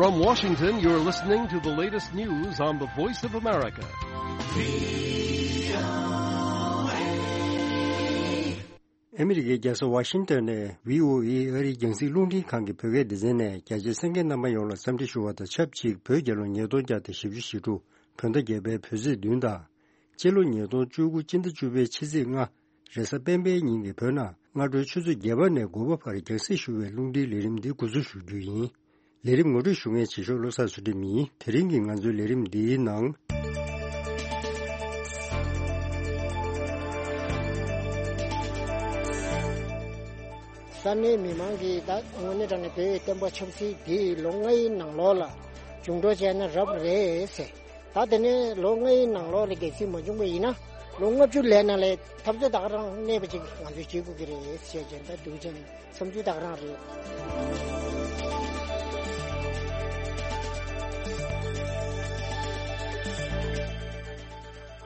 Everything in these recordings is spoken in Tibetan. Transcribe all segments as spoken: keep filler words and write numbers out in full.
From Washington, you're listening to the latest news on the Voice of America. ཨ་མི་རི་ཀའི་རྒྱལ་ས་ཝ་ཤིང་ཏོན་ནས་བྷི་ཨོ་ཨེ་ཨ་རིའི་རྒྱང་སྲིང་རླུང་འཕྲིན་ཁང་གི་བོད་སྐད་སྡེ་ཚན་ནས་རྒྱ་ཆེའི་གསན་མཁན་རྣམ་པ་ཡོངས་ལ་འཚམས་འདྲི་ཞུ་བ་དང་ཆབས་ཅིག་བོད་རྒྱལ་ལོ་ཉིས་སྟོང་བརྒྱ་དང་བཞི་བཅུ་ཞེ་དྲུག་བོད་ཟླ་བརྒྱད་པའི་བོད་ཚེས་བདུན་དང་། སྤྱི་ལོ་ཉིས་སྟོང་བཅུ་དགུ་སྤྱི་ཟླ་བཅུ་པའི་ཕྱི་ཚེས་ལྔ། རེས་གཟའ་སྤེན་པའི་ཉིན་གྱི་བོད་ནང་སྔ་དྲོའི་ཆུ་ཚོད་བརྒྱད་པ་ནས་དགུ་པ་བར་རྒྱང་སྲིང་ཞུ་བའི་རླུང་འཕྲིན་ལས་རིམ་འདི་འགོ་འཛུགས་ཞུ་རྒྱུ་ཡིན། ལས་རིམ་ངོ་སྤྲོད་ཞུ་མཁན་བྱེད་ཤོག་བློ་བཟང་ཚུལ་ཁྲིམས་ཡིན། དེ་རིང་གི་ང་ཚོའི་ལས་རིམ་འདིའི་ནང་། ས་གནས་མི་མང་གིས་ད་དངོས་གནས་དྲང་གནས་བོད་བསྟན་པ་ཆབ་སྲིད་འདི་ལོ་ལྔའི་ནང་ལོགས་ལ་འཇུག་འགྲོ་བྱས་ན་རབ་རེད་ཟེར། ད་དེ་ནས་ལོ་ལྔའི་ནང་ལོགས་ལ་གལ་སྲིད་མ་བྱུང་བ་ཡིན་ན། ལོ་ལྔ་བཅུ་ལས་ནང་ལས་འཐབ་རྩོད་ད་ག་རང་གནས་པ་ཅིག་ང་ཚོས་བྱེད་དགོས་ཀྱི་རེད་ཟེར་བྱས་ད་འདུག་ཅན་བསམ་ཚུལ་ད་ག་རང་རེད།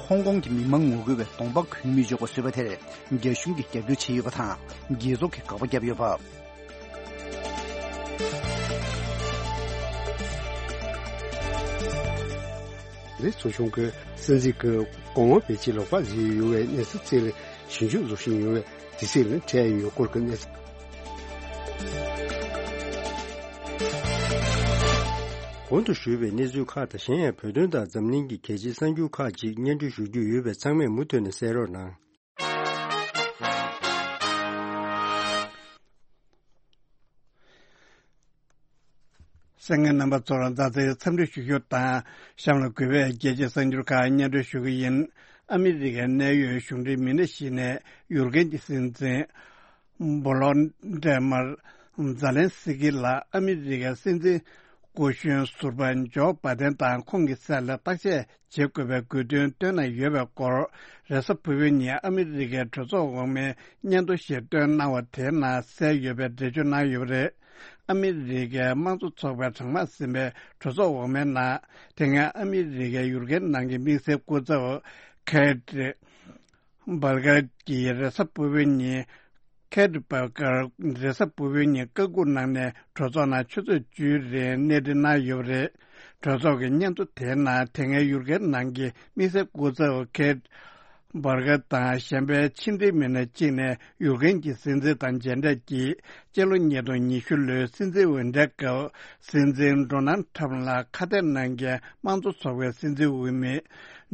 ཧོང་ཀོང་གི་མི་མང་ངོ་རྒོལ་བའི་གདོང་པ་གུས་མི་འཇོག་པ་བཟོས་པ་དེར་རྒྱ་གཞུང་གིས་རྒྱབ་སྐྱོར་བྱས་ཡོད་པ་དང་། རྒྱལ་ཚོགས་ཀྱིས་དགག་པ་བརྒྱབ་ཡོད་པ། ལི་ཚོ་ཆུང་གིས་སྲིད་འཛིན་གྱི་གོང་འོག་བེད་སྤྱད་ལོག་པ་བཟོས་ཡོད་པའི་གནས་ཚུལ་བཅས་ལ་ཞིབ་འཇུག་བཟོ་བཞིན་ཡོད་པས་དུས་ཚོད་ལ་འཕྲད་ཡོད་སྐོར་གྱི་གནས་ཚུལ། གོང་དུ་ཞུས་པའི་གནས་ཚུལ་ཁག་དང་གཞན་ཡང་བོད་དོན་དང་འཛམ་གླིང་གི་གལ་ཆེའི་གསར་འགྱུར་ཁག་ཅིག་སྙན་སྒྲོན་ཞུ་རྒྱུ་ཡོད་པས་ཚང་མས་མུ་མཐུད་ནས་གསན་རོགས་གནང་། གསན་མཁན་རྣམ་པ་ཚོར་མཛའ་བརྩེའི་འཚམས་འདྲི་ཞུ་རྒྱུ་དང་། གཤམ་ལ་གུས་པས་རྒྱལ་སྤྱིའི་གསར་འགྱུར་ཁག་སྙན་སྒྲོན་ཞུ་གི་ཡིན། ཨ་མི་རི་ཀའི་གནད་ཡོད་གཞུང་འབྲེལ་མི་སྣ་ཞིག་ནས་ཡུར་ཀེན་གྱི་སྲིད་འཛིན་བྷོ་ལོ་ཌི་མར་ཛ་ལན་སི་ཀི་ལ་ཨ་མི་རི་ཀའི་སྲིད་འཛིན་སྐུ་གཞོན་ཟུར་པ་ཇོ་བྷ་དན་དང་ཁོང་གི་སྲས་ལ་བརྟག་དཔྱད་བྱེད་དགོས་པའི་དགོས་འདུན་བཏོན་གནང་ཡོད་པའི་སྐོར། རེས་གཟའ་ཕུར་བུའི་ཉིན་ཨ་མི་རི་ཀའི་གྲོས་ཚོགས་འོག་མའི་སྙན་ཐོ་ཞིག་བཏོན་གནང་བ་དེའི་ནང་གསལ་ཡོད་པའི་འགྲེལ་བརྗོད་གནང་ཡོད་པ་རེད། ཨ་མི་རི་ཀའི་དམངས་གཙོ་ཚོགས་པས་གྲངས་མང་ཟིན་པའི་གྲོས་ཚོགས་འོག་མའི་ནང་། དེ་སྔ་ཨ་མི་རི་ཀའི་ཡུར་ཀེན་ནང་གི་དམིགས་བསལ་སྐུ་ཚབ་ཁེ་ཏི་བྷར་གར་གྱིས་རེས་གཟའ་ཕུར་བུའི་ཉིན། ཁེ་ཏི་བྷར་གར་རེས་གཟའ་ཕུར་བུའི་ཉིན་བཀའ་འགུག་གནང་ནས་གྲོས་ཚོགས་ནང་ཆུ་ཚོད་བཅུའི་རིང་གནས་འདྲི་གནང་ཡོད་པ་རེད། གྲོས་ཚོགས་ཀྱི་སྙན་ཐོ་དེའི་ནང་དེ་སྔའི་ཡུར་ཀེན་ནང་གི་དམིགས་བསལ་སྐུ་ཚབ་ཁེ་ཏི་བྷར་གར་དང་གཞན་པའི་ཕྱི་འབྲེལ་མི་སྣ་གཅིག་ནས་ཡུཀ་རེན་གྱི་སྲིད་འཛིན་དང་མཇལ་འཕྲད་ཀྱིས། སྤྱི་ལོ་ཉིས་སྟོང་ཉི་ཤུ་ལོའི་སྲིད་འཛིན་འོས་འདྲའི་སྐབས། སྲིད་འཛིན་ཌོ་ནལ་ཁྲམ་ལ་ཁ་གཏད་གནང་མཁན་དམངས་གཙོ་ཚོགས་པའི་སྲིད་འཛིན་འོས་མི་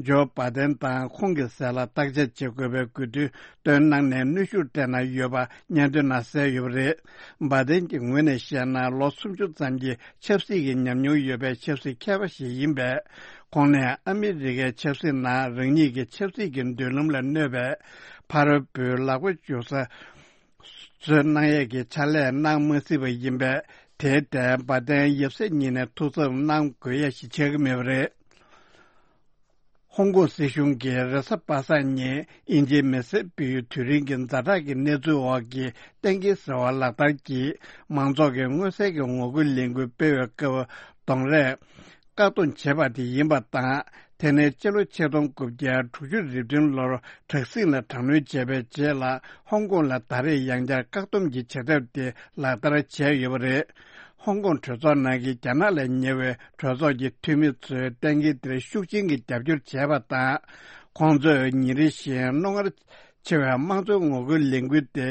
ཇོ་བྷ་དན་དང་ཁོང་གི་སྲས་ལ་བརྟག་དཔྱད་བྱེད་དགོས་པའི་དགོས་འདུན་བཏོན་གནང་ནས་གནོན་ཤུགས་སྤྲད་གནང་ཡོད་པ་སྙན་ཐོའི་ནང་གསལ་ཡོད་པ་རེད། བྷ་དན་གྱི་ངོས་ནས་བཤད་ན། ལོ་སུམ་ཅུ་ཙམ་གྱི་ཆབ་སྲིད་ཀྱི་ཉམས་མྱོང་ཡོད་པའི་ཆབ་སྲིད་མཁས་པ་ཞིག་ཡིན་པས། ཁོང་ནས་ཨ་མི་རི་ཀའི་ཆབ་སྲིད་ནང་རང་ཉིད་ཀྱི་ཆབ་སྲིད་ཀྱི་མདུན་ལམ་ལ་གནོད་པའི་ཕ་རོལ་པོའི་ལག་པ་འཇུ་ས་བཟོས་གནང་ཡས་ཀྱི་ཕྱག་ལས་གནང་མ་སྲིད་པ་ཡིན་པས། དེའི་ཐད་བྷ་དན་ཡབ་སྲས་གཉིས་ནས་ཐུགས་འཚབ་གནང་དགོས་ཡ་ཞིག་ཆགས་ཀྱི་མེད་པ་རེད། ཧོང་ཀོང་སྲིད་གཞུང་གིས་རེས་གཟའ་པ་སངས་ཉིན་དབྱིན་ཇིའི་མི་སེར་སྤེལ་ཡུལ་དུས་རིང་གི་ཛ་དྲག་གི་གནས་ཚུལ་འོག་གི་གཏན་འཁེལ་ཟེར་བ་ལག་བསྟར་གྱིས། མང་ཚོགས་ཀྱི་མངོན་གསལ་གྱི་ངོ་རྒོལ་ལས་འགུལ་སྤེལ་བའི་སྐབས་གདོང་རས་བཀག་སྡོམ་བྱས་པ་དེ་ཡིན་པ་དང་། དེ་ནས་སྤྱི་ལོ་ཆིག་སྟོང་དགུ་བརྒྱ་དྲུག་ཅུ་རེ་བདུན་ལོར་དྲག་ཟིང་ལ་དྲག་གནོན་བྱས་པའི་རྗེས་ལ། ཧོང་ཀོང་ལ་ད་རེས་ཡང་བསྐྱར་བཀག་སྡོམ་གྱི་བྱེད་ཐབས་དེ་ལག་བསྟར་བྱས་ཡོད་པ་རེད། ཧོང་ཀོང་གྲོས་ཚོགས་ནང་གི་རྒྱ་ནག་ལ་ཉེ་བའི་གྲོས་ཚོགས་ཀྱི་འཐུས་མི་ཚོས་གཏན་འཁེལ་དེར་ཤུགས་ཆེན་གྱིས་རྒྱབ་སྐྱོར་བྱས་པ་དང་། ཁོང་ཚོས་ཉིན་རེ་བཞིན་རྣོ་ངར་ཆེ་བའི་དམངས་གཙོའི་ངོ་རྒོལ་ལས་འགུལ་དེ།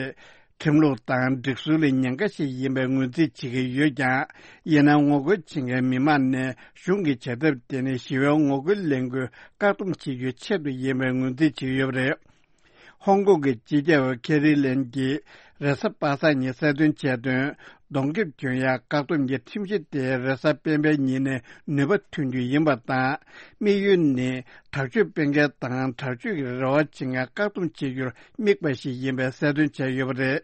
ཁྲིམས་ལུགས་དང་སྒྲིག་སྲོལ་ལ་ཉེན་ཁ་ཞིག་ཡིན་པའི་ངོས་འཛིན་བྱེད་ཀྱི་ཡོད་ཀྱང་། ཡིན་ནའང་ངོ་རྒོལ་བྱེད་མཁན་མི་མང་ནས་གཞུང་གི་བྱེད་ཐབས་དེ་ནི་ཞི་བའི་ངོ་རྒོལ་ལས་འགུལ་བཀག་སྡོམ་བྱེད་རྒྱུའི་ཆེད་དུ་ཡིན་པའི་ངོས་འཛིན་བྱས་ཡོད་པ་རེད། ཧོང་ཀོང་གི་སྤྱི་ཁྱབ་ཁེ་རི་ལེམ་གྱིས་རེས་གཟའ་པ་སངས་ཉིན་གསལ་སྟོན་བྱས་དོན། གདོང་ཁེབས་གྱོན་ཡག་བཀག་སྡོམ་གྱི་ཁྲིམས་གཞི་དེ་རེས་གཟའ་སྤེན་པའི་ཉིན་ནས་ནུས་པ་ཐོན་རྒྱུ་ཡིན་པ་དང་། དམིགས་ཡུལ་ནི་དྲག་སྤྱོད་སྤེལ་མཁན་དང་དྲག་སྤྱོད་ཀྱི་རེ་བ་བྱེད་མཁན་བཀག་སྡོམ་བྱེད་རྒྱུར་དམིགས་པ་ཞིག་ཡིན་པའི་གསལ་སྟོན་བྱས་ཡོད་པ་རེད།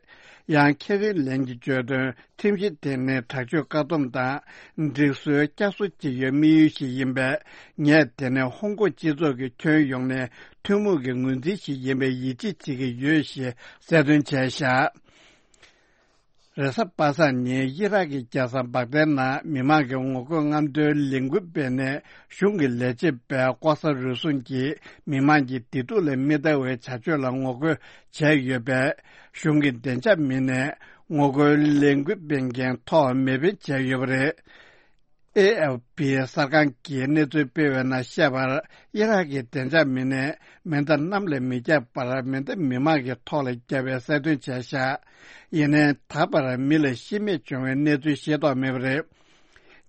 ཡང་ཁེ་རི་ལེམ་གྱིས་བརྗོད་དོན། ཁྲིམས་གཞི་དེ་ནི་དྲག་སྤྱོད་བཀག་སྡོམ་དང་། སྒྲིག་སྲོལ་བསྐྱར་གསོ་བྱེད་རྒྱུའི་དམིགས་ཡུལ་ཞིག་ཡིན་པས། ངས་དེ་ནི་ཧོང་ཀོང་སྤྱི་ཚོགས་ཀྱི་ཁྱོན་ཡོངས་ནས་ཐུན་མོང་གི་ངོས་འཛིན་ཞིག་ཡིན་པའི་ཡིད་ཆེས་བྱེད་ཀྱི་ཡོད་ཞེས་གསལ་སྟོན་བྱས་བཞག་རེས་གཟའ་པ་སངས་ཉིན་ཨི་རག་གི་རྒྱལ་ས་བག་དའི་ནང་མི་མང་གི་ངོ་རྒོལ་རྔམ་སྟོན་ལས་འགུལ་སྤེལ་ནས། གཞུང་གི་ལས་བྱེད་པས་ལྐོག་ཟ་རུལ་སུངས་ཀྱིས་མི་མང་གི་བདེ་སྡུག་ལ་མི་ལྟ་བའི་བྱ་སྤྱོད་ལ་ངོ་རྒོལ་བྱས་ཡོད་པས། གཞུང་གི་བདེ་འཇགས་མི་སྣས་ངོ་རྒོལ་ལས་འགུལ་སྤེལ་མཁན་ཐོག་མེ་འཕེན་བྱས་ཡོད་པ་རེད། ཨེ་ཨེཕ་པི་གསར་ཁང་གིས་གནས་ཚུལ་སྤེལ་བའི་ནང་བཤད་པར། ཨི་རག་གི་བདེ་འཇགས་མི་སྣས་མེ་མདའ་གནམ་ལ་མི་བརྒྱབ་པར། མེ་མདའ་མི་མང་གི་ཐོག་ལ་བརྒྱབ་པའི་གསལ་སྟོན་བྱས་བཞག་ཡིན་ནའི་ད་བར་མི་ལ་ཤི་རྨས་བྱུང་བའི་གནས་ཚུལ་ཤེས་རྟོགས་མེད་པ་རེད།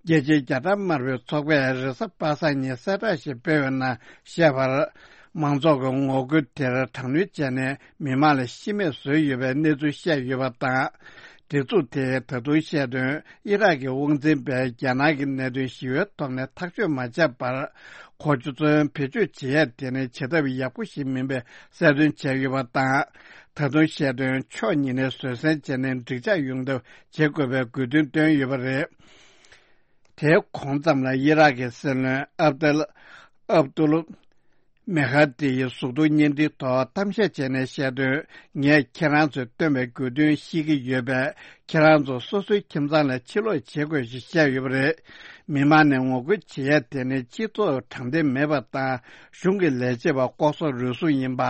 རྒྱལ་སྤྱིའི་རྒྱ་གྲམ་དམར་པོའི་ཚོགས་པས་རེས་གཟའ་པ་སངས་ཉིན་གསལ་བསྒྲགས་ཤིག་སྤེལ་བའི་ནང་བཤད་པར། མང་ཚོགས་ཀྱི་ངོ་རྒོལ་དེར་དྲག་གནོན་བྱས་ནས་མི་མང་ལ་ཤི་རྨས་བཟོས་ཡོད་པའི་གནས་ཚུལ་བཤད་ཡོད་པ་དང་། སྒྲིག་འཛུགས་དེས་ད་དུང་བཤད་དོན། ཨི་རག་གི་དབང་འཛིན་པས་རྒྱ་ནག་གི་གནད་དོན་ཞི་བའི་ཐོག་ནས་ཐག་གཅོད་མ་བྱས་པར། གོ་ཚོད་བེད་སྤྱོད་བྱེད་ཡ་དེ་ནི་བྱེད་ཐབས་ཡག་པོ་ཞིག་མིན་པའི་གསལ་སྟོན་བྱས་ཡོད་པ་དང་། ད་དུང་བཤད་དོན། ཕྱོགས་གཉིས་ནས་བཟོད་བསྲན་བྱས་ནས་འགྲིག་འཇགས་ཡོང་ཐབས་བྱེད་དགོས་པའི་དགོས་འདུན་བཏོན་ཡོད་པ་རེད། དེའི་གོང་ཙམ་ལ་ཨི་རག་གི་སྲིད་བློན་ཨབ་ཏལ་ཨབ་ཏུལ་མེ་ཧ་ཏི་ཡི་གཟུགས་མཐོང་བརྙན་འཕྲིན་ཐོག་གཏམ་བཤད་བྱས་ནས་བཤད་དོན། ངས་ཁྱེད་རང་ཚོས་བཏོན་པའི་དགོས་འདུན་ཤེས་ཀྱི་ཡོད་པས། ཁྱེད་རང་ཚོ་སོ་སོའི་ཁྱིམ་ཚང་ལ་ཕྱིར་ལོག་བྱེད་དགོས་ཞེས་བཤད་ཡོད་པ་རེད། མི་མང་ནས་ངོ་རྒོལ་བྱེད་ཡ་དེ་ནི་སྤྱི་ཚོགས་དྲང་བདེན་མེད་པ་དང་། གཞུང་གི་ལས་བྱེད་པ་ལྐོག་ཟ་རུལ་སུངས་ཡིན་པ།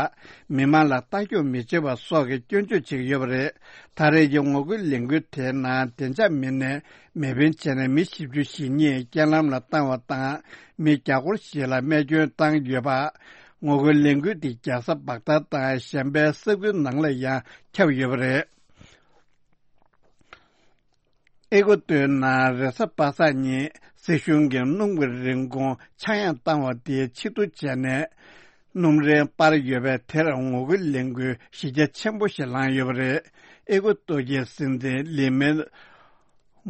མི་མང་ལ་ལྟ་སྐྱོང་མི་བྱེད་པ་སོགས་ཀྱི་སྐྱོན་བརྗོད་བྱེད་ཀྱི་ཡོད་པ་རེད། ད་རེས་ཀྱི་ངོ་རྒོལ་ལས་འགུལ་དེའི་ནང་བདེ་འཇགས་མི་སྣས་མེ་འཕེན་བྱས་ནས་མི་བཞི་བཅུ་ཞེ་གཉིས་རྐྱེན་ལམ་ལ་བཏང་བ་དང་། མི་བརྒྱ་སྐོར་ཞིག་ལ་རྨས་སྐྱོན་བཏང་ཡོད་པ། ངོ་རྒོལ་ལས་འགུལ་དེ་རྒྱལ་ས་བག་དྷ་དང་གཞན་པའི་ས་ཁུལ་ནང་ལ་ཡང་ཁྱབ་ཡོད་པ་རེད། ཨེ་ཀོ་ཏོའི་ནང་རེས་གཟའ་པ་སངས་ཉིན་སྲིད་གཞུང་གིས་སྣུམ་གྱི་རིན་གོང་ཆག་ཡང་བཏང་བ་དེ་ཕྱིར་བསྡུ་བྱས་ནས། སྣུམ་རིན་སྤར་ཡོད་པས། དེར་ངོ་རྒོལ་ལས་འགུལ་གཞི་རྒྱ་ཆེན་པོ་ཞིག་ལངས་ཡོད་པ་རེད། ཨེ་ཀོ་ཏོ་གི་སྲིད་འཛིན་ལི་མེ་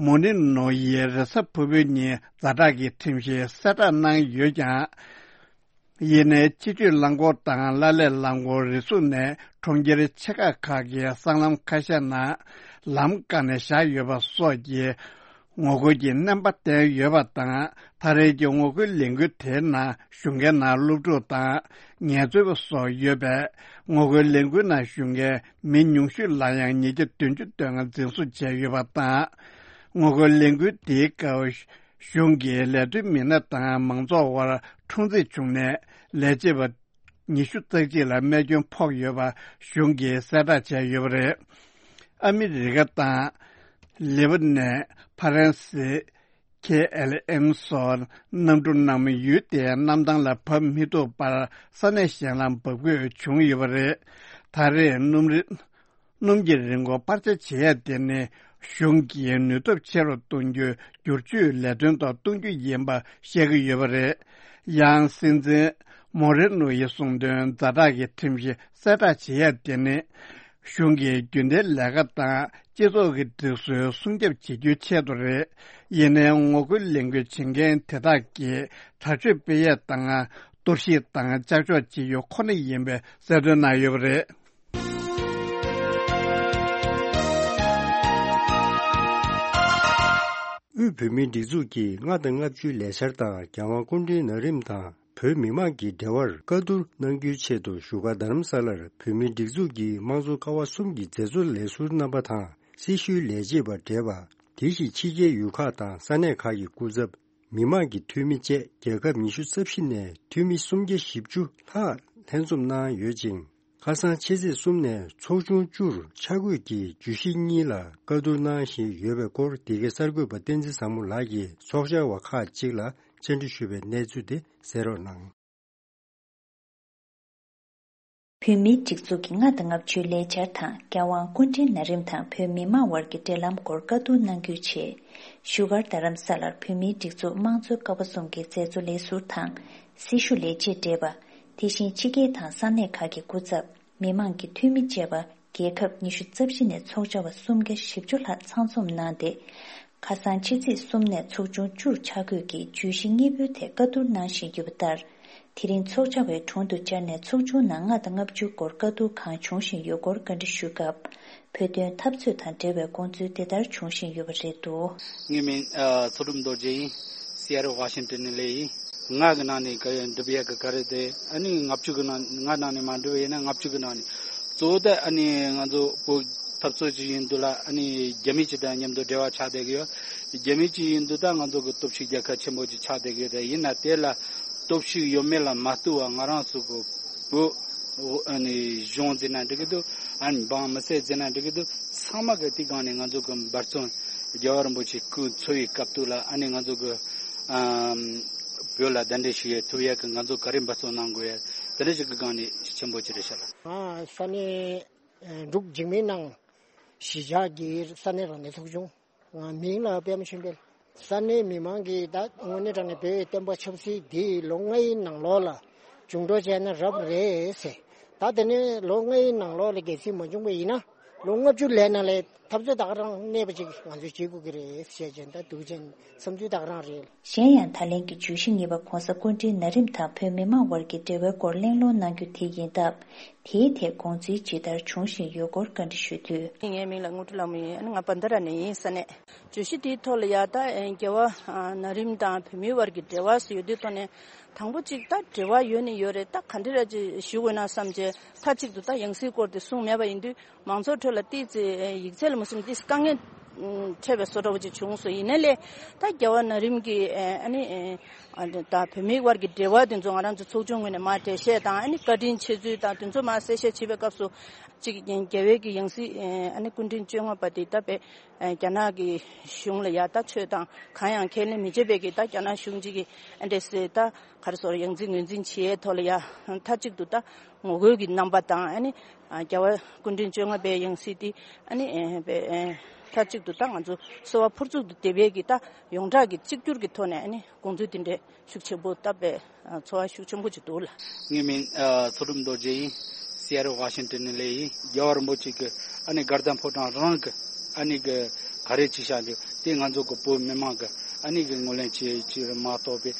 མོ་ནི་ནོ་ཡིས་རེས་གཟའ་ཕུར་བུའི་ཉིན་ཛ་དྲག་གི་ཁྲིམས་གཞི་གསལ་བསྒྲགས་གནང་ཡོད་ཀྱང་། ཡིན་ནའི་སྤྱི་སྤྱོད་རླངས་འཁོར་དང་གླ་ལས་རླངས་འཁོར་རེ་ཟུང་ནས་གྲོང་ཁྱེར་ཆེ་ཁག་ཁག་གི་སྲང་ལམ་ཁ་ཤས་ནང་ལམ་བཀག་ནས་བཞག་ཡོད་པ་སོགས་ཀྱི་ངོ་རྒོལ་གྱི་རྣམ་པ་བསྟན་ཡོད་པ་དང་། ད་རེས་ཀྱི་ངོ་རྒོལ་ལས་འགུལ་དེའི་ནང་ཞུགས་མཁན་ནང་སློབ་ཕྲུག་དང་ངལ་རྩོལ་པ་སོགས་ཡོད་པས། ངོ་རྒོལ་ལས་འགུལ་ནང་ཞུགས་མཁན་མི་ཉུང་ཤོས་ལ་ཡང་ཉིས་བརྒྱ་བདུན་ཅུ་དོན་ལྔ་འཛིན་བཟུང་བྱས་ཡོད་པ་དང་། ངོ་རྒོལ་ལས་འགུལ་དེའི་སྐབས། གཞུང་གིས་ལས་དོན་མི་སྣ་དང་མང་ཚོགས་དབར་འཁྲུག་འཛིང་བྱུང་ནས། ལས་བྱེད་པ་ཉི་ཤུ་རྩ་གཅིག་ལ་རྨས་སྐྱོན་ཕོག་ཡོད་པ་གཞུང་གིས་གསལ་བསྒྲགས་བྱས་ཡོད་པ་རེད། ཨ་མི་རི་ཀ་དང་། ལེ་བ་ནན། ཕ་རན་སི། ཁེ་ཨེལ་ཨེམ་སོགས་གནམ་གྲུ་རྣམས་ཡུལ་དེའི་གནམ་ཐང་ལ་བབས་མི་ཐུབ་པར་ས་གནས་གཞན་ལ་འབབ་དགོས་བྱུང་ཡོད་པ་རེད། ད་རེས་སྣུམ་རིན། སྣུམ་གྱི་རིན་གོང་སྤར་ཆ་བྱེད་ཡ་དེ་ནི་གཞུང་གིས་ནུས་སྟོབས་ཆེ་རུ་གཏོང་རྒྱུའི་བསྒྱུར་བཅོས་ལས་དོན་ཐོག་གཏོང་རྒྱུ་ཡིན་པ་བཤད་ཀྱི་ཡོད་པ་རེད། ཡང་སྲིད་འཛིན་མོ་རེ་ནོ་ཡིས་གསུངས་དོན། ཛ་དྲག་གི་ཁྲིམས་གཞི་གསལ་བསྒྲགས་བྱེད་ཡ་དེ་ནི་གཞུང་གིས་རྒྱུན་ལྡན་ལས་ཀ་དང་སྤྱི་ཚོགས་ཀྱི་སྒྲིག་སྲོལ་སྲུང་སྐྱོབ་བྱེད་རྒྱུའི་ཆེད་དུ་རེད། ཡིན་ནའི་ངོ་རྒོལ་ལས་འགུལ་བྱེད་མཁན་དེ་དག་གིས་དྲག་སྤྱོད་སྤེལ་ཡས་དང་གཏོར་བཤིག་དང་ཅག་ཅོག་བྱེད་རྒྱུ་ཁོ་ན་ཡིན་པའི་གསལ་སྟོན་གནང་ཡོད་པ་རེད། དབུས་བོད་མིའི་སྒྲིག་འཛུགས་ཀྱིས་ལྔ་དང་ལྔ་བཅུའི་ལས་འཆར་དང་། རྒྱལ་དབང་སྐུ་ཕྲེང་ན་རིམ་དང་བོད་མི་མང་གི་འབྲེལ་བར་བཀའ་བསྡུར་གནང་རྒྱུའི་ཆེད་དུ་བཞུགས་སྒར་རྡ་རམ་ས་ལར་བོད་མིའི་སྒྲིག་འཛུགས་ཀྱི་དམངས་གཙོ་ཀ་བ་གསུམ་གྱི་མཛད་གཙོ་ལས་ཟུར་རྣམ་པ་དང་། སྲི་ཞུའི་ལས་བྱེད་པ་བགྲེས་པ། དེ་བཞིན་ཕྱི་རྒྱལ་ཡུལ་ཁག་དང་ས་གནས་ཁག་གི་སྐུ་ཚབ། མི་མང་གི་འཐུས་མི་བཅས་རྒྱལ་ཁབ་ཉི་ཤུ་རྩ་བཞི་ནས་འཐུས་མི་སུམ་བརྒྱ་བཞི་བཅུ་ལྷག་ལྷན་འཛོམས་གནང་ཡོད་ཅིང་། ཁ་སང་ཕྱི་ཚེས་གསུམ་ནས་ཚོགས་ཆུང་བཅུར་ཆ་བགོས་ཀྱིས་བརྗོད་གཞི་གཉིས་ལ་བཀའ་བསྡུར་གནང་བཞིན་ཡོད་པའི་སྐོར། འདི་གའི་གསར་འགོད་པ་བསྟན་འཛིན་བཟང་མོ་ལགས་ཀྱིས་ཚོགས་བཅར་བ་ཁག་ཅིག་ལ་བཅར་འདྲི་ཞུས་པའི་གནས་ཚུལ་དེ་གསན་རོགས་གནང་། བོད་མིའི་སྒྲིག་འཛུགས་ཀྱི་ལྔ་དང་ལྔ་བཅུའི་ལས་འཆར་དང་། རྒྱལ་དབང་སྐུ་ཕྲེང་ན་རིམ་དང་བོད་མི་མང་དབར་གྱི་འབྲེལ་ལམ་སྐོར་བཀའ་བསྡུར་གནང་རྒྱུའི་ཆེད། བཞུགས་སྒར་རྡ་རམ་ས་ལར་བོད་མིའི་སྒྲིག་འཛུགས་དམངས་གཙོའི་ཀ་བ་གསུམ་གྱི་མཛད་གཙོ་ལས་ཟུར་དང་། སྲི་ཞུ་ལས་བྱེད་བགྲེས་པ། དེ་བཞིན་ཕྱི་རྒྱལ་དང་ས་གནས་ཁག་གི་སྐུ་ཚབ། མི་མང་གི་འཐུས་མི་བཅས་པ། རྒྱལ་ཁབ་ཉི་ཤུ་རྩ་བཞི་ནས་ཚོགས་བཅར་བ་སུམ་བརྒྱ་བཞི་བཅུ་ལྷག་ཚང་འཛོམས་གནང་སྟེ། ཁ་སང་ཕྱི་ཚེས་གསུམ་ནས་ཚོགས་ཆུང་བཅུར་ཆ་བགོས་ཀྱིས་བརྗོད་གཞི་གཉིས་པོའི་ཐད་བཀའ་བསྡུར་གནང་བཞིན་ཡོད་པ་ལྟར། དེ་རིང་ཚོགས་བཅར་བའི་དྲུང་དུ་བཅར་ནས་ཚོགས་ཆུང་ནང་ལྔ་དང་ལྔ་བཅུའི་སྐོར་བཀའ་བསྡུར་གང་བྱུང་བཞིན་ཡོད་སྐོར་བཀའ་འདྲི་ཞུས་སྐབས། བོད་དོན་འཐབ་རྩོད་དང་འབྲེལ་བའི་དགོངས་ཚུལ་འདི་ལྟར་བྱུང་བཞིན་ཡོད་པ་རེད་འདུག། ངའི་མིང་ཨ་ཚོགས་དྲུང་རྡོ་རྗེ་ཡིན། སི་ཨེ་ཊལ་ཝ་ཤིང་ཊོན་ནས་སླེབས་ཡིན། ལྔ་གི་ནང་ནས་ག་འགྲུབ་ཡག་གི་ག་རེ་དེ། ཨ་ནི་ལྔ་བཅུ་གི་ནང་། ལྔ་ནང་ནས་མ་འགྲུབ་ཡིན་ན་ལྔ་བཅུ་གི་ནང་ནས། གཙོ་བོ་དེ་ཨ་ནི་ང་ཚོ་བོད་འཐབ་རྩོད་ཅིག་ཡིན་དུས་ལ། ཨ་ནི་རྒྱ་མི་ཅིག་དང་མཉམ་དུ་འབྲེལ་བ་ཆགས་བསྡད་ཀྱི་ཡོད། རྒྱ་མི་ཅིག་ཡིན་དུས་ད་ང་ཚོ་གི་སྟོབས་ཤུགས་རྒྱལ་ཁབ་ཆེན་པོ་ཅིག་ཆགས་བསྡད་ཀྱི་ཡོད། དེ་ཡིན་ན་དེ་ལ་སྟོབས་ཤུགས་ཡོད་མེད་ལ་མ་ལྟོས་པར། ང་རང་ཚོ་གི་བོད་ཨ་ནི་གཞུང་ཟེར་ན་འགྲིག་གི་འདུག། ཨ་ནི་འབངས་མི་སེར་ཟེར་ན་འགྲིག་གི་འདུག། ཚང་མ་གི་དེ་སྒང་ནས་ང་ཚོ་གི་འབད་བརྩོན། རྒྱལ་བ་རིན་པོ་ཆེའི་སྐུ་འཚོ་བའི་སྐབས་དུས་ལ། ཨ་ནི་ང་ཚོ་གི་ ཨམ། བོད་ལ་གདན་འདྲེན་ཞུ་ཡས་ཐུབ་ཡས་ཀྱི་ང་ཚོ་ག་རེ་འབད་བརྩོན་གནང་དགོས་ཡས་དེ་འདྲ་ཞིག་གི་སྒང་ནས་ཆེན་པོ་ཅིག་རེད་ཤག་ལགས། ཨ། ས་གནས་འབྲུག་འཇིགས་མེད་ནང་གཞིས་ཆགས་ཀྱི་ས་གནས་རང་བདེན་ཚོགས་ཆུང་། ང་མིང་ལ་པད་མ་ཆོས་འཕེལ། ས་གནས་མི་མང་གིས་ད་དངོས་གནས་དྲང་གནས་བོད་བསྟན་པ་ཆབ་སྲིད་འདི་ལོ་ལྔའི་ནང་ལོགས་ལ་བཅིངས་འགྲོལ་བྱས་ན་རབ་རེད་ཟེར། ད་དེ་ནས་ལོ་ལྔའི་ནང་ལོགས་ལ་གལ་སྲིད་མ་བྱུང་བ་ཡིན་ན། ལོ་ལྔ་བཅུ་ལས་ནང་ལས་འཐབ་རྩོད་ད་ག་རང་གནས་པ་ཅིག་ང་ཚོས་བྱེད་དགོས་ཀྱི་རེད་ཟེར་བྱས་ད་འདུག་ཅན་བསམ་ཚུལ་ད་ག་རང་རེད། གཞན་ཡང་ད་ལན་གྱི་བརྗོད་གཞི་གཉིས་པ་༧གོང་ས་སྐུ་ཕྲེང་ན་རིམ་དང་བོད་མི་མང་དབར་གྱི་འབྲེལ་བའི་སྐོར་གླེང་སློང་གནང་རྒྱུ་དེ་ཡིན་སྟབས། དེའི་ཐད་དགོངས་ཚུལ་ཇི་ལྟར་བྱུང་བཞིན་ཡོད་སྐོར་བཀའ་འདྲི་ཞུས་དུས། ངའི་མིང་ལ་དངོས་གྲུབ་ལྷ་མོ་ཡིན། ང་བན་ད་ར་ནས་ཡིན་ས་ནས། བརྗོད་གཞི་དེའི་ཐོག་ལ་ཡ་ད་རྒྱལ་བ་ན་རིམ་དང་བོད་མིའི་དབར་གྱི་འབྲེལ་བ་ཟེར་ཡོད་དུས་ཐོག་ནས། དང་པོ་གཅིག་ད་འབྲེལ་བ་ཡོད་ནི་ཡོད་རེད། ད་ག་འདྲ་ར་ཅིག་ཞུ་དགོས་ན་བསམ་བྱས་མཐའ་གཅིག་ཏུ་ད་ཡང་སྲིད་སྐོར་དེ་གསུངས་མེད་པ་ཡིན་དུས། མང་ཚོགས་ཁྲོད་ལ་ཏོག་ཙམ་ཡིག་ཚད་ལ་མ་སོང་ཏོག་ཙམ་དཀའ་ངལ་འཕྲད་པའི་བཟོ་འདྲ་བོ་ཅིག་བྱུང་སོང་། ཡིན་ནའི་ལས་ད་རྒྱལ་བ་ན་རིམ་གྱི་ཨ་ནི་ད་བོད་མིའི་དབར་གྱི་འབྲེལ་བ་དེ་ཚོ་ང་རང་ཚོ་ཚོགས་ཆུང་ངོས་ནས་མར་འགྲེལ་བཤད་དང་ཨ་ནི་བཀའ་དྲིན་ཆེ་ཚུལ་དང་དེ་ཚོ་མར་གསལ་བཤད་བྱེད་པའི་སྐབས་སུ་གཅིག་རྒྱལ་བའི་གི་ཡང་སྲིད་ཨ་ནི་སྐུ་ཕྲེང་བཅོ་ལྔ་པ་དེ་ད་བས་རྒྱ་ནག་གི་གཞུང་ལ་ཡ་ད་ཆོས་དང་གང་ཡང་ཁས་ལེན་མི་བྱེད་པའི་གི་ད་རྒྱ་ནག་གཞུང་གཅིག་གི་ཨ་འདྲས་སེ་ད་ག་རེ་ཟེར་ཡང་རྩིས་ངོས་འཛིན་བྱེད་ཡའི་ཐོག་ལ་ཡ་མཐའ་གཅིག་ཏུ་ད་ངོ་རྒོལ་གྱི་རྣམ་པ་དང་ཨ་ནི། རྒྱལ་བ་སྐུ་ཕྲེང་བཅོ་ལྔ་པའི་ཡང་སྲིད་དེ་ཨ་ནི་མཐའ་གཅིག་ཏུ་ད་ང་ཚོ་གསོལ་བ་ཕུར་ཚུགས་ཏུ་འདེབས་ཡས་ཀྱི་ད་ཡོངས་གྲགས་ཀྱི་གཅིག་གྱུར་གྱི་ཐོག་ནས་ཨ་ནི་དགོངས་ཚུལ་དེ་འདྲའི་ཤུགས་ཆེན་པོ་བཏབ་པའི་ཚོར་བ་ཤུགས་ཆེན་པོ་ཅིག་འདུག་ལ། ངའི་མིང་ཚོགས་གྲུབ་རྡོ་རྗེ་ཡིན། སི་ཨེ་ཊལ་ཝ་ཤིང་ཊོན་ནས་སླེབས་ཡིན། རྒྱལ་བ་རིན་པོ་ཆེ་གི་ཨ་ནི་དགའ་ལྡན་ཕོ་བྲང་རང་གི་ཨ་ནི་གི་ག་རེ་ཅིག་བཞག་འདུག་དེ་ང་ཚོ་གི་བོད་མི་མང་གི་ཨ་ནི་གི་ངོས་ལེན་བྱེད་ཅིག་མ་གཏོགས་པའི་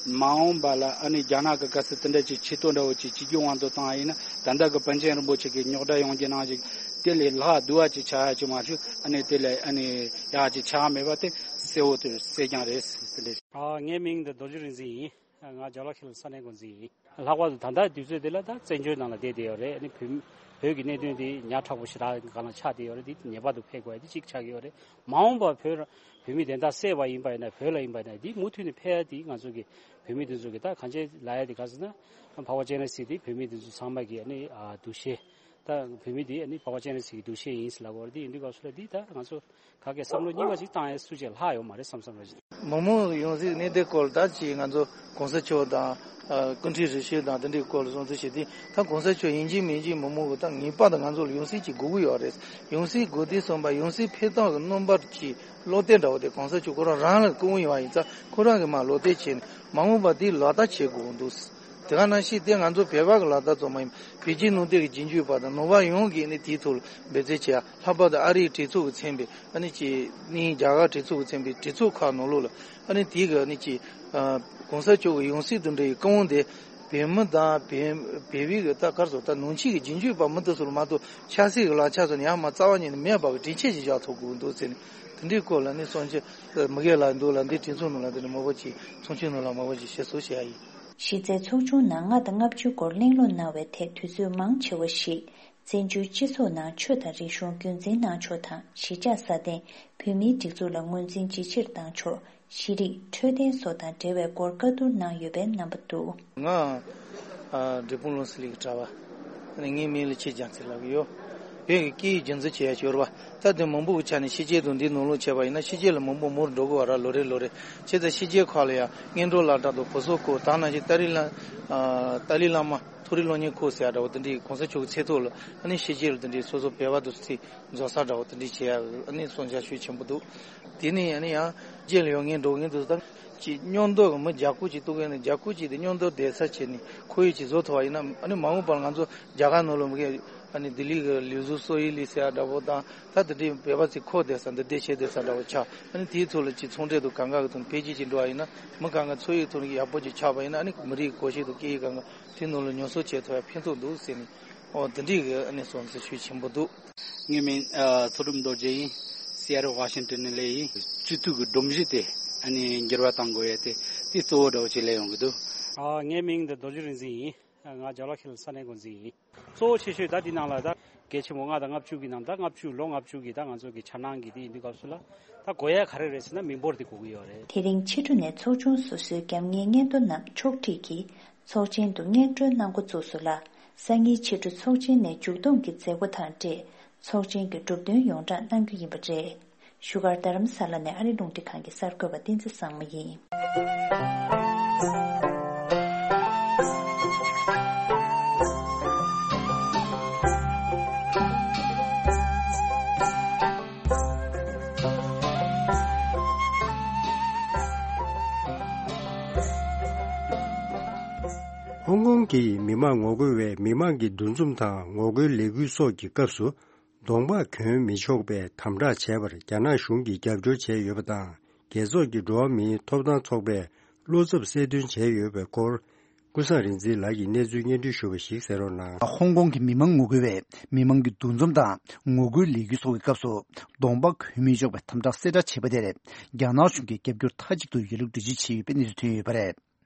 མ་འོངས་པ་ལ་ཨ་ནི་རྒྱ་ནག་གི་ག་ཚོད་དེ་འདྲ་ཅིག་ཆེ་མཐོང་འདྲ་བོ་ཅིག་ཅིག་གི་དབང་དུ་བཏང་ཡིན་ན་ད་ལྟ་གི་པཎ་ཆེན་རིན་པོ་ཆེ་གི་རྙོག་དྲ་ཡོང་རྒྱུ་ནང་བཞིན་དེ་ལས་ལྷག་སྡུག་བ་ཅིག་ཆགས་ཡ་ཅིག་མ་ཞུ་ཨ་ནི་དེ་ལས་ཨ་ནི་ཡག་ཅིག་ཆགས་མེད་པ་དེ་གསལ་བོ་དེ་གསལ་རྐྱང་རེད་དེ་འདྲ། ཨ། ངའི་མིང་འདི་རྡོ་རྗེ་རིག་འཛིན་ཡིན། ང་ཇོ་ལགས་ཁེལ་ས་གནས་འགོ་འཛིན་ཡིན། ལྷག་པར་དུ་ད་ལྟ་དུས་ཚོད་འདི་ལ་ད་བཙན་བྱོལ་ནང་ལ་བསྡད་བསྡད་ཡོད་རེད། ཨ་ནི་བོད་བོད་ཀྱི་གནད་དོན་འདི་ཉག་ཕྲ་པོ་ཞེ་དྲག་སྒང་ལ་ཆགས་བསྡད་ཡོད་རེད། འདི་ངེས་པར་དུ་ཕེབས་དགོས་ཡ་འདི་གཅིག་ཆགས་ཀྱི་ཡོད་རེད། མ་འོངས་པར་བོད་བོད་མི་བདེན་མཐའ་གསལ་བ་ཡིན་པ་ཡིན་ན་བོད་ལ་ཡིན་པ་ཡིན་ན་འདི་མུ་མཐུད་ནས་ཕེབས་ཡ་འདི་ང་ཚོ་གི་བོད་མི་འདི་ཚོ་གི་ད་གང་ཅི་ལབ་ཡ་འདི་ག་ཟེར་ན་འཕགས་པ་སྤྱན་རས་གཟིགས་འདི་བོད་མི་འདི་ཚོ་ཚང་མ་གི་ཨ་ནི་ཨ་འདུ་ཤེས། ད་བོད་མི་འདི་ཨ་ནི་འཕགས་པ་སྤྱན་རས་གཟིགས་ཀྱི་འདུ་ཤེས་ཡིན་ཟེར་ལབ་ཡོད་རེད། འདི་ཡིན་དུས་སྐབས་སུ་ལ་འདི་ད་ང་ཚོ་ག་གེ་བསམ་བློ་རྙིང་པ་ཞིག་བཏང་ཡས་སུ་ཅིག་ལྷག་ཡོད་མ་རེད་བསམ་བསམ་རེད། མི་མང་ཡོང་སྲིད་གནས་དེ་སྐོར་ད་ཅིག་ང་ཚོ་གོང་ས་མཆོག་དང་ཨ་སྐུ་ཕྲེང་རིམ་བྱོན་དང་དེ་འདྲའི་སྐོར་ལ་སོང་ཚུལ་བྱེད་དུས་ད་གོང་ས་མཆོག་ཡིན་གཅིག་མིན་གཅིག་མི་མང་གི་ད་ངེས་པར་དུ་ང་ཚོ་ལ་ཡོང་སྲིད་ཅིག་དགོས་ཀྱི་ཡོད་རེད། ཡོང་སྲིད་དགོས་དུས་ཙམ་པ་ཡོང་སྲིད་ཕེབས་སྟངས་ཀྱི་རྣམ་པ་ཅིག་བློ་གཏད་འདྲ་བོ་དེ་གོང་ས་མཆོག་ཁོ་རང་རང་ལ་སྐུ་ངོ་ཡོང་བ་ཡིན་ཙང་ཁོ་རང་གིས་མར་བློ་གཏད་བྱས་ནས་མ་འོངས་པ་དེ་ལག་བསྟར་བྱེད་དགོས་འདུག་དེ་ག་ནང་བཞིན་དེ་ང་ཚོ་བོད་པ་གི་ལག་བསྟར་ཙམ་མ་ཡིན་པར་བོད་བརྒྱུད་ནང་བསྟན་གྱི་རྗེས་འཇུག་པ་དང་ནང་པ་ཡོངས་ཀྱིས་ནི་དེའི་ཐོག་ལ་འབད་བརྩོན་བྱེད་ཡ། ལྷག་པར་དུ་ཨ་རིའི་གྲོས་ཚོགས་ཀྱི་ཚན་པས་ཨ་ནི་ཅིག་ནི་རྒྱ་གར་གྲོས་ཚོགས་ཀྱི་ཚན་པས་གྲོས་ཚོགས་ཁག་ནང་ལོགས་ལ་ཨ་ནི་དེའི་གི་ཨ་ནི་ཅིག་ཨ་གོང་ས་མཆོག་གི་ཡང་སྲིད་དེ་འདྲ་ཡི་བཀའ་དབང་དེ་བོད་མི་དང་བོད་བོད་པའི་གི་ད་ག་རེ་ཟེར་ད་ནང་ཆོས་ཀྱི་རྗེས་འཇུག་པ་མི་དེ་ཚོ་ལ་མ་གཏོགས་ཆབ་སྲིད་ཀྱི་ལག་ཆ་ཚོ་ནི་ཡར་མར་རྩ་བ་ཉིད་ནས་མེད་པ་གི་དྲན་ཤེས་ཅིག་བཞག་ཐུབ་དགོས་འདུག་ཟེར་ནས་དེ་འདྲའི་སྐོར་ལ་ནི་གསུང་ཆོས་མི་སྒེར་ལ་འདུག་ལ་འདི་གྲོས་ཚོགས་ནང་ལ་འདི་ནས་མང་པོ་ཅིག་ཚོགས་ཆུང་ནང་ལ་མང་པོ་ཅིག་བཤད་སྲོལ་བཤད་ཡ་ཡིན། གཞི་རྩའི་ཚོགས་ཆུང་ནང་ལྔ་དང་ལྔ་བཅུ་སྐོར་གླེང་སློང་གནང་བའི་ཐད་དུས་ཚོད་མང་ཆེ་བ་ཞིག་བཙན་བྱོལ་སྤྱི་ཚོགས་ནང་ཆོས་དང་རིག་གཞུང་རྒྱུན་འཛིན་གནང་ཕྱོགས་དང་གཞིས་ཆགས་སྲ་བརྟན་བོད་མིའི་སྒྲིག་འཛུགས་ལ་ངོས་འཛིན་ཇེ་ཆེར་བཏང་ཕྱོགས། ཤེས་རིག་འཕྲོད་བསྟེན་སོགས་དང་འབྲེལ་བའི་སྐོར་བཀའ་བསྡུར་གནང་ཡོད་པའི་རྣམ་པ་འདུག་ང་། ཨ། འབྲས་སྤུངས་ལུང་གསེབ་ལས་ཀྱི་གྲྭ་པ། ངའི་མིང་ལ་ཆོས་རྒྱ་མཚོ་ལབ་ཀྱི་ཡོད། བོད་ཀྱི་སྐད་ཡིག་རྒྱུན་འཛིན་བྱེད་ཡ་ཞོར་བ། ད་དུང་མང་པོ་གི་ཆ་ནས་ཕྱི་རྒྱལ་དང་འདིའི་ནང་ལོགས་བྱས་པ་ཡིན་ན་ཕྱི་རྒྱལ་ལ་མང་པོ་མུར་འགྲོ་དགོས་བ་ར་ལོ་རེ་ལོ་རེ། བྱས་ཙང་ཕྱི་རྒྱལ་ཁག་ལ་ཡང་སྔོན་འགྲོ་བསླབ་གྲྭ་དང་བུ་གསོ་སྐོར་ད་ནང་བཞིན་ཏཱ་ལའི་བླ། ཨ། ཏཱ་ལའི་བླ་མ་མཐོ་རིམ་སློབ་གཉེར་ཁུལ་ཟེར་ཡ་འདྲ་བོ་དེ་འདྲའི་གོང་ས་མཆོག་གི་ཚེ་ཐོག་ལ་ཨ་ནི་ཕྱི་རྒྱལ་ལ་དེ་འདྲའི་སོ་སོ་བོད་པ་དང་ཚིག་རྫོགས་ས་འདྲ་བོ་དེ་འདྲའི་བྱེད་ཡ་ཨ་ནི་བསམ་འཆར་ཤུགས་ཆེན་པོ་འདུག་དེ་ནས་ཨ་ནི་ཡང་རྗེས་ལ་ཡང་ངས་འགྲོ་ངེས་འདུག་ད་ཅིག་སྙོམས་འདོགས་ཀྱི་མི་བརྒྱ་དགུ་ཅིག་གཏོགས་ཀྱི་ནི་བརྒྱ་དགུ་ཅིག་དེ་སྙོམས་འདོགས་བསྡད་ས་བྱས་ནས་ཁོར་ཡུག་ཅིག་བཟོ་ཐུབ་པ་ཡིན་ན་ཨ་ནི་མ་འོངས་པར་ང་ཚོ་རྒྱ་གར་ནང་ལ་མི་གའི་ཨ་ནི་ལྡི་ལི་གི་ལུས་གཟུགས་གསོ་ཡི་ལི་ཟེར་ཡ་འདྲ་བོ་དང་ད་དེ་འདྲའི་བོད་པ་ཚོས་ཁོ་བསྡད་ས་འདི་བསྡད་བྱས་བསྡད་ས་འདྲ་བོ་ཆགས། ཨ་ནི་དེའི་ཐོག་ལ་ཅིག་ཚོང་འབྲེལ་དང་གང་ག་གི་ཐོག་ནས་འཕེལ་རྒྱས་ཅིག་འགྲོ་བ་ཡིན་ན་མི་གང་ག་འཚོ་ཡི་ཐོག་ནས་ཡག་པོ་ཅིག་ཆགས་པ་ཡིན་ན་ཨ་ནི་མི་རིགས་གོམས་གཤིས་དང་སྐད་ཡིག་གང་ག་དེ་ནང་ལ་ཉམས་གསོ་བྱེད་ཐུབ་ཡ་ཕན་ཐོགས་འདུག་ཟེར་ནས། ཨོ། འདི་འདྲའི་གི་ཨ་ནི་བསམ་ཚུལ་ཤུགས་ཆེན་པོ་འདུག་ངའི་མིང་ཨ་ཚོགས་གྲུབ་རྡོ་རྗེ་ཡིན། སི་ཨེ་ཊལ་ཝ་ཤིང་ཊོན་ནས་སླེབས་ཡིན། སྤྱི་འཐུས་ཀྱི་སྒྲོམ་གཞི་དེ་ཨ་ནི་འགྱུར་བ་གཏང་དགོས་ཡས་དེ་དེ་གཙོ་བོ་འདྲ་བོ་ཅིག་སླེབས་ཡོང་གི་འདུག་ཨ། ངའི་མིང་འདི་རྡོ་རྗེ་རིག་འཛིན་ཡིན། ང་ཇོ་ལགས་ཁེལ་ས་གནས་འགོ་འཛིན་ཡིན། གཙོ་བོ་ཆེ་ཤོས་ད་འདི་ནང་ལ་ད་གལ་ཆེན་པོ་ལྔ་དང་ལྔ་བཅུ་གི་ནང་ད་ལྔ་བཅུ་ལོ་ལྔ་བཅུ་གི་ད་ང་ཚོ་གི་འཆར་སྣང་གི་དེ་ཡིན་དུས་སྐབས་སུ་ལ་ད་དགོས་ཡ་ག་རེ་རེད་ཟེར་ན་མི་འབོར་དེ་དགོས་ཀྱི་ཡོད་རེད། དེ་རིང་ཕྱི་དྲོ་ནས་ཚོགས་ཆུང་སོ་སོའི་རྒྱབ་གཉེར་སྙན་ཐོ་རྣམས་ཕྱོགས་སྒྲིག་གིས། ཚོགས་ཆེན་དུ་སྙན་སྒྲོན་གནང་འགོ་བཙུགས་སོང་ལ། སང་ཉིན་ཕྱི་དྲོ་ཚོགས་ཆེན་ནས་མཇུག་བསྡོམས་ཀྱི་མཛད་སྒོ་དང་འབྲེལ་ཚོགས་ཆེན་གྱི་གྲུབ་དོན་ཡོངས་བསྒྲགས་གནང་རྒྱུ་ཡིན་པ་རེད། བཞུགས་སྒར་རྡ་རམ་ས་ལ་ནས་ཨ་རི་རླུང་འཕྲིན་ཁང་གི་གསར་འགོད་པ་བསྟན་འཛིན་བཟང་མོ་ཡིན། ཧོང་ཀོང་གི་མི་མང་ངོ་རྒོལ་བས་མི་མང་གི་འདུ་འཛོམས་དང་ངོ་རྒོལ་ལས་འགུལ་སོགས་ཀྱི་སྐབས་སུ། གདོང་པ་གྱོན་མི་ཆོག་པའི་དམ་དྲག་བྱས་པར་རྒྱ་ནག་གཞུང་གིས་རྒྱབ་སྐྱོར་བྱས་ཡོད་པ་དང་། རྒྱལ་ཚོགས་ཀྱི་འགྲོ་བ་མིའི་ཐོབ་ཐང་ཚོགས་པས་བློ་འཚབ་གསལ་སྟོན་བྱས་ཡོད་པའི་སྐོར། ཀུན་བཟང་རིག་འཛིན་ལགས་ཀྱིས་གནས་ཚུལ་སྙན་སྒྲོན་ཞུ་བ་ཞིག་གསན་རོགས་གནང་། ཧོང་ཀོང་གི་མི་མང་ངོ་རྒོལ་བས་མི་མང་གི་འདུ་འཛོམས་དང་ངོ་རྒོལ་ལས་འགུལ་སོགས་ཀྱི་སྐབས་སུ་གདོང་པ་གྱོན་མི་ཆོག་པའི་དམ་དྲག་གསལ་བསྒྲགས་བྱས་པ་དེར་རྒྱ་ནག་གཞུང་གིས་རྒྱབ་སྐྱོར་མཐའ་གཅིག་ཏུ་ཡོད་ལུགས་འགྲེལ་བརྗོད་བྱས་ཡོད་པ་རེད།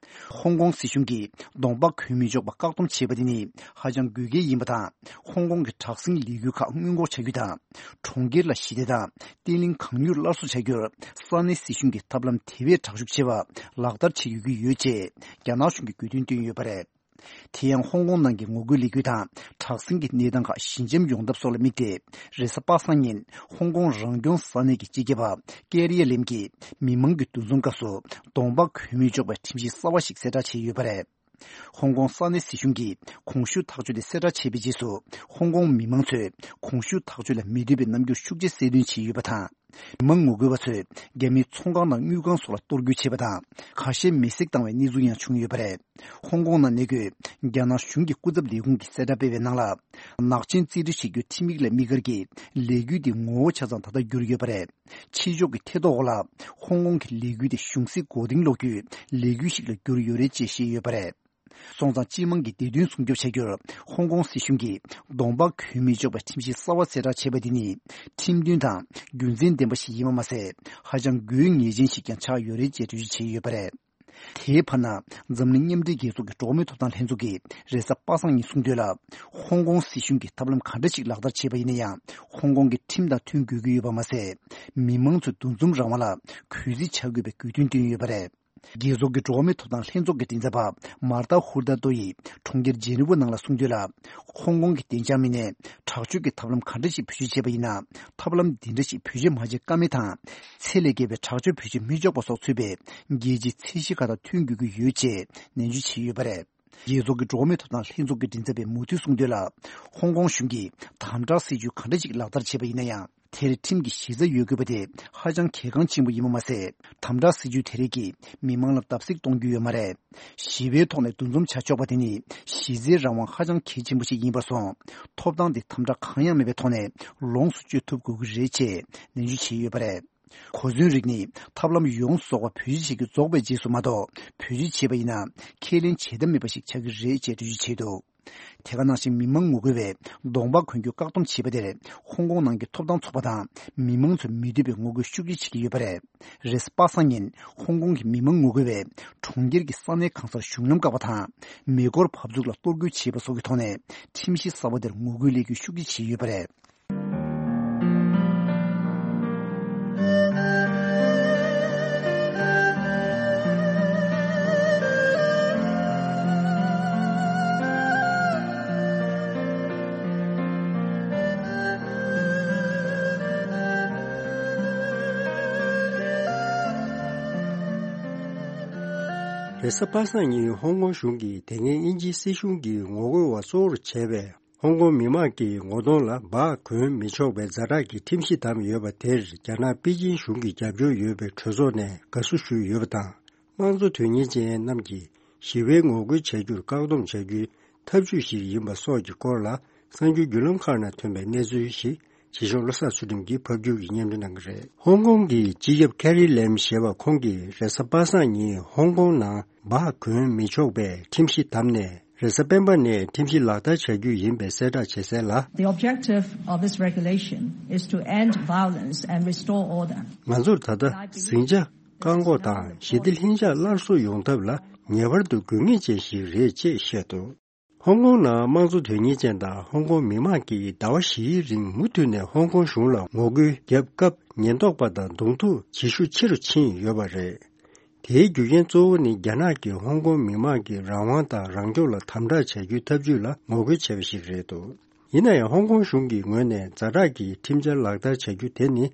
ཧོང་ཀོང་སྲིད་གཞུང་གིས་གདོང་པ་གྱོན་མི་ཆོག་པ་བཀག་སྡོམ་བྱས་པ་དེ་ནི་ཧ་ཅང་དགོས་གལ་ཡིན་པ་དང་། ཧོང་ཀོང་གི་དྲག་ཟིང་ལས་འགུལ་ཁག་སྔོན་འགོག་བྱ་རྒྱུ་དང་། གྲོང་ཁྱེར་ལ་ཞི་བདེ་དང་བརྟན་ལྷིང་གང་མྱུར་སླར་གསོ་བྱ་རྒྱུར་ས་གནས་སྲིད་གཞུང་གིས་ཐབས་ལམ་དེ་བས་དྲག་ཤུགས་ཆེ་བ་ལག་བསྟར་བྱེད་དགོས་ཀྱི་ཡོད་ཅེས་རྒྱ་ནག་གཞུང་གིས་དགོས་འདུན་བཏོན་ཡོད་པ་རེད། དེ་ཡང་ཧོང་ཀོང་ནང་གི་ངོ་རྒོལ་ལས་འགུལ་དང་དྲག་ཟིང་གི་གནས་སྟངས་ཁག་ཞི་འཇམ་ཡོང་ཐབས་སོགས་ལ་དམིགས་ཏེ། རེས་གཟའ་པ་སངས་ཉིན་ཧོང་ཀོང་རང་སྐྱོང་ས་གནས་ཀྱི་སྤྱི་ཁྱབ་པ་ཀེ་རི་ཡ་ལེམ་གྱིས་མི་མང་གི་འདུ་འཛོམས་སྐབས་སུ་གདོང་པ་གྱོན་མི་ཆོག་པའི་ཁྲིམས་གཞི་གསར་བ་ཞིག་གསལ་བསྒྲགས་བྱས་ཡོད་པ་རེད། ཧོང་ཀོང་ས་གནས་སྲིད་གཞུང་གིས་གོང་ཞུས་ཐག་གཅོད་དེ་གསལ་བསྒྲགས་བྱས་པའི་རྗེས་སུ། ཧོང་ཀོང་མི་མང་ཚོས་གོང་ཞུས་ཐག་གཅོད་ལ་མི་འདོད་པའི་རྣམ་འགྱུར་ཤུགས་ཆེ་གསལ་སྟོན་བྱས་ཡོད་པ་དང་། མི་མང་ངོ་རྒོལ་བ་ཚོས་རྒྱ་མིའི་ཚོང་ཁང་དང་དངུལ་ཁང་སོགས་ལ་གཏོར་རྒོལ་བྱས་པ་དང་། ཁ་ཤས་མེ་བསྲེགས་བཏང་བའི་གནས་ཚུལ་ཡང་བྱུང་ཡོད་པ་རེད། ཧོང་ཀོང་ནང་གནས་འཁོད་རྒྱ་ནག་གཞུང་གི་སྐུ་ཚབ་ལས་ཁུངས་ཀྱིས་གསལ་བསྒྲགས་སྤེལ་བའི་ནང་ལ། ནག་ཅན་རྩིས་སྤྲོད་བྱེད་རྒྱུ་ཁྲིམས་ཡིག་ལ་དམིགས་བཀར་གྱིས་ལས་འགུལ་འདི་ངོ་བོ་ཆ་ཚང་ད་ལྟ་བསྒྱུར་ཡོད་པ་རེད། ཕྱི་ཕྱོགས་ཀྱི་ཐེ་གཏོགས་འོག་ལ་ཧོང་ཀོང་གི་ལས་འགུལ་དེ་གཞུང་སྲིད་མགོ་རྟིང་སློག་རྒྱུའི་ལས་འགུལ་ཞིག་ལ་གྱུར་ཡོད་རེད་ཅེས་བཤད་ཡོད་པ་རེད། སོང་ཙང་སྤྱི་དམངས་ཀྱི་བདེ་དོན་སྲུང་སྐྱོབ་བྱ་རྒྱུར་ཧོང་ཀོང་སྲིད་གཞུང་གིས་གདོང་པ་གྱོན་མི་ཆོག་པའི་ཁྲིམས་གཞི་གསར་བ་གསལ་བསྒྲགས་བྱས་པ་འདི་ནི་ཁྲིམས་མཐུན་དང་རྒྱུ་མཚན་ལྡན་པ་ཞིག་ཡིན་པ་མ་ཟད། ཧ་ཅང་དགོས་ངེས་ཅན་ཞིག་ཀྱང་ཆགས་ཡོད་རེད་ཅེས་འགྲེལ་བརྗོད་བྱས་ཡོད་པ་རེད། དེའི་བར་ན། འཛམ་གླིང་མཉམ་འབྲེལ་རྒྱལ་ཚོགས་ཀྱི་འགྲོ་བ་མིའི་ཐོབ་ཐང་ལྷན་ཚོགས་ཀྱིས་རེས་གཟའ་པ་སངས་ཉིན་གསུངས་དོན་ལ། ཧོང་ཀོང་སྲིད་གཞུང་གིས་ཐབས་ལམ་ག་འདྲ་ཞིག་ལག་བསྟར་བྱས་པ་ཡིན་ན་ཡང་། ཧོང་ཀོང་གི་ཁྲིམས་དང་མཐུན་དགོས་ཀྱི་ཡོད་པ་མ་ཟད། མི་མང་ཚོའི་འདུ་འཛོམས་རང་དབང་ལ་གུས་བརྩི་བྱ་དགོས་པའི་དགོས་འདུན་བཏོན་ཡོད་པ་རེད། རྒྱལ་ཚོགས་ཀྱི་འགྲོ་བ་མིའི་ཐོབ་ཐང་ལྷན་ཚོགས་ཀྱི་མགྲིན་ཚབ་པ་མར་ཏཱ་ཧུར་ཏཱ་ཏོ་ཡིས་གྲོང་ཁྱེར་ཇེ་ནི་ཝ་ནང་ལ་གསུངས་དོན་ལ། ཧོང་ཀོང་གི་བདེ་འཇགས་མི་སྣས་དྲག་སྤྱོད་ཀྱི་ཐབས་ལམ་ག་འདྲ་ཞིག་བེད་སྤྱོད་བྱས་པ་ཡིན་ན། ཐབས་ལམ་འདི་འདྲ་ཞིག་བེད་སྤྱོད་མ་བྱེད་ཀ་མེད་དང་། ཚད་ལས་བརྒལ་བའི་དྲག་སྤྱོད་བེད་སྤྱོད་མི་ཆོག་པ་སོགས་ཚུད་པའི་རྒྱལ་སྤྱིའི་ཚད་གཞི་ཁག་དང་མཐུན་དགོས་ཀྱི་ཡོད་ཅེས་ནན་བརྗོད་བྱས་ཡོད་པ་རེད། རྒྱལ་ཚོགས་ཀྱི་འགྲོ་བ་མིའི་ཐོབ་ཐང་ལྷན་ཚོགས་ཀྱི་མགྲིན་ཚབ་པས་མུ་མཐུད་གསུངས་དོན་ལ། ཧོང་ཀོང་གཞུང་གིས་དམ་དྲག་སྲིད་ཇུས་ག་འདྲ་ཞིག་ལག་བསྟར་བྱས་པ་ཡིན་ན་ཡང་། དེར་ཁྲིམས་ཀྱི་གཞི་རྩ་ཡོད་དགོས་པ་དེ་ཧ་ཅང་གལ་འགངས་ཆེན་པོ་ཡིན་པ་མ་ཟད། དམ་དྲག་སྲིད་ཇུས་དེ་རིགས་ཀྱིས་མི་མང་ལ་བརྡབ་གསིག་གཏོང་རྒྱུ་ཡོད་མ་རེད། ཞི་བའི་ཐོག་ནས་འདུ་འཛོམས་བྱ་ཆོག་པ་དེ་ནི་གཞི་རྩའི་རང་དབང་ཧ་ཅང་གལ་ཆེན་པོ་ཞིག་ཡིན་པར་སོང་། ཐོབ་ཐང་དེ་དམ་དྲག་གང་ཡང་མེད་པའི་ཐོག་ནས་ལོངས་སུ་སྤྱོད་ཐུབ་དགོས་ཀྱི་རེད་ཅེས་ནན་བརྗོད་བྱས་ཡོད་པ་རེད། གོ་མཚོན་རིགས་ནི་ཐབས་ལམ་ཡོངས་སུ་རྫོགས་པ་བེད་སྤྱོད་བྱེད་རྒྱུ་རྫོགས་པའི་རྗེས་སུ་མ་གཏོགས། བེད་སྤྱོད་བྱས་པ་ཡིན་ན་ཁས་ལེན་བྱེད་ཐབས་མེད་པ་ཞིག་ཆགས་ཀྱི་རེད་ཅེས་འགྲེལ་བརྗོད་བྱས་འདུག་དེ་ག་ནང་བཞིན་མི་མང་ངོ་རྒོལ་བས་གདོང་པ་གོན་རྒྱུ་བཀག་སྡོམ་བྱས་པ་དེར་ཧོང་ཀོང་ནང་གི་ཐོབ་ཐང་ཚོགས་པ་དང་མི་མང་ཚོས་མི་འདོད་པའི་ངོ་རྒོལ་ཤུགས་ཆེ་བྱེད་ཀྱི་ཡོད་པ་རེད། རེས་གཟའ་པ་སངས་ཉིན་ཧོང་ཀོང་གི་མི་མང་ངོ་རྒོལ་བས་གྲོང་ཁྱེར་གྱི་ས་གནས་གང་སར་གཞུང་ལམ་བཀག་པ་དང་མེ་འཁོར་བབས་ཚུགས་ལ་གཏོར་རྒོལ་བྱས་པ་སོགས་ཀྱི་ཐོག་ནས་ཁྲིམས་གཞི་གསར་པ་དེར་ངོ་རྒོལ་ལས་འགུལ་ཤུགས་ཆེ་བྱས་ཡོད་པ་རེད། རེས་གཟའ་པ་སངས་ཉིན་ཧོང་ཀོང་གཞུང་གིས་དེ་སྔའི་དབྱིན་ཇིའི་སྲིད་གཞུང་གིས་ངོ་རྒོལ་བ་གཙོ་བོར་བྱས་པའི་ཧོང་ཀོང་མི་མང་གི་ངོ་གདོང་ལ་འབག་གོན་མི་ཆོག་པའི་ཛ་དྲག་གི་ཁྲིམས་གཞི་བསྡམས་ཡོད་པ་དེར་རྒྱ་ནག་པེ་ཅིན་གཞུང་གིས་རྒྱབ་སྐྱོར་ཡོད་པའི་གྲོས་ཚོགས་ནས་དགའ་བསུ་ཞུས་ཡོད་པ་དང་། དམངས་གཙོ་དོན་གཉེར་ཅན་རྣམས་ཀྱིས་ཞི་བའི་ངོ་རྒོལ་བྱ་རྒྱུར་བཀག་སྡོམ་བྱ་རྒྱུའི་ཐབས་ཇུས་ཤིག་ཡིན་པ་སོགས་ཀྱི་སྐོར་ལ་གསར་འགྱུར་བརྒྱུད་ལམ་ཁག་ནང་ཐོན་པའི་གནས་ཚུལ་ཞིག་བྱེད་ཤོག་བློ་བཟང་ཚུལ་ཁྲིམས་ཀྱིས་ཕབ་སྒྱུར་གྱིས་སྙན་སྒྲོན་གནང་གི་རེད། ཧོང་ཀོང་གི་སྤྱི་ཁྱབ་ཁེ་རི་ལེམ་ཞེས་པ་ཁོང་གིས་རེས་གཟའ་པ་སངས་ཉིན་ཧོང་ཀོང་ནང་འབག་གོན་མི་ཆོག་པའི་ཁྲིམས་གཞི་བསྡམས་ནས། རེས་གཟའ་སྤེན་པ་ནས་ཁྲིམས་གཞི་ལག་བསྟར་བྱ་རྒྱུ་ཡིན་པའི་གསལ་བསྒྲགས་བྱས་གསལ་ལ། The objective of this regulation is to end violence and restore order. ང་ཚོར་ད་ལྟ་ཟིང་ཆ་བཀག་འགོག་དང་ཞི་བདེ་ལྷིང་འཇགས་སླར་གསོ་ཡོང་ཐབས་ལ་ངེས་པར་དུ་དགོས་ངེས་ཅན་ཞིག་རེད་ཅེས་བཤད་འདུག་ཧོང་ཀོང་ནང་དམངས་གཙོ་དོན་གཉེར་ཅན་དང་ཧོང་ཀོང་མི་མང་གིས་ཟླ་བ་བཞིའི་རིང་མུ་མཐུད་ནས་ཧོང་ཀོང་གཞུང་ལ་ངོ་རྒོལ་བརྒྱབ་སྐབས། ཉེན་རྟོག་པ་དང་གདོང་ཐུག་བྱེད་ཤུགས་ཆེ་རུ་ཕྱིན་ཡོད་པ་རེད། དེའི་རྒྱུ་རྐྱེན་གཙོ་བོ་ནི་རྒྱ་ནག་གིས་ཧོང་ཀོང་མི་མང་གི་རང་དབང་དང་རང་སྐྱོང་ལ་དམ་དྲག་བྱ་རྒྱུའི་ཐབས་ཇུས་ལ་ངོ་རྒོལ་བྱས་པ་ཞིག་རེད་འདུག་ཡིན་ན་ཡང་། ཧོང་ཀོང་གཞུང་གི་ངོས་ནས་ཛ་དྲག་གི་ཁྲིམས་འཆར་ལག་བསྟར་བྱ་རྒྱུ་དེ་ནི།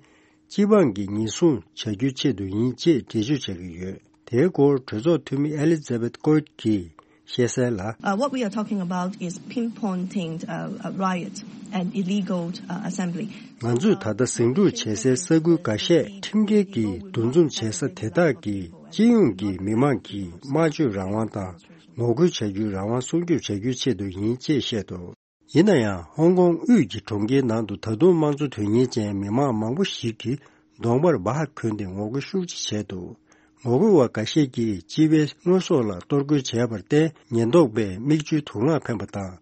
སྤྱི་འབངས་ཀྱི་ཉེན་སྲུང་བྱ་རྒྱུའི་ཆེད་དུ་ཡིན་ཅེས་འགྲེལ་བརྗོད་བྱ་གི་ཡོད། དེའི་སྐོར་གྲོས་ཚོགས་འཐུས་མི་ཨེ་ལི་ཛ་བེད་ཀོད་ཀྱིས་བཤད་གསལ་ལ། Uh, what we are talking about is pinpointing, uh, a riot and illegal, uh, assembly. ང་ཚོས་ད་ལྟ་ཟིང་འཁྲུག་བྱེད་སའི་ས་ཁུལ་འགའ་ཤས་ཁྲིམས་འགལ་གྱིས་འདུ་འཛོམས་བྱེད་ས་དེ་དག་གི་སྤྱི་ཡོངས་ཀྱི་མི་མང་གི་སྨྲ་བརྗོད་རང་དབང་དང་ངོ་རྒོལ་བྱ་རྒྱུའི་རང་དབང་སྲུང་སྐྱོབ་བྱ་རྒྱུའི་ཆེད་དུ་ཡིན་ཅེས་བཤད་འདུག་ཡིན་ན་ཡང་ཧོང་ཀོང་དབུས་ཀྱི་གྲོང་ཁྱེར་ནང་དུ་ད་དུང་དམངས་གཙོ་དོན་གཉེར་ཅན་མི་མང་མང་པོ་ཞིག་གིས་གདོང་པར་སྦ་ཧ་གོན་ཏེ་ངོ་རྒོལ་ཤུགས་ཆེ་བྱས་འདུག་ངོ་རྒོལ་བ་འགའ་ཤས་ཀྱིས་སྤྱི་པའི་དངོས་ཟོག་ལ་གཏོར་རྒོལ་བྱས་པར་བརྟེན་ཉེན་རྟོག་པས་མིག་ཆུའི་དུག་རླངས་འཕེན་པ་དང་།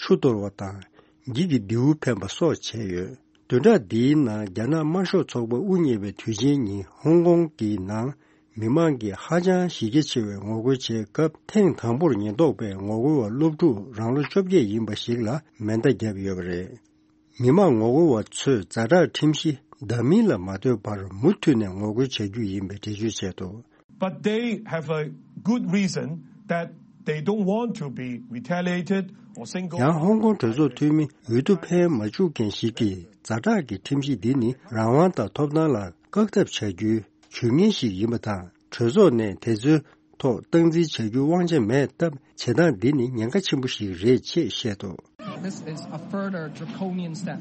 ཆུ་གཏོར་བ་དང་། འགྱིག་གི་མདེའུ་འཕེན་པ་སོགས་བྱས་ཡོད། བདུན་ཕྲག་འདིའི་ནང་རྒྱ་ནག་དམར་ཤོག་ཚོགས་པ་དབུ་བརྙེས་པའི་དུས་ཆེན་ཉིན་ཧོང་ཀོང་གི་ནང་མི་མང་གིས་ཧ་ཅང་གཞི་རྒྱ་ཆེ་བའི་ངོ་རྒོལ་བྱས་སྐབས་ཐེངས་དང་པོར་ཉེན་རྟོག་པས་ངོ་རྒོལ་བ་སློབ་ཕྲུག་རང་ལོ་བཅོ་བརྒྱད་ཡིན་པ་ཞིག་ལ་མེ་མདའ་བརྒྱབ་ཡོད་པ་རེད། མི་མང་ངོ་རྒོལ་བ་ཚོས་ཛ་དྲག་ཁྲིམས་གཞི་འདྲ་མིན་ལ་མ་ལྟོས་པར་མུ་མཐུད་ནས་ངོ་རྒོལ་བྱ་རྒྱུ་ཡིན་པའི་འགྲེལ་བརྗོད་བྱས་འདུག But they have a good reason that they don't want to be retaliated or singled out. ཡང་ཧོང་ཀོང་གྲོས་ཚོགས་འཐུས་མི་འོས་བསྡུ་ཕན་མ་བཅུག་མཁན་ཞིག་གིས་ཛ་དྲག་གི་ཁྲིམས་གཞི་འདི་ནི་རང་དབང་དང་ཐོབ་ཐང་ལ་བཀག་ཐབས་བྱ་རྒྱུའི་ཇུས་ངན་ཞིག་ཡིན་པ་དང་གྲོས་ཚོགས་ནས་དེ་ཚོའི་ཐོག་སྟངས་འཛིན་བྱ་རྒྱུའི་དབང་ཆ་མེད་སྟབས་བྱེད་སྟངས་འདི་ནི་ཉེན་ཁ་ཆེན་པོ་ཞིག་རེད་ཅེས་བཤད་འདུག This is a further draconian step,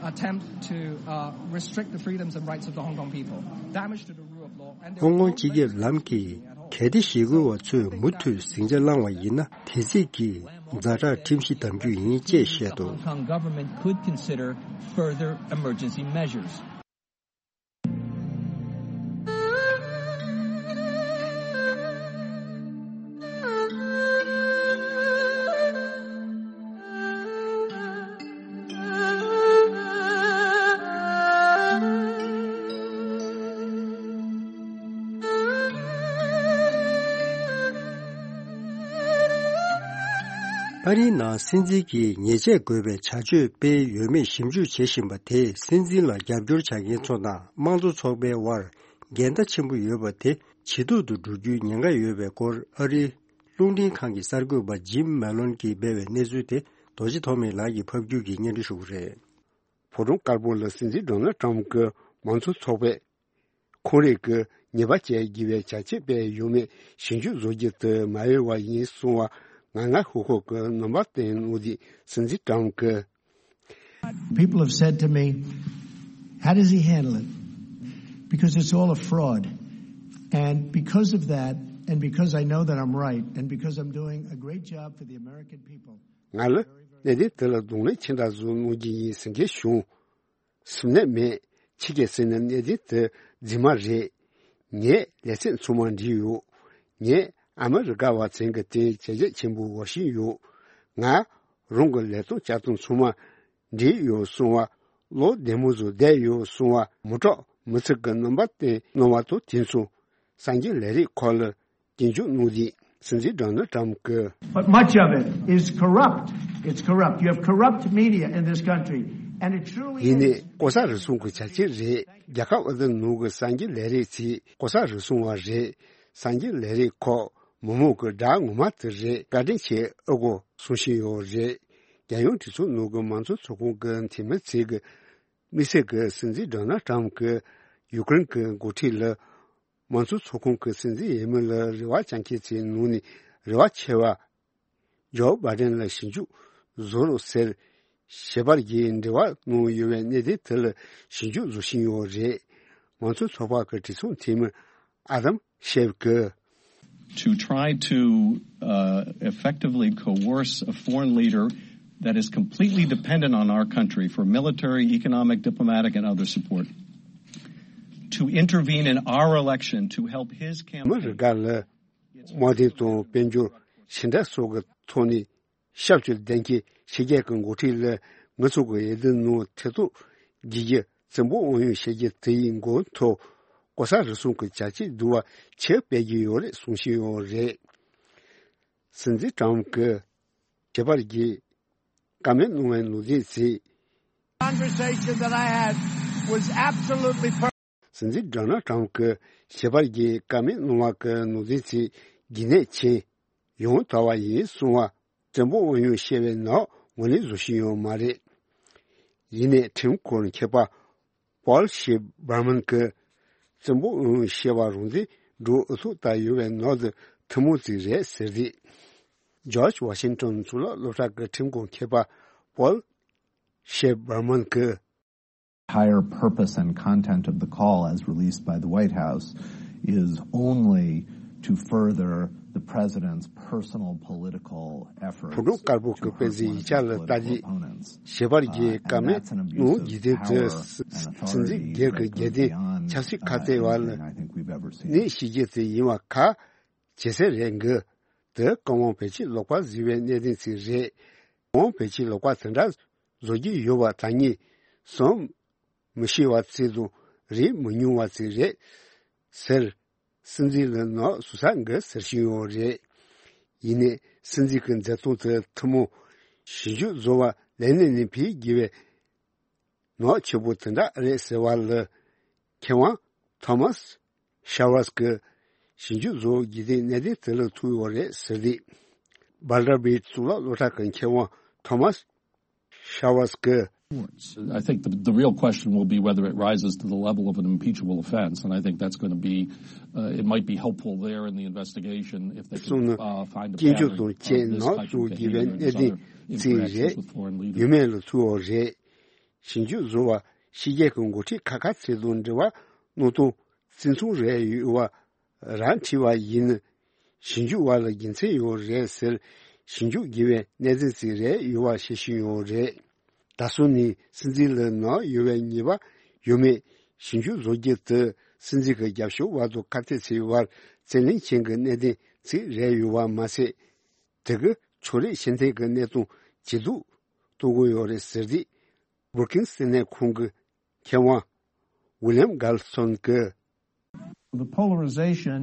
attempt to, uh, restrict the freedoms and rights of the Hong Kong people, damage to the rule of law, and there is no ཧོང་ཀོང་སྤྱི་ཁྱབ་ལམ་གྱིས་གལ་ཏེ་ཞི་རྒོལ་བ་ཚོས་མུ་མཐུད་ཟིང་ཆ་བསླངས་པ་ཡིན་ན་དེ་ཚིག་གིས་ཛ་དྲག་ཁྲིམས་གཞི་བསྡམ་རྒྱུ་ཡིན་ཅེས་བཤད་འདུག Hong Kong government could consider further emergency measures. ཨ་རིའི་ནང་སྲིད་འཛིན་གྱིས་ཉེས་ཆད་དགོས་པའི་བྱ་སྤྱོད་སྤེལ་ཡོད་མེད་ཞིབ་འཇུག་བྱེད་བཞིན་པ་དེས་སྲིད་འཛིན་ལ་རྒྱབ་སྐྱོར་བྱ་མཁན་ཚོ་དང་དམངས་གཙོ་ཚོགས་པའི་དབར་འགལ་ཟླ་ཆེན་པོ་ཡོད་པ་དེ་ཇེ་སྡུག་ཏུ་འགྲོ་རྒྱུའི་ཉེན་ཁ་ཡོད་པའི་སྐོར་ཨ་རིའི་རླུང་འཕྲིན་ཁང་གི་གསར་འགོད་པ་ཇིམ་མེ་ལོན་གྱིས་སྤེལ་བའི་གནས་ཚུལ་དེ་རྡོ་རྗེ་ཐོགས་མེད་ལགས་ཀྱིས་ཕབ་སྒྱུར་གྱིས་སྙན་སྒྲོན་ཞུ་གི་རེད། ཕོ་བྲང་དཀར་པོ་ལ་སྲིད་འཛིན་ཌོ་ནལ་ཊམ་གྱིས་མང་གཙོ་ཚོགས་པས་ཁོང་རང་གིས་ཉེས་པ་བཅས་བགྱི་བའི་བྱ་སྤྱོད་སྤེལ་ཡོད་མེད་ཞིབ་འཇུག་བཟོ་རྒྱུ་དེ་མ་ཡོད་པ་ཡིན་གསུང་བ་ང་ང་ཧུ་ཧུ་གི་རྣམ་པ་བསྟན་གནང་སྟེ་སྲིད་འཛིན་ཊམ་གྱིས། People have said to me, "How does he handle it?" Because it's all a fraud. And because of that, and because I know that I'm right, and because I'm doing a great job for the American people, ང་ལ་གནད་དོན་དེ་ལ་གདོང་ལེན་ཇི་འདྲ་བཟོ་གནང་རྒྱུ་ཡིན་ཟེར་མཁན་བྱུང་། སེམས་ནད་མེད། ཁྱེད་ཀྱིས་ཟེར་ན་གནད་དོན་དེ་རྫུན་མ་རེད། ངས་ལས་ཚད་ཚང་མ་འགྲིག་ཡོད། ངས་ཨ་མི་རི་ཀ་བ་ཚང་གི་སྟེང་བྱས་རྗེས་ཆེན་པོ་འོར་བཞིན་ཡོད། ང་རང་གི་ལས་སྟངས་བྱ་སྟངས་ཚང་མ་འགྲིག་ཡོད་གསུང་བ། བློ་བདེ་མོ་བཟོ་བསྡད་ཡོད་གསུང་བ། མི་དྲག་མི་ཚིག་གི་རྣམ་པ་བསྟན་གནང་བ་དང་དེ་མཚུངས་གསར་འགྱུར་ལས་རིགས་ཁག་ལ་སྐྱོན་བརྗོད་གནང་དུས་སྲིད་འཛིན་ཌོ་ནལ་ཊམ་གྱིས། But much of it is corrupt. It's corrupt. You have corrupt media in this country. And it truly is. ཡིན་ནའི་ལྐོག་ཟ་རུལ་སུངས་ཀྱི་བྱ་སྤྱོད་རེད། རྒྱལ་ཁབ་འོས་བསྡུ་ནང་གི་གསར་འགྱུར་ལས་རིགས་ཚོས་ལྐོག་ཟ་རུལ་སུངས་པ་རེད། གསར་འགྱུར་ལས་རིགས་ཁག་མི་མང་གི་དགྲ་ངོ་མ་དེ་རེད། བཀའ་དྲིན་ཆེ་ཨ་ཁུ་གསུང་བཞིན་ཡོད་རེད། རྒྱལ་ཡོངས་གྲོས་ཚོགས་ནང་གི་མང་གཙོ་ཚོགས་ཁང་གི་འཐུས་མི་ཚོས་ཀྱི་དམིགས་བསལ་གྱི་སྲིད་འཛིན་ཌོ་ནལ་ཊམ་གྱིས་ཡུཀ་རེན་གྱི་འགོ་ཁྲིད་ལ་མང་གཙོ་ཚོགས་ཁང་གི་སྲིད་འཛིན་ཡིན་མིན་ལ་རེ་བ་བཅངས་མཁན་ཚོའི་ནང་ནས་རེ་བ་ཆེ་བ་ཇོ་བྷའི་ཌེན་ལ་ཞིབ་འཇུག་བཟོ་རོགས་ཟེར་ཞལ་པར་གྱིས་འབྲེལ་བ་གནང་ཡོད་པའི་གནད་དོན་དེ་ལ་ཞིབ་འཇུག་བཟོ་བཞིན་ཡོད་རེད། མང་གཙོ་ཚོགས་པ་གི་གྲོས་ཚོགས་འཐུས་མི་ཨ་དམ་ཤེབ་ཀྱིས། To try to, uh, effectively coerce a foreign leader that is completely dependent on our country for military, economic, diplomatic, and other support, to intervene in our election to help his campaign. ཨ་མི་རི་ཀ་ལ་དམག་དོན་དང་དཔལ་འབྱོར་ཕྱི་འབྲེལ་སོགས་ཀྱི་ཐོག་ནས་ཞབས་ཞུ་ལྡན་གྱི་ཕྱི་རྒྱལ་གྱི་འགོ་ཁྲིད་ལ་ང་ཚོ་གི་འོས་བསྡུ་ནང་ཐེ་གཏོགས་བགྱིད་རྒྱུ་བཙན་པོ་དབང་ཡོད་བྱེད་རྒྱུ་དེ་ཡི་མགོ་ཐོག་ལྐོག་ཟ་རུལ་སུངས་ཀྱི་བྱ་སྤྱོད་བསྡུ་བ་ཆེ་སྤེལ་གྱི་ཡོད་རེད་གསུང་བཞིན་ཡོད་རེད། སྲིད་འཛིན་ཊམ་གྱིས་ཞལ་པར་གྱིས་བཀའ་མོལ་གནང་བའི་ནང་དོན་ཚོས། Conversation that I had was absolutely perfect. སྲིད་འཛིན་ཌོ་ནལ་ཊམ་གྱིས་ཞལ་པར་གྱིས་བཀའ་མོལ་གནང་བ་གི་ནང་དོན་ཚོས་རྒྱུན་གནས་ཆེ། ཡང་དག་པ་ཡིན་གསུང་བ། བཙན་པོ་དབང་ཡོད་བཤད་པའི་ནང་ངོས་ལེན་བཟོ་བཞིན་ཡོད་མ་རེད། ཡིན་ནའི་ཁྲིམས་སྐོར་མཁས་པ་ པོལ་ཤེབ་བར་མན་གྱིས་བཙན་པོ་ཨང་ཤེས་པ་རུང་དེ་འགྲོ་ཨུ་ཚུགས་ལྟ་ཡོད་པའི་ནོར་དུ་ཐུན་མོང་ཚིག་རེད་ཟེར་དེ། ཇོརྗ་ཝ་ཤིང་ཏོན་གཙུག་ལག་སློབ་གྲྭ་གི་ཁྲིམས་ཁང་མཁས་པ་པོལ་ཤེབ་བར་མན་གྱིས། Entire purpose and content of the call as released by the White House is only to further the president's personal political efforts. བོད་དོན་དཀར་པོ་གི་དཔེ་གཟིགས་ཡིག་ཆ་ལ་ལྟ་རྗེས་ཞེས་པར་རྒྱའི་བཀའ་མོལ་ནང་འཇིག་རྟེན་དུ་སྲིད་འཛིན་སྒེར་གྱི་རྒྱལ་བསྟན་ཆབ་སྲིད་ཁ་གཏད་བ་ལ་གནས་ཤིག་རྒྱུ་དེ་ཡིན་བ་ཁ། ཇེ་སེ་རེད་འགི། དེ་ཀོང་ཝང་བེད་སྤྱི་ལོག་པ་བཟོས་པའི་གནད་དོན་ཅིག་རེད། ཀོང་ཝང་བེད་སྤྱི་ལོག་པ་དེ་འདྲ་བཟོ་རྒྱུ་ཡོད་པ་ད་ངས་བསམ་མི་ཤེས་པ་ཅིག་དང་རིག་མི་མྱོང་བ་ཅིག་རེད་ཟེར། སྲིད་འཛིན་ལ་ནག་སུ་ས་འགི་ཟེར་བཞིན་ཡོད་རེད། ཡིན་ནའི་སྲིད་འཛིན་གྱི་མཛད་སྟངས་དེ་ཐུན་མོང་ཞིབ་འཇུག་བཟོ་བ་ལས་གནས་ནས་ཕེབས་དགོས་པའི་ནག་ཆེ་པོ་དེ་འདྲ་རེད་ཟེར་བ་ལ། མཁས་དབང་ཐོ་མཱས་ཤ་ཝར་སི་ཀྱིས་ཞིབ་འཇུག་བཟོ་རྒྱུ་དེ་གནད་དོན་དེ་ལ་ཐུག་ཡོད་རེད་ཟེར་ཏེ། བྷན་ཌར་བིལ་གཙུག་ལག་སློབ་གྲྭ་གི་མཁས་དབང་ཐོ་མཱས་ཤ་ཝར་སི་ཀྱིས། I think the, the real question will be whether it rises to the level of an impeachable offense, and I think that's going to be, uh, it might be helpful there in the investigation if they གསུངས་ནས། can, uh, find a སྐྱོན་བརྗོད་pattern དང་བཅས་of this ནག་type of བཟོ་རྒྱུ་བའི་behavior in གནད་other དོན་ཅིག་རེད། interactions with foreign leaders. ཡོད་མེད་ལ་ཐུག་ཡོད་རེད། ཞིབ་འཇུག་བཟོ་བ་ཕྱི་རྒྱལ་གྱི་འགོ་ཁྲིད་ཁག་ཁག་ཅིག་དང་འབྲེལ་བ་གནང་སྟངས་བརྩི་མཐོང་རེ་ཡོད་པ་རང་བྲིས་པ་ཡིན། ཞིབ་འཇུག་པ་ལ་རྒྱུ་མཚན་ཡོད་རེད་ཟེར། ཞིབ་འཇུག་དགོས་པའི་གནད་དོན་ཅིག་རེད་ཡོད་པ་བཤད་བཞིན་ཡོད་རེད། ད་གཟོད་ནས་སྲིད་འཛིན་ལ་ནག་ཡོད་པའི་ཉེས་པ་ཡོད་མེད་ཞིབ་འཇུག་བཟོ་རྒྱུ་དེ་སྲིད་འཛིན་གྱི་རྒྱབ་སྐྱོར་བ་དང་ཁ་གཏད་ཚོའི་བར་རྩོད་གླེང་ཅན་གྱི་གནད་དོན་ཅིག་རེད་ཡོད་པ་མ་ཟད། དེ་གིས་ཕྱོགས་རིས་ཕྱི་འཐེན་གྱི་གནས་སྟངས་ཇེ་སྡུག་གཏོང་གི་ཡོད་རེད་ཟེར་ཏེ། བྷུ་རུ་ཀིངས་ལྟེ་གནས་ཁང་གི་མཁས་དབང་ཝི་ལི་ཡམ་གྷལ་སོན་གྱིས། The polarization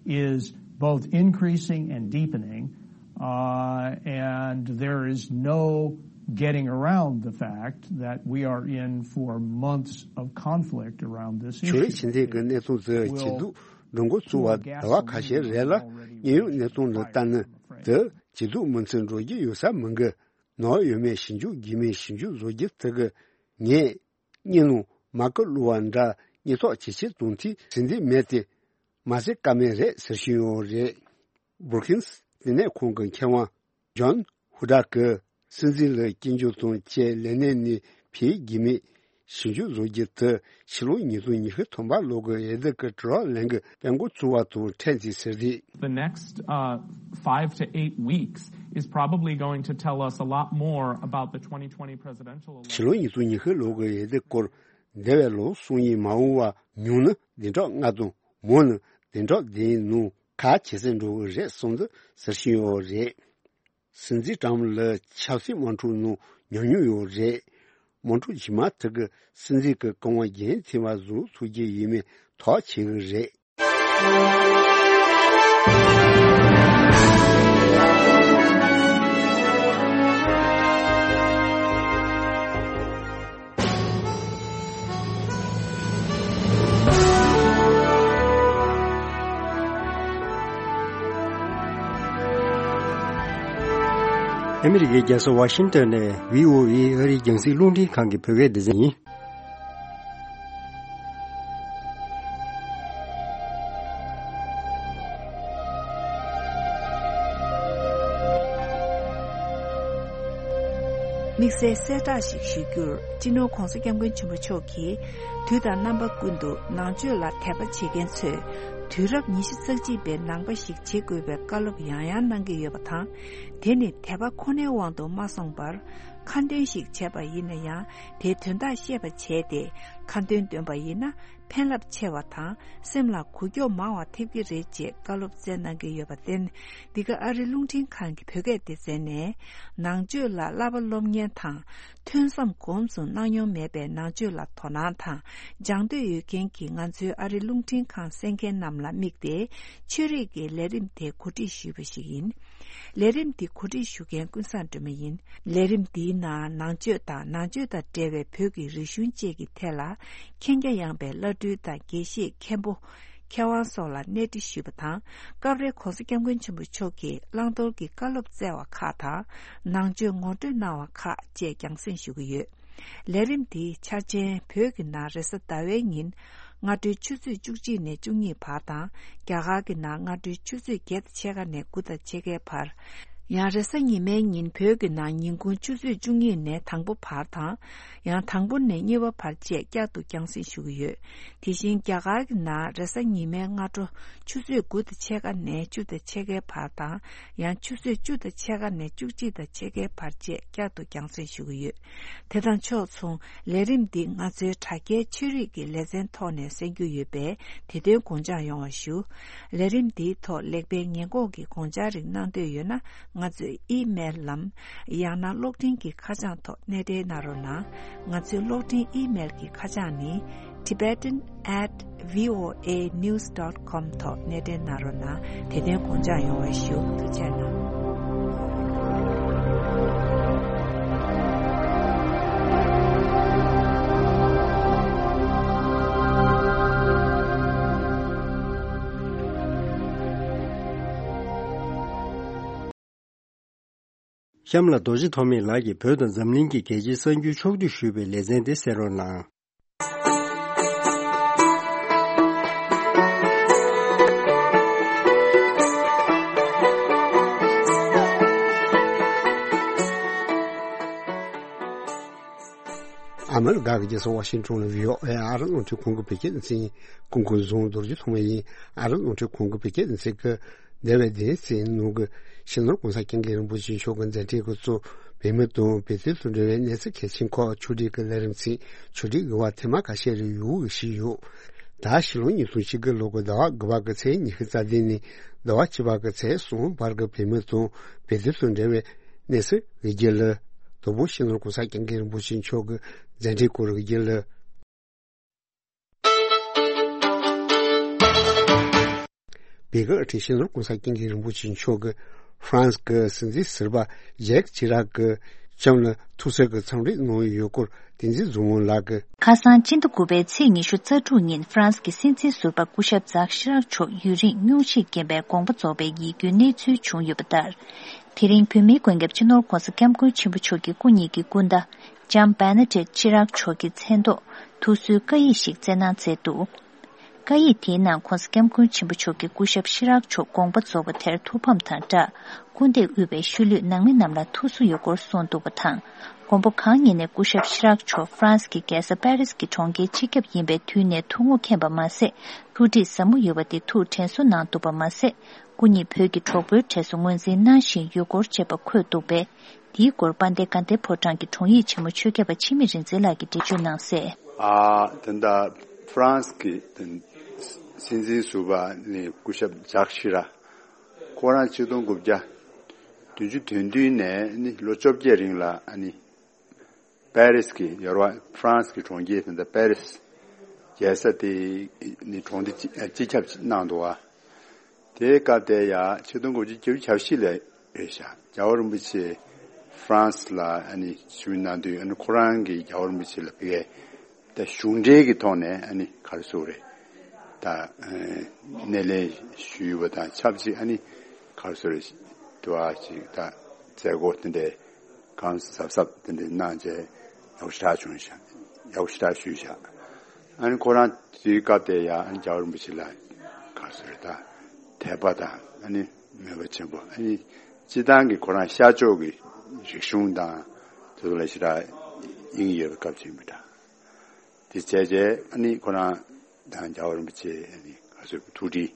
is both increasing and deepening, uh, and there is no getting around the fact that we are in for months of conflict around this issue. ཕྱོགས་རིས་ཕྱི་འཐེན་གྱི་གནས་སྟངས་དེ་ཇེ་སྡུག་འགྲོ་འགོ་བཙུགས་པ་ཟླ་བ་ཁ་ཤས་རེད་ལ། དངོས་ཡོད་གནས་སྟངས་ལ་ལྟ་ན་དེ་ཇེ་སྡུག་མུ་མཐུད་འགྲོ་རྒྱུ་ཡོད་ས་མི་འགི། ནག་ཡོད་མེད་ཞིབ་འཇུག་དགོས་མིན་ཞིབ་འཇུག་བཟོ་རྒྱུ་དེ་གིས་ངས་སྔོན་ལ་མ་ཀི་བླུགས་པ་འདྲ་སྙིང་སྟོབས་ཇེ་ཆེར་གཏོང་ཐུབ་ཟིན་དེ་མེད་དེ། མ་ཟད་ཀ་མེད་རེད་ཟེར་བཞིན་ཡོད་རེད། བྷུ་རུ་ཀིངས་ལྟེ་གནས་ཁང་གི་མཁས་དབང་ཇོན་ཧུ་ཌག་གིས་སྲིད་འཛིན་ལ་སྐྱོན་བརྗོད་དང་བཅས་ལས་གནས་ནས་ཕུད་དགོས་མིན་ཞིབ་འཇུག་བཟོ་རྒྱུ་དེ་ཕྱི་ལོ་ཉིས་སྟོང་ཉི་ཤུ་ཐམ་པ་ལོ་གི་འོས་བསྡུ་གི་གྲོས་ལེན་གྱི་དཔོན་འགོ་བཙུགས་པ་དང་འཕྲད་ཅིག་ཟེར་ཏེ། The next, uh, five to eight weeks is probably going to tell us a lot more about the twenty twenty presidential election. ཕྱི་ལོ་ཉིས་སྟོང་ཉི་ཤུ་ལོ་གི་འོས་བསྡུ་སྐོར་འདས་པའི་ལོ་གསུམ་ཡིན་མ་འོངས་པ་ཉུང་ན་བདུན་ཕྲག་ལྔ་དང་མང་ན་བདུན་ཕྲག་བདུན་ནང་ཁ་ཇེ་གསལ་འགྲོ་གི་རེད་བསམ་འདུག་ཟེར་བཞིན་ཡོད་རེད། སྲིད་འཛིན་ཀྲམ་ལ་ཆབ་སྲིད་དམག་འཁྲུག་ནང་ཉམས་མྱོང་ཡོད་རེད། དམག་འཁྲུག་རྗེས་མ་དེ་གི་སྲིད་འཛིན་གྱི་བཀའ་དབང་རྒྱུན་འཁྱོངས་པ་བཟོ་ཐུབ་ཀྱི་ཡིན་མིན་ཐག་ཆོད་གི་རེད། ཨ་མི་རི་ཀའི་རྒྱལ་ས་ཝ་ཤིང་ཏོན་ནས་བྷི་ཨོ་ཨེ་ཨ་རིའི་རྒྱང་སྲིང་རླུང་འཕྲིན་ཁང་གི་བོད་སྐད་སྡེ་ཚན་ཡིན། དམིགས་བསལ་གསལ་བསྒྲགས་ཤིག་ཞུ་རྒྱུར། སྤྱི་ནོར་༧གོང་ས་༧སྐྱབས་མགོན་ཆེན་པོ་མཆོག་གིས་དུས་དང་རྣམ་པ་ཀུན་ཏུ་ནང་ཆོས་ལ་དད་པ་བྱེད་མཁན་ཚོས་དུས་རབས་ཉི་ཤུ་རྩ་གཅིག་པའི་ནང་པ་ཞིག་བྱེད་དགོས་པའི་བཀའ་སློབ་ཡང་ཡང་གནང་གི་ཡོད་པ་དང་། དེ་ནི་དད་པ་ཁོ་ནའི་དབང་དུ་མ་སོང་བར། ཁ་འདོན་ཞིག་བྱས་པ་ཡིན་ན་ཡང་། དེའི་དོན་དག་ཤེས་པ་བྱས་ཏེ་ཁ་འདོན་འདོན་པ་ཡིན་ན། ཕན་རླབས་ཆེ་བ་དང་སེམས་ལ་འགུལ་སྐྱོད་མང་བ་ཐེབས་ཀྱི་རེད་ཅེས་བཀའ་སློབ་སྩལ་གནང་གི་ཡོད་པར་བརྟེན། འདི་ག་ཨ་རི་རླུང་འཕྲིན་ཁང་གི་བོད་སྐད་སྡེ་ཚན་ནས་ནང་ཆོས་ལ་བསླབ་པ་སློབ་གཉེར་དང་། ཐོས་བསམ་སྒོམ་གསུམ་གནང་མྱོང་མེད་པའི་ནང་ཆོས་ལ་དོ་སྣང་དང་སྦྱང་འདོད་ཡོད་མཁན་གྱི་ང་ཚོའི་ཨ་རི་རླུང་འཕྲིན་ཁང་གསན་མཁན་རྣམས་ལ་དམིགས་ཏེ་ཆོས་རིག་གི་ལས་རིམ་དེ་གོ་སྒྲིག་ཞུས་པ་ཞིག་ཡིན། ལས་རིམ་འདི་གོ་སྒྲིག་ཞུ་མཁན་ཀུན་བཟང་སྒྲོལ་མ་ཡིན། ལས་རིམ་འདིའི་ནང་ནང་ཆོས་དང་ནང་ཆོས་དང་འབྲེལ་བའི་བོད་ཀྱི་རིག་གཞུང་བཅས་ཀྱི་ཐད་ལ་མཁྱེན་རྒྱ་ཡངས་པའི་བླ་སྤྲུལ་དང་དགེ་བཤེས་མཁན་པོ། མཁས་དབང་སོགས་ལ་གནས་འདྲི་ཞུས་པ་དང་། སྐབས་རེ་༧གོང་ས་༧སྐྱབས་མགོན་ཆེན་པོ་མཆོག་གིས་བླང་དོར་གྱི་བཀའ་སློབ་སྩལ་བ་ཁག་དང་། ནང་ཆོས་ངོ་སྤྲོད་གནང་བ་ཁག་བཅས་རྒྱང་སྲིང་ཞུ་གི་ཡོད། ལས་རིམ་འདིའི་འཆར་ཅན་བོད་ཀྱི་ནང་རེས་གཟའ་ཟླ་བའི་ཉིན་སྔ་དྲོའི་ཆུ་ཚོད་བཅུ་གཅིག་ནས་བཅུ་གཉིས་བར་དང་། རྒྱ་གར་གྱི་ནང་སྔ་དྲོའི་ཆུ་ཚོད་བརྒྱད་དང་ཕྱེད་ཀ་ནས་དགུ་དང་ཕྱེད་ཀའི་བར། ཡང་རེས་གཟའ་ཉི་མའི་ཉིན་བོད་ཀྱི་ནང་ཉིན་གུང་ཆུ་ཚོད་བཅུ་གཉིས་ནས་དང་པོ་བར་དང་། ཡང་དང་པོ་ནས་གཉིས་པ་བར་བཅས་བསྐྱར་དུ་རྒྱང་སྲིང་ཞུ་གི་ཡོད། དེ་བཞིན་རྒྱ་གར་གྱི་ནང་རེས་གཟའ་ཉི་མའི་སྔ་དྲོ་ཆུ་ཚོད་དགུ་དང་ཕྱེད་ཀ་ནས་བཅུ་དང་ཕྱེད་ཀའི་བར་དང་། ཡང་ཆུ་ཚོད་བཅུ་དང་ཕྱེད་ཀ་ནས་བཅུ་གཅིག་དང་ཕྱེད་ཀའི་བར་བཅས་བསྐྱར་དུ་རྒྱང་སྲིང་ཞུ་གི་ཡོད། དེ་དང་ཕྱོགས་མཚུངས་ལས་རིམ་འདི་ང་ཚོའི་དྲ་རྒྱའི་ཆོས་རིག་གི་ལེ་ཚན་ཐོག་ནས་གསན་རྒྱུ་ཡོད་པས། དེ་དོན་དགོངས་འཇགས་ཡོང་བ་ཞུ། ལས་རིམ་འདིའི་ཐོག་ལེགས་སྤེལ་ཉེས་འགོག་གི་དགོངས་འཆར་རིགས་གནང་འདོད་ཡོད་ན། ང་ཚོའི་ཨི་མེལ་ལམ། ཡང་ན་གློག་འཕྲིན་གྱི་ཁ་བྱང་ཐོག་སྣེ་འདྲེན་གནང་རོགས་གནང་། ང་ཚོའི་གློག་འཕྲིན་ཨི་མེལ་གྱི་ཁ་བྱང་ནི། Tibetan at voanews dot com ཐོག་སྣེ་འདྲེན་གནང་རོགས་གནང་། དེ་དོན་དགོངས་འཇགས་ཡོང་བ་ཞུ། ཐུགས་རྗེ་གནང་། གཤམ་ལ་རྡོ་རྗེ་ཐོགས་མེད་ལགས་ཀྱིས་བོད་དང་འཛམ་གླིང་གི་རྒྱལ་སྤྱིའི་གསར་འགྱུར་ཕྱོགས་བསྡུས་ཞུས་པའི་ལེ་ཚན་དེ་གསན་རོགས་གནང་། ཨ་མི་རི་ཀ་གི་རྒྱལ་ས་ཝ་ཤིང་ཊོན་ལ་བྷི་ཨོ་ཨེ་ཨ་རི་རླུང་འཕྲིན་ཁང་གི་བོད་སྐད་སྡེ་ཚན་ཡིན། སྐུ་ཁམས་བཟང་། རྡོ་རྗེ་ཐོགས་མེད་ཡིན། ཨ་རི་རླུང་འཕྲིན་ཁང་གི་བོད་སྐད་སྡེ་ཚན་གྱི་འདས་པའི་བདུན་ཚིགས་ནང་གི་སྤྱི་ནོར་༸གོང་ས་༸སྐྱབས་མགོན་རིན་པོ་ཆེ་མཆོག་གི་མཛད་འཕྲིན་གྱི་གཙོ་བོད་མི་དང་བོད་དོན་དང་འབྲེལ་བའི་གནས་ཚུལ་གལ་ཆེན་ཁག་ཕྱོགས་སྒྲིག་གི་ལས་རིམ་ཚིག་ཕྱོགས་སྒྲིག་གི་བར་ཐེངས་མ་ཁ་ཤས་རེ་ཡོང་གི་བཞིན་ཡོད། ད་ཕྱི་ལོ་ཉིས་སྟོང་ཉི་ཤུ་གི་ལོ་འགོ་ཟླ་བ་དགུ་པ་གི་ཚེས་ཉི་ཤུ་རྩ་བདུན་ནས་ཟླ་བ་བཅུ་པ་གི་ཚེས་གསུམ་བར་གྱི་བོད་མི་དང་བོད་དོན་དང་འབྲེལ་བའི་གནས་ཚུལ་ཡི་གེ་ལ། དང་པོ་སྤྱི་ནོར་༸གོང་ས་༸སྐྱབས་མགོན་རིན་པོ་ཆེ་མཆོག་གི་མཛད་འཕྲིན་སྐོར་ཡི་གེ་ལ། བོད་ཀྱི་སྤྱི་ནོར་༸གོང་ས་༸སྐྱབས་མགོན་རིན་པོ་ཆེ་མཆོག་གིས་ཧྥ་རན་སི་གི་སྲིད་འཛིན་ཟུར་པ་ཇེག་ཅི་རག་གི་ལྕམ་ལ་ཐུགས་གསོའི་གི་འཚམས་འདྲི་གནང་ཡོད་སྐོར་བསྟན་འཛིན་རྫོང་དབང་ལགས་ཀྱིས། ཁ་སང་སྤྱི་ཟླ་དགུ་པའི་ཚེས་ཉི་ཤུ་རྩ་དྲུག་ཉིན་ཧྥ་རན་སི་གི་སྲིད་འཛིན་ཟུར་པ་སྐུ་ཞབས་ཛག་ཤི་རག་མཆོག་ཡུན་རིང་སྙུང་གཞིས་རྐྱེན་པས་དགོངས་པ་རྫོགས་པའི་ཡིད་སྐྱོའི་གནས་ཚུལ་བྱུང་ཡོད་པ་ལྟར། དེ་རིང་བོད་མིའི་མགོན་སྐྱབས་སྤྱི་ནོར་༸གོང་ས་༸སྐྱབས་མགོན་ཆེན་པོ་མཆོག་གི་སྐུ་ཉིད་ཀྱི་སྐུ་ཟླ་ལྕམ་བེ་ན་ཌེཊ་ཅི་རག་མཆོག་གི་མཚན་ཐོག་ཐུགས་གསོའི་བཀའ་ཡིག་ཞིག་བསྩལ་གནང་མཛད་འདུག། བཀའ་ཡིག་དེའི་ནང་༸གོང་ས་༸སྐྱབས་མགོན་ཆེན་པོ་མཆོག་གིས་སྐུ་ཞབས་ཤི་རག་མཆོག་དགོངས་པ་རྫོགས་པ་དེར་ཐུགས་ཕམ་དང་སྦྲགས། སྐུ་འདས་དབུས་པའི་ཤུལ་ལུས་ནང་མི་རྣམས་ལ་ཐུགས་གསོ་ཡོད་སྐོར་གསུངས་འདུག་པ་དང་། མགོན་པོ་གང་ཉིད་ནས་སྐུ་ཞབས་ཤི་རག་མཆོག་ཧྥ་རན་སི་གི་རྒྱལ་ས་པེ་རིས་ཀྱི་གྲོང་ཁྱེར་སྤྱི་ཁྱབ་ཡིན་པའི་དུས་ནས་ཐུགས་ངོ་མཁྱེན་པ་མ་ཟད། ཐུགས་འདྲིས་ཟབ་མོ་ཡོད་པ་དེ་ཐུགས་དྲན་གསོ་གནང་འདུག་པ་མ་ཟད། སྐུ་ཉིད་བོད་ཀྱི་གྲོགས་པོའི་གྲས་སུ་ངོས་འཛིན་གནང་བཞིན་ཡོད་སྐོར་བཅས་པ་འཁོད་འདུག་པས། འདིའི་སྐོར་དཔལ་ལྡན་དགའ་ལྡན་ཕོ་བྲང་གི་དྲུང་ཡིག་ཆེན་མོ་ཆོས་སྐྱབས་པ་འཆི་མེད་རིག་འཛིན་ལགས་ཀྱིས་འགྲེལ་བརྗོད་གནང་གསལ། ཨ། ད་ལྟ་ཧྥ་རན་སི་གི་སྲིད་འཛིན་ཟུར་པ་ནི་སྐུ་ཞབས་ཇག་ཤི་ར། ཁོ་རང་ཆིག་སྟོང་དགུ་བརྒྱ་བདུན་ཅུ་དོན་བདུན་ནས་ནི་ལོ་བཅོ་བརྒྱད་རིང་ལ་ཨ་ནི་པེ་རིས་ཀྱི་ཡོ་རོབ་ཧྥ་རན་སི་གི་གྲོང་ཁྱེར་དེ་འདྲ་པེ་རིས་རྒྱལ་ས་དེ་ནི་གྲོང་སྡེ་སྤྱི་ཁྱབ་གནང་འདུག་བ། དེའི་སྐབས་དེ་ཡང་ཆིག་སྟོང་དགུ་བརྒྱ་བརྒྱད་ཅུ་གྱ་བཞི་ལ་རེད་ཤག། རྒྱལ་བ་རིན་པོ་ཆེ་ཧྥ་རན་སི་ལ་ཨ་ནི་ཞུ་གནང་དུས་ཨ་ནི་ཁོ་རང་གིས་རྒྱལ་བ་རིན་པོ་ཆེ་ལ་ཕ་གིའི་ད་གཞུང་འབྲེལ་གྱི་ཐོག་ནས་ཨ་ནི་ག་རེ་ཟེར་དགོས་རེད། ད་སྣེ་ལེན་ཞུས་པ་དང་ཆབས་ཅིག་ཨ་ནི་ག་རེ་ཟེར་དགོས་རེད། དུ་བ་ཅིག་ད་མཛད་སྒོ་དེ་འདྲའི་གང་གཟབ་གཟབ་དེ་འདྲའི་གནང་བྱས་ཡག་པོ་ཞེ་དྲག་བྱུང་ཤག། ཡག་པོ་ཞེ་དྲག་ཞུས་ཤག། ཨ་ནི་ཁོ་རང་དེའི་སྐབས་དེ་ཡང་ཨ་ནི་རྒྱལ་བ་རིན་པོ་ཆེ་ལ་ག་རེ་ཟེར་དང་དད་པ་དང་ཨ་ནི་མོས་པ་ཆེན་པོ། ཨ་ནི་སྤྱི་བཏང་གི་ཁོ་རང་ཤར་ཕྱོགས་ཀྱི་རིག་གཞུང་དང་དེ་ཚོ་ལ་ཞེ་དྲག་དབྱིངས་ཡོད་པའི་སྐབས་ཅིག་ཡིན་པ་འདྲ། དེ་བྱས་རྗེས་ཨ་ནི་ཁོ་རང་དང་རྒྱལ་བ་རིན་པོ་ཆེ་ཨ་ནི་ག་རེ་ཟེར་ཐུགས་འདྲིས་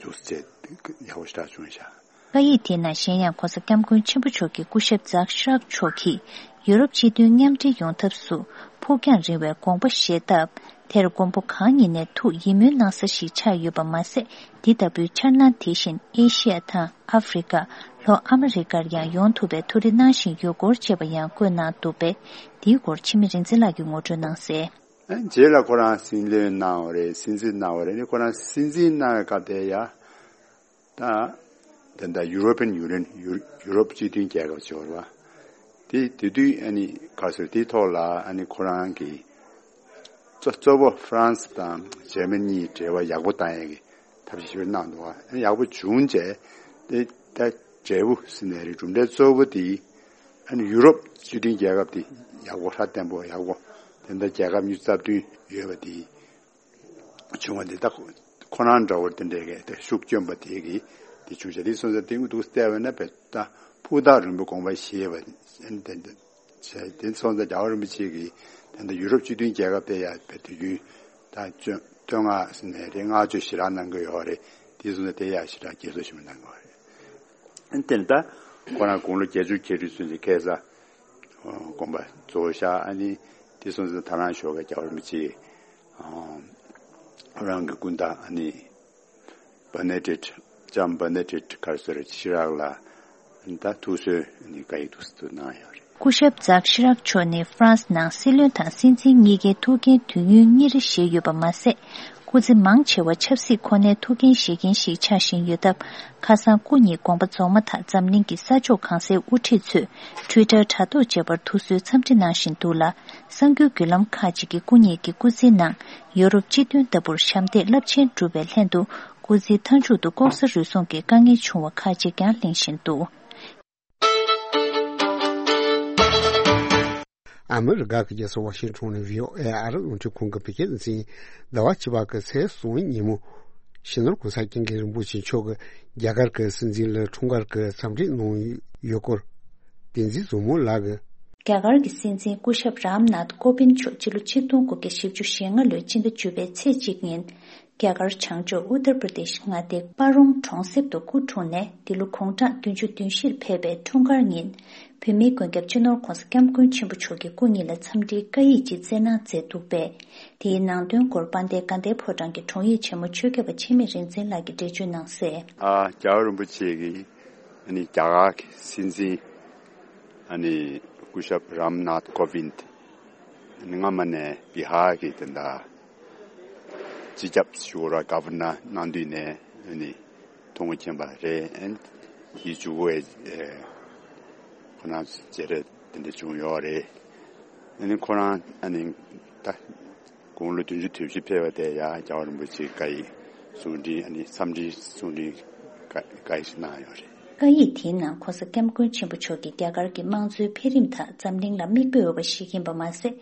འདུག་ཟེར་ཡག་པོ་ཞེ་དྲག་བྱུང་ཤག། བཀའ་ཡིག་དེའི་ནང་གཞན་ཡང་༸གོང་ས་༸སྐྱབས་མགོན་ཆེན་པོ་མཆོག་གིས་སྐུ་ཞབས་ཛག་ཤི་རག་མཆོག་གིས་ཡུ་རོབ་སྤྱི་མཐུན་མཉམ་འབྲེལ་ཡོང་ཐབས་སུ་ཕུགས་རྒྱང་རིང་བའི་དགོངས་པ་བཞེས་སྟབས། དེར་མགོན་པོ་གང་ཉིད་ནས་ཐུགས་ཡིད་སྨོན་གནང་ས་ཞིག་ཆགས་ཡོད་པ་མ་ཟད། འདི་ལྟ་བུའི་འཆར་སྣང་དེ་བཞིན་ཨེ་ཤི་ཡ་དང་ཨ་ཧྥེ་རི་ཀ། ལྷོ་ཨ་མི་རི་ཀར་ཡང་ཡོང་ཐུབ་པའི་ཐུགས་རེ་གནང་བཞིན་ཡོད་སྐོར་བཅས་པ་ཡང་བཀོད་གནང་འདུག་པས། འདིའི་སྐོར་འཆི་མེད་རིག་འཛིན་ལགས་ཀྱིས་ངོ་སྤྲོད་གནང་གསལ། རྗེས་ལ་ཁོ་རང་སྲིད་བློན་གནང་བ་རེད། སྲིད་འཛིན་གནང་བ་རེད། ཨ་ནི་ཁོ་རང་སྲིད་འཛིན་གནང་བའི་སྐབས་དེ་ཡ། ད་དེ་འདྲ་ཡུ་རོ་པན་ཡུ་ནི་ཡན། ཡུ་ཡུ་རོབ་སྤྱི་མཐུན་རྒྱལ་ཁབ་ཅིག་ཡོད་རེད་བ། དེ་དེ་དུས་ཨ་ནི་ག་རེ་ཟེར། དེའི་ཐོག་ལ་ཨ་ནི་ཁོ་རང་གིས་གཙོ་གཙོ་བོ་ཧྥ་རན་སི་དང་འཇར་མ་ནི་གཉིས་འབྲེལ་བ་ཡག་པོ་བཏང་ཡག་གི་ཐབས་ཤེས་ཞིག་གནང་འདུག་བ། ཨ་ནི་ཡག་པོ་བྱུང་རྗེས་དེ་ད་འབྲས་བུ་ཟེར་ནའི་རེད། གྲུབ་འབྲས་གཙོ་བོ་དེ་ ཨ་ནི་ཡུ་རོབ་སྤྱི་མཐུན་རྒྱལ་ཁབ་དེ་ཡག་པོ་ཧྲ་བརྟན་པོ་ཡག་པོ་དེ་འདྲ་རྒྱལ་ཁབ་ཉི་ཤུ་རྩ་བདུན་ཡོད་པ་དེ་བྱུང་བ་འདི་ད་ཁོ་རང་འདྲ་བོ་དེ་འདྲའི་གི་དེ་ཤུགས་བསྐྱོན་པ་དེ་གི་དེ་བྱུང་བྱ་དེ་སོང་ཙང་དེ་འུ་ཐུག་བལྟས་པ་ན་བས་ད་ཕུགས་ཐག་རིང་པོ་དགོངས་པ་བཞེས་པ་དེ་འདྲ་བྱས་དེ་སོང་ཙང་རྒྱལ་བ་རིན་པོ་ཆེ་གི་དེ་འདྲ་ཡུ་རོབ་སྤྱི་མཐུན་རྒྱལ་ཁབ་དེ་ཡ་བས་དུས་རྒྱུན་ད་བཙོན་བཙོན་ལྔ་ཟིན་ནས་རེད་བསྔགས་བརྗོད་ཞེ་དྲག་གནང་གི་ཡོད་རེད། དེ་སོང་ཙང་དེ་ཡ་ཞེ་དྲག་རྒྱས་གསོ་ཞིག་མི་གནང་གི་ཡོད་རེད། དེ་ནི་ད་ཁོ་རང་དགུང་ལོ་བརྒྱད་ཅུ་གྱ་དྲུག་ཚུན་གྱི་ཁ་སང་དགོངས་པ་རྫོགས་ཤག་ཨ་ནི་དེ་སོང་ཙང་ད་རང་ཞོགས་ཀས་རྒྱལ་བ་རིན་པོ་ཆེ་རང་གི་སྐུ་ཟླ་ཨ་ནི་བེ་ནེ་ཌིག་ལྕམ་བེ་ནེ་ཌིག་ག་རེ་ཟེར་ཤི་རག་ལ་ད་ཐུགས་གསོའི་ཨ་ནི་བཀའ་ཡིག་ཏུ་གནང་ཡོད་རེད། སྐུ་ཞབས་ཛག་ཤི་རག་མཆོག་ནི་ཧྥ་རན་སི་ནང་སྲིད་བློན་དང་སྲིད་འཛིན་གཉིས་ཀའི་ཐུགས་འགན་དུས་ཡུན་གཉིས་རེ་བཞེས་ཡོད་པ་མ་ཟད། སྐུ་ཚེ་མང་ཆེ་བ་ཆབ་སྲིད་ཁོ་ནའི་ཐུགས་འགན་བཞེས་མཁན་ཞིག་ཆགས་བཞིན་ཡོད་སྟབས། ཁ་སང་སྐུ་ཉིད་དགོངས་པ་རྫོགས་མ་ཐག་འཛམ་གླིང་གི་ས་ཕྱོགས་གང་སའི་དབུ་ཁྲིད་ཚོས་ཊུའི་ཊར་དྲ་ཐོག་བཅས་པར་ཐུགས་གསོའི་འཚམས་འདྲི་གནང་བཞིན་འདུག་ལ། གསར་འགྱུར་བརྒྱུད་ལམ་ཁག་ཅིག་གིས་སྐུ་ཉིད་ཀྱི་སྐུ་ཚེའི་ནང་ཡོ་རོབ་སྤྱི་མཐུན་ལྟ་བུར་ཞབས་འདེགས་རླབས་ཆེན་བསྒྲུབས་པའི་ལྷན་དུ། སྐུ་ཚེའི་མཐའ་མཇུག་ཏུ་ལྐོག་ཟ་རུལ་སུངས་ཀྱི་དཀའ་ངལ་བྱུང་བ་ཁག་ཅིག་ཀྱང་གླེང་བཞིན་འདུག། ཨ་མི་རི་ཀ་གི་རྒྱལ་ས་ཝ་ཤིང་ཊོན་ནས་བྷི་ཨོ་ཨེ་ཨ་རི་རླུང་འཕྲིན་ཁང་གི་བོད་སྐད་སྡེ་ཚན། ཟླ་བ་བཅུ་པ་གི་ཚེས་གསུམ་ཉིན་མོ། སྤྱི་ནོར་གོང་ས་སྐྱབས་མགོན་རིན་པོ་ཆེ་མཆོག་གིས་རྒྱ་གར་གྱི་སྲིད་འཛིན་ལ་འཁྲུངས་སྐར་གྱི་འཚམས་འདྲི་གནང་ཡོད་སྐོར། བསྟན་འཛིན་བཟང་མོ་ལགས་ཀྱིས། རྒྱ་གར་གྱི་སྲིད་འཛིན་སྐུ་ཞབས་རམ་ནཱཐ་ཀོ་བིན་མཆོག་སྤྱི་ལོ་ཆིག་སྟོང་དགུ་བརྒྱ་བཞི་བཅུ་ཞེ་ལྔ་ལོའི་སྤྱི་ཟླ་བཅུ་པའི་ཚེས་གཅིག་ཉིན། རྒྱ་གར་བྱང་ཕྱོགས་ཨུ་ཏར་པྲ་དེཤ་མངའ་སྡེའི་པ་རོང་གྲོང་གསེབ་ཏུ་སྐུ་འཁྲུངས་ནས། འདི་ལོ་དགུང་གྲངས་བདུན་ཅུ་དོན་བཞིར་ཕེབས་པའི་འཁྲུངས་སྐར་ཉིན། བོད་མིའི་མགོན་སྐྱབས་སྤྱི་ནོར་ྋགོང་ས་ྋསྐྱབས་མགོན་ཆེན་པོ་མཆོག་གིས་སྐུ་ཉིད་ལ་འཚམས་འདྲིའི་བཀའ་ཡིག་ཅིག་བསྩལ་གནང་མཛད་འདུག་པས། དེའི་ནང་དོན་སྐོར་དཔལ་ལྡན་དགའ་ལྡན་ཕོ་བྲང་གི་དྲུང་ཡིག་ཆེན་མོ་ཆོས་སྐྱབས་པ་འཆི་མེད་རིག་འཛིན་ལགས་ཀྱིས་འགྲེལ་བརྗོད་གནང་གསལ། ཨ། རྒྱལ་བ་རིན་པོ་ཆེ་གིས་ཨ་ནི་རྒྱ་གར་གྱི་སྲིད་འཛིན་ཨ་ནི་སྐུ་ཞབས་རམ་ནཱཐ་ཀོ་བིན། ཨ་ནི་སྔ་མ་ནས་བི་ཧར་གྱི་དེ་འདྲ་སྤྱི་ཁྱབ་ཞུ་ར་ག་ཝར་ནར་གནང་དུས་ནས་ཨ་ནི་མཐོང་མཁྱེན་པ་རེད། ཨ་ནི་དེའི་མཇུག་གུ་ཨེ་ཁོ་རང་མཇལ་འཕྲད་དེ་འདྲ་བྱུང་ཡོད་རེད། ཨ་ནི་ཁོ་རང་ཨ་ནི་ད། དགུང་ལོ་བདུན་ཅུ་དོན་བཞི་ཕེབས་པ་དེ་ཡང་རྒྱལ་བ་རིན་པོ་ཆེའི་བཀའ་ཡིག་གསུང་འཕྲིན་ཨ་ནི་འཚམས་འདྲིའི་གསུང་འཕྲིན་བཀའ་བཀའ་ཡིག་ཞིག་གནང་ཡོད་རེད། བཀའ་ཡིག་དེའི་ནང་ྋགོང་ས་ྋསྐྱབས་མགོན་ཆེན་པོ་མཆོག་གིས་རྒྱ་གར་གྱི་དམངས་གཙོའི་འཕེལ་རིམ་དང་འཛམ་གླིང་ལ་མིག་དཔེ་འོས་པ་ཞིག་ཡིན་པ་མ་ཟད།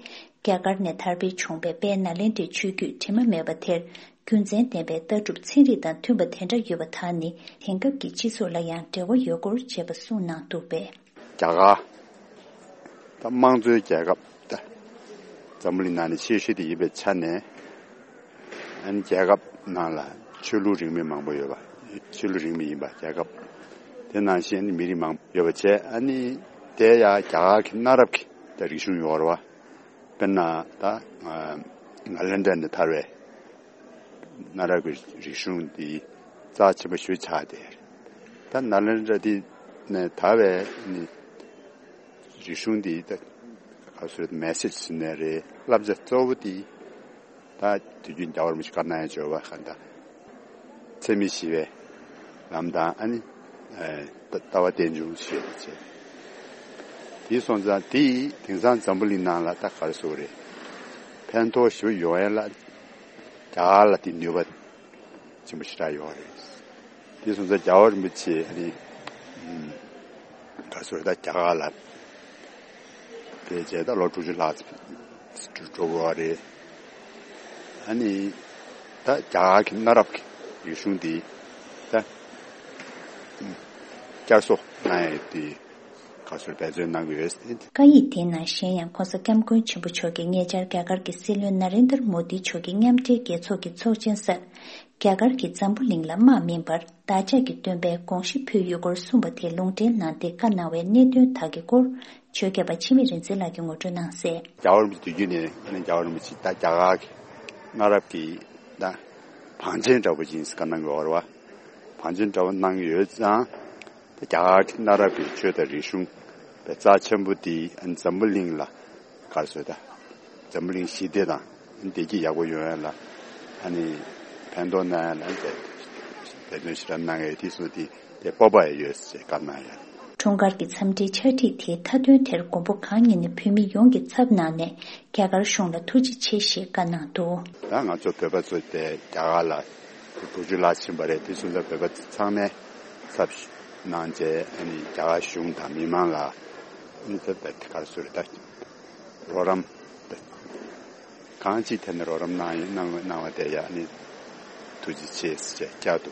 རྒྱ་གར་ནས་དར་སྤེལ་བྱུང་བའི་དཔལ་ནཱ་ལེནྡྲའི་ཆོས་བརྒྱུད་དྲི་མ་མེད་པ་དེར་རྒྱུ་མཚན་ལྡན་པའི་ལྟ་གྲུབ་ཚན་རིག་དང་མཐུན་པ་དེ་འདྲ་ཡོད་པ་དག་ནི་དེང་སྐབས་ཀྱི་སྤྱི་ཚོགས་ལ་ཡང་འབྲེལ་བ་ཡོད་སྐོར་བཅས་པ་གསུངས་གནང་འདུག་པས། རྒྱ་གར་ད་དམངས་གཙོའི་རྒྱལ་ཁབ་ད་འཛམ་བུ་གླིང་ནང་ནས་ཆེ་ཤོས་དེ་ཡིན་པའི་ཆ་ནས། ཨ་ནི་རྒྱལ་ཁབ་ནང་ལ་ཆོས་ལུགས་རིས་མེད་མང་པོ་ཡོད་པ། ཆོས་ལུགས་རིས་མེད་ཡིན་པ་རྒྱལ་ཁབ་དེ་ནང་བཞིན་ཨ་ནི་མི་རིགས་མང་པོ་ཡོད་པ་བྱས། ཨ་ནི་དེ་ཡང་རྒྱ་གར་གྱི་གནའ་རབས་ཀྱི་ད་རིག་གཞུང་ཡོད་རེད་བ། དཔེར་ན་ད་ནཱ་ལེནྡྲ་ནས་དར་བའི་གནའ་རབས་ཀྱི་རིག་གཞུང་འདི་རྩ་ཆེན་པོ་ཞིག་ཆགས་བསྡད་ཡོད་རེད། ད་ནཱ་ལེནྡྲ་འདི་ནས་དར་བའི་ནི་རིག་གཞུང་འདི་ད་ག་ཚོད་མེ་སེཇ་ཟེར་ནའི་རེད། བསླབ་བྱ་གཙོ་བོ་འདི་ད་དུས་རྒྱུན་རྒྱལ་བ་རིན་པོ་ཆེ་བཀའ་གནང་ཡ་སྦྱོར་བ་ག་ད་འཚེ་མེད་ཞི་བའི་ལམ་དང་ཨ་ནི་ལྟ་བ་རྟེན་འབྱུང་ཞེས་པ་བྱས། དེ་སོང་ཙང་དེ་དེང་སང་འཛམ་བུ་གླིང་ནང་ལ་ད་ག་རེ་ཟེར་དགོས་རེད། ཕན་ཐོགས་ཞེ་པོ་ཡོང་ཡ་ལ་རྒྱ་གར་ལ་དེ་ནུས་པ་ཆེན་པོ་ཞེ་དྲག་ཡོད་རེད། དེ་སོང་ཙང་རྒྱལ་བ་རིན་པོ་ཆེ་ཨ་ནི་ག་རེ་ཟེར་དགོས་རེད། ད་རྒྱ་གར་ལ་ཕེབས་བྱས་ད་ལོ་དྲུག་ཅུ་ལྷག་འགྲོ་དགོས་པ་རེད། ཨ་ནི་ད་རྒྱ་གར་གྱི་གནའ་རབས་ཀྱི་རིག་གཞུང་འདི་ད་བསྐྱར་གསོ་གནང་ཡས་དེ་ག་ཚོད་འབད་བརྩོན་གནང་གི་ཡོད་ཟེར། བཀའ་ཡིག་དེའི་ནང་གཞན་ཡང་ྋགོང་ས་ྋསྐྱབས་མགོན་ཆེན་པོ་མཆོག་གིས་ཉེ་ཆར་རྒྱ་གར་གྱི་སྲིད་བློན་ན་རེན་དར་མོ་དི་མཆོག་གིས་མཉམ་འབྲེལ་རྒྱལ་ཚོགས་ཀྱི་ཚོགས་ཆེན་སར། རྒྱ་གར་གྱིས་འཛམ་བུ་གླིང་ལ་དམག་མིན་པར་བདག་ཅག་གི་སྟོན་པའི་དགོངས་གཞི་ཕུལ་ཡོད་སྐོར་གསུངས་པ་དེ་ལུང་འདྲེན་གནང་སྟེ་བཀའ་གནང་བའི་གནད་དོན་དག་གི་སྐོར་ཆོས་སྐྱབས་པ་འཆི་མེད་རིག་འཛིན་ལགས་ཀྱིས་ངོ་སྤྲོད་གནང་གསལ། རྒྱལ་བ་རིན་པོ་ཆེ་དུས་རྒྱུན་ནས་ཨ་ནི་རྒྱལ་བ་རིན་པོ་ཆེ་ད་རྒྱ་གར་གྱི་གནའ་རབས་ཀྱི་ད་བང་ཆེན་འདྲ་པོ་ཅིག་ཡིན་ཟེར་བཀའ་གནང་གི་ཡོད་རེད་བ། བང་ཆེན་འདྲ་པོ་གནང་གི་ཡོད་ཙང་། ད་རྒྱ་གར་གྱི་གནའ་རབས་ཀྱི་ཆོས་དང་རིག་གཞུང་པའི་རྩ་ཆེན་པོ་དེ་ཨ་ནི་འཛམ་བུ་གླིང་ལ་ག་རེ་ཟེར་ད། འཛམ་བུ་གླིང་ཞི་བདེ་དང་བདེ་སྐྱིད་ཡག་པོ་ཡོང་ཡ་ལ་ཨ་ནི་ཕན་ཐོགས་གནང་ཡ་ལ་འབད་བརྩོན་ཞེ་དྲག་གནང་ཡོད་དེ་སོ་དེ་དེ་སྤོབས་པ་ཡོད་ཟེར་བཀའ་གནང་ཡ། འཁྲུངས་སྐར་གྱི་འཚམས་འདྲིའི་ཕྱག་བྲིས་དེའི་མཐའ་དོན་དེར་མགོན་པོ་གང་ཉིད་ནས་བོད་མི་ཡོངས་ཀྱི་ཚབ་གནང་ནས་རྒྱ་གར་གཞུང་ལ་ཐུགས་རྗེ་ཆེ་ཞེས་བཀའ་གནང་འདུག། ད་ང་ཚོ་བོད་པ་ཚོ་དེ་རྒྱ་གར་ལ་དྲུག་ཅུ་ལྷག་ཕྱིན་པ་རེད། དེ་སོང་ཙང་བོད་པ་ཚང་མས་ཚབ་གནང་བྱས་ཨ་ནི་རྒྱ་གར་གཞུང་དང་མི་མང་ལ་ ཨ་ནི་ད་ད་ག་རེ་ཟེར་ད། རོགས་རམ། ད་གང་ཅིའི་ཐད་ནས་རོགས་རམ་གནང་ཡིན་གནང་གནང་བ་དེ་ཡ་ཨ་ནི་ཐུགས་རྗེ་ཆེ་ཟེར་བྱས་བསྐྱར་དུ་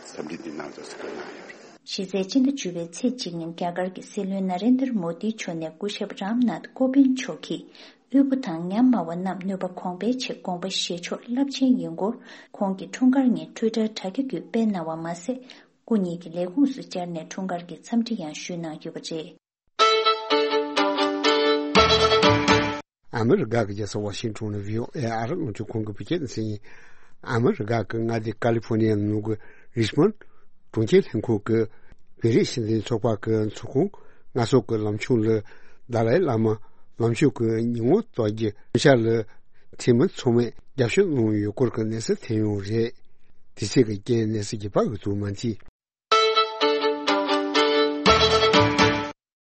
འཚམས་འདྲི་འདི་གནང་རོགས་ཟེར་གནང་ཡོད། གཞི་རྩའི་སྤྱི་ཟླ་བཅུ་པའི་ཚེས་གཅིག་ཉིན་རྒྱ་གར་གྱི་སྲིད་བློན་ན་རེན་དར་མོ་དི་མཆོག་ནས་སྐུ་ཞབས་རམ་ནཱཐ་ཀོ་བིན་མཆོག་གིས་དབུལ་པོ་དང་ཉམས་དམའ་བ་རྣམས་ནུས་པ་གོང་འཕེལ་ཆེད་དགོངས་པ་བཞེས་ཕྱོགས་རླབས་ཆེན་ཡིན་སྐོར་ཁོང་གི་འཁྲུངས་སྐར་ཉིན་ཊུའི་ཊར་དྲ་རྒྱ་བརྒྱུད་སྤེལ་གནང་བ་མ་ཟད། སྐུ་ཉིད་ཀྱི་ལས་ཁུངས་སུ་བཅར་ནས་འཁྲུངས་སྐར་གྱི་འཚམས་འདྲི་ཡང་ཞུས་གནང་ཡོད་པ་རེད། ཨ་མི་རི་ཀ་གི་རྒྱལ་ས་ཝ་ཤིང་ཊོན་ནས་བྷི་ཨོ་ཨེ་ཨ་རི་རླུང་འཕྲིན་ཁང་གི་བོད་སྐད་སྡེ་ཚན་ཡིན། ཨ་མི་རི་ཀ་གི་མངའ་སྡེ་ཀ་ལི་ཧྥོ་ནི་ཡ་ནང་གི་རིཆ་མོན་གྲོང་ཁྱེར་ལྷན་ཁང་གི་བོད་རིགས་སྤྱི་མཐུན་ཚོགས་པ་གི་ཚོགས་ཁང་ལྔ་ཚོགས་ཀྱི་ལམ་ཕྱོགས་ལ་ཏཱ་ལའི་བླ་མ་ལམ་ཕྱོགས་ཀྱི་ཉིན་མོ་གཏོར་རྒྱུ་མཚོན་ཆ་ལ་འཐུས་མི་ཚང་མས་རྒྱབ་སྐྱོར་གནང་ཡོད་སྐོར་གྱི་གནས་ཚུལ་ཐོན་ཡོད་རེད། དེ་ཚོ་གི་རྐྱེན་གནས་ཚུལ་རྒྱས་པ་འོད་ཐུབ་མ་མཐིལ།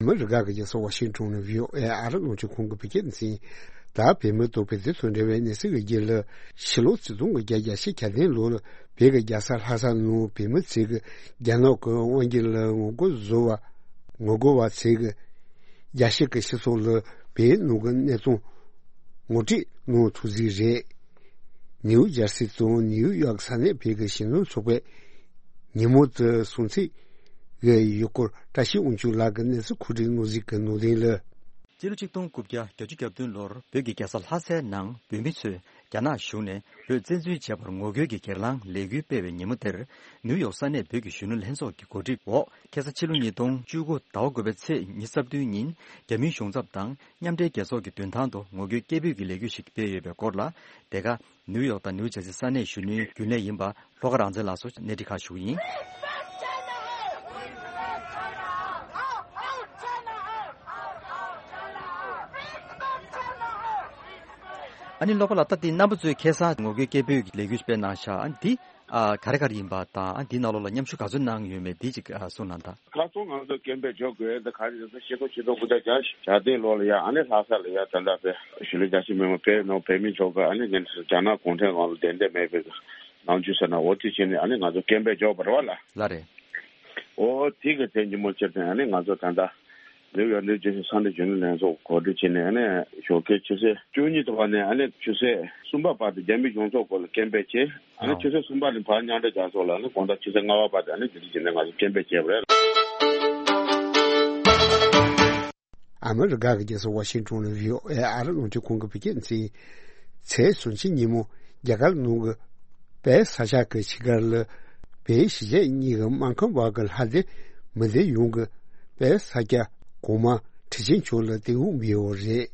ཨ་མི་རི་ཀ་གི་རྒྱལ་ས་ཝ་ཤིང་ཊོན་ནས་བྷི་ཨོ་ཨེ་ཨ་རི་རླུང་འཕྲིན་ཁང་གི་བོད་སྐད་སྡེ་ཚན་ཡིན། ད་བོད་མི་དང་བོད་དོན་དང་འབྲེལ་བའི་གནས་ཚུལ་གྱི་རྒྱུད་ལ། ཕྱི་ལོ་ཆིག་སྟོང་དགུ་བརྒྱ་གྱ་གྲངས་ལོ་ལ་བོད་ཀྱི་རྒྱལ་ས་ལྷ་ས་ནང་བོད་མི་ཚོས་ཀྱི་རྒྱ་ནག་གི་དབང་སྒྱུར་ལ་ངོ་རྒོལ་བཟོ་བ། ངོ་རྒོལ་བ་ཚོས་ཀྱི་རྒྱལ་སྤྱི་གི་སྤྱི་ཚོགས་ལ་བོད་ནང་གི་གནས་སྟངས་ངོ་སྤྲོད་གནང་ཐུབ་ཟིག་རེད། ནིའུ་ཇར་སི་དང་ནིའུ་ཡོག་ས་གནས་བོད་ཀྱི་གཞོན་ནུ་ཚོགས་པས་ཉིན་མོ་དེ་སྲུང་བརྩི་ཡོད་སྐོར་བཀྲ་ཤིས་དབང་ཕྱུག་ལགས་ཀྱིས་གནས་ཚུལ་མཁོ་སྒྲུབ་གནང་ཟིག་གི་ནང་དོན་ལ། སྤྱི་ལོ་ཆིག་སྟོང་དགུ་བརྒྱ་བརྒྱད་ཅུ་གྱ་བདུན་ལོར་བོད་ཀྱི་རྒྱལ་ས་ལྷ་སའི་ནང་བོད་མི་ཚོས་རྒྱ་ནག་གཞུང་ནས་བོད་བཙན་འཛུལ་བྱས་པར་ངོ་རྒོལ་གྱི་སྒེར་ལངས་ལས་འགུལ་སྤེལ་བའི་ཉིན་མོ་དེར། ནིའུ་ཡོག་ས་གནས་བོད་ཀྱི་གཞོན་ནུ་ལྷན་ཚོགས་ཀྱི་གོ་སྒྲིག་འོག་ཁ་སང་ཕྱི་ལོ་ཉིས་སྟོང་བཅུ་དགུ་ཟླ་བ་དགུ་པའི་ཚེས་ཉི་ཤུ་རྩ་བདུན་ཉིན་རྒྱ་མིའི་གཞུང་ཚབ་དང་མཉམ་འབྲེལ་རྒྱལ་ཚོགས་ཀྱི་མདུན་ཐང་དུ་ངོ་རྒོལ་སྐད་འབོད་ཀྱི་ལས་འགུལ་ཞིག་སྤེལ་ཡོད་པའི་སྐོར་ལ། དེ་ག་ནིའུ་ཡོག་དང་ནིའུ་ཇར་སི་ས་གནས་གཞོན་ནུའི་རྒྱུན་ལས་ཡིན་པ་ལྷོ་ཁ་རང་བཙན་ལགས་སུ་གནས་འདྲི་ཁག་ཞུ་གི་ཡིན། ཨ་ནི་ལྷོ་ཁ་ལ་ད་ལྟའི་རྣམ་པ་ཚོས་ཁ་སང་ངོ་རྒོལ་སྐད་འབོད་ཀྱི་ལས་འགུལ་སྤེལ་གནང་ཤག་ཨ་འདི་ཨ་ག་རེ་ག་རེ་ཡིན་པ་དང་། ཨ་འདིའི་ནང་ལོགས་ལ་མཉམ་ཞུགས་ག་ཚོད་གནང་ཡོད་མེད་འདི་ཅིག་ཨ་གསུངས་གནང་དང་། ཁ་སང་ང་ཚོ་སྐད་འབོད་འཇོག་དགོས་ད་ག་རེ་ཟེར་ན་ཕྱི་ལོ་ཆིག་སྟོང་དགུ་བརྒྱ་བརྒྱད་ཅུ་གྱ་བདུན་ལོ་ལ་ཡ་ཨ་ནི་ལྷ་ས་ལ་ཡ་ད་ལྟ་བོད་གཞིས་ལུས་རྒྱ་ཆེ་མི་མང་བོད་ནང་བོད་མི་ཚོ་གི་ཨ་ནི་ཉིན་རྒྱ་ནག་གུང་ཁྲན་དབང་ལ་བདེན་འདོད་མེད་པའི་ནང་ཆོས་ཟེར་ན་འོ་དེ་བྱས་ནས་ཨ་ནི་ང་ཚོ་སྐད་འབོད་འཇོག་པ་རེད་བ་ལ། ལ་རེད། འོ་དེ་གི་དེ་ཉིན་མོ་ཕྱིར་དེ་ཨ་ནི་ང་ཚོ་ད་ལྟ་ནིའུ་ཡོག་ནིའུ་ཇར་སི་ས་གནས་གཞོན་ནུ་ལྷན་ཚོགས་གོ་སྒྲིག་བྱས་ནས་ཨ་ནི་ཞོགས་ཀའི་ཆུ་ཚོད་བཅུ་གཉིས་དང་བ་ནས་ཨ་ནི་ཆུ་ཚོད་གསུམ་པ་བར་དུ་རྒྱ་མི་གཞུང་ཚབ་སྐོར་ལ་སྐད་འབོད་བྱས། ཨ་ནི་ཆུ་ཚོད་གསུམ་པ་ནས་ཕར་མཉམ་འབྲེལ་རྒྱལ་ཚོགས་ལ་ཨ་ནི་དགོང་དག་ཆུ་ཚོད་ལྔ་པ་བར་དུ་ཨ་ནི་དེ་འདྲ་བྱས་ནས་ང་ཚོ་སྐད་འབོད་བྱས་པ་རེད། ཨ་མི་རི་ཀ་གི་རྒྱལ་ས་ཝ་ཤིང་ཊོན་ནས་བྷི་ཨོ་ཨེ་ཨ་རི་རླུང་འཕྲིན་ཁང་གི་བོད་སྐད་སྡེ་ཚན་ཡིན། ཚེས་སུམ་ཅུ་ཉིན་མོ་རྒྱ་གར་ནང་གི་དཔལ་ས་སྐྱ་གི་ཕྱི་སྒར་ལ་བོད་གཞིས་བྱེས་གཉིས་ཀྱི་སྨར་ཁམས་བར་གྱི་ལྷ་སྡེ་མི་སྡེ་ཡོངས་ཀྱི་དཔལ་ས་སྐྱ་གོང་མ་ཁྲི་ཆེན་མཆོག་ལ་གཏེར་དབུ་འབུལ་ཡོད་རེད།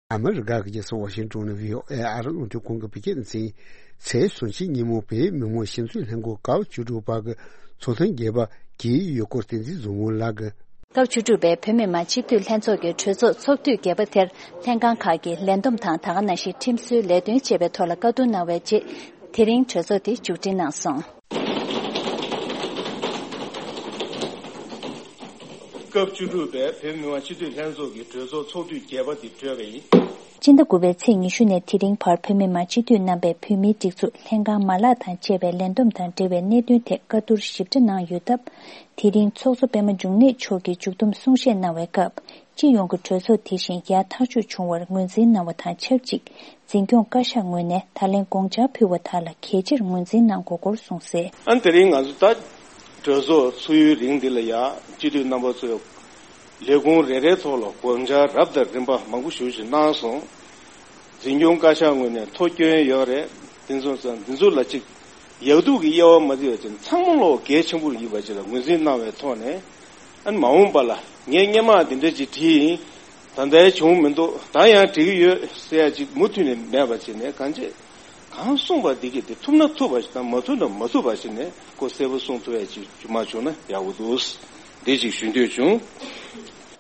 ཨ་མི་རི་ཀ་གི་རྒྱལ་ས་ཝ་ཤིང་ཊོན་ནས་བྷི་ཨོ་ཨེ་ཨ་རི་རླུང་འཕྲིན་ཁང་གི་བོད་སྐད་སྡེ་ཚན་ཡིན། ཚེས་སུམ་ཅུ་ཉིན་མོ་བོད་མི་མང་སྤྱི་འཐུས་ལྷན་ཁང་སྐབས་བཅུ་དྲུག་པ་གི་ཚོགས་ཐེངས་བརྒྱད་པ་གི་ཡོད་སྐོར་བསྟན་འཛིན་བཟང་མོ་ལགས་ཀྱིས། སྐབས་བཅུ་དྲུག་པའི་བོད་མི་མང་སྤྱི་འཐུས་ལྷན་ཚོགས་ཀྱི་གྲོས་ཚོགས་ཚོགས་དུས་བརྒྱད་པ་དེར་ལྷན་ཁང་ཁག་གི་ལས་བསྡོམས་དང་ད་ག་ནང་བཞིན་ཁྲིམས་བཟོའི་ལས་དོན་བཅས་པའི་ཐོག་ལ་བཀའ་བསྡུར་གནང་བའི་རྗེས། དེ་རིང་གྲོས་ཚོགས་དེ་མཇུག་སྒྲིལ་གནང་སོང་། སྐབས་བཅུ་དྲུག་པའི་བོད་མི་མང་སྤྱི་འཐུས་ལྷན་ཚོགས་ཀྱི་གྲོས་ཚོགས་ཚོགས་དུས་བརྒྱད་པ་འདི་གྲོལ་བ་ཡིན། སྤྱི་ཟླ་དགུ་པའི་ཚེས་ཉི་ཤུ་ནས་དེ་རིང་བར་བོད་མི་མང་སྤྱི་འཐུས་རྣམ་པས་བོད་མིའི་སྒྲིག་འཛུགས་ལྷན་ཁང་མ་ལག་དང་བཅས་པའི་ལས་བསྡོམས་དང་འབྲེལ་བའི་གནད་དོན་ཐད་བཀའ་བསྡུར་ཞིབ་ཕྲ་གནང་ཡོད་སྟབས། དེ་རིང་ཚོགས་གཙོ་པད་མ་འབྱུང་གནས་མཆོག་གིས་མཇུག་བསྡོམས་གསུང་བཤད་གནང་བའི་སྐབས། སྤྱི་ཡོངས་ཀྱི་གྲོས་ཚོགས་དེ་བཞིན་ཡར་ཐག་གཅོད་བྱུང་བར་ངོས་འཛིན་གནང་བ་དང་ཆབས་ཅིག་འཛིན་སྐྱོང་བཀའ་ཤག་ངོས་ནས་ད་ལན་དགོངས་འཆར་ཕུལ་བ་དག་ལ་གལ་ཆེར་ངོས་འཛིན་གནང་དགོས་སྐོར་གསུངས་གསལ། ཨ་ནི་དེ་རིང་ང་ཚོ་ད་གྲོས་ཚོགས་ཚུགས་ཡུན་རིང་འདི་ལ་ཡང་སྤྱི་འཐུས་རྣམ་པ་ཚོས་ལས་ཁུངས་རེ་རེའི་ཐོག་ལ་དགོངས་འཆར་རབ་དང་རིམ་པ་མང་པོ་ཞེ་ཅིག་གནང་སོང་། འཛིན་སྐྱོང་བཀའ་ཤག་ངོས་ནས་ཐོ་བསྐྱོན་ཡོད་རེད། དེ་ཚོ་ཚང་འདི་ཚོ་ལ་ཅིག་ཡག་སྡུག་གི་དབྱེ་བ་མ་བྱས་པ་བྱས་ནས་ཚང་མ་ལོག་གལ་ཆེན་པོ་ཡིན་པ་ཅིག་ལ་ངོས་འཛིན་གནང་བའི་ཐོག་ནས། ཨ་ནི་མ་འོངས་པ་ལ་ངས་སྔོན་མ་འདི་འདྲ་ཅིག་བྲིས་ཡིན། ད་ལྟའི་བྱུང་མི་འདུག་ད་ཡང་འགྲིག་གི་ཡོད་ཟེར་ཡ་ཅིག་མུ་མཐུད་ནས་མེད་པ་བྱས་ནས་གང་བྱེད། གང་གསུངས་པ་འདི་གས་དེ་ཐུབ་ན་ཐུབ་པ་ཞིག་དང་མ་ཐུབ་ན་མ་ཐུབ་པ་ཞིག་ནས་ཁོ་གསལ་པོ་གསུངས་ཐུབ་ཡ་ཅིག་མ་བྱུང་ན་ཡག་པོ་འདུག་འདི་ཅིག་ཞུ་འདོད་བྱུང་།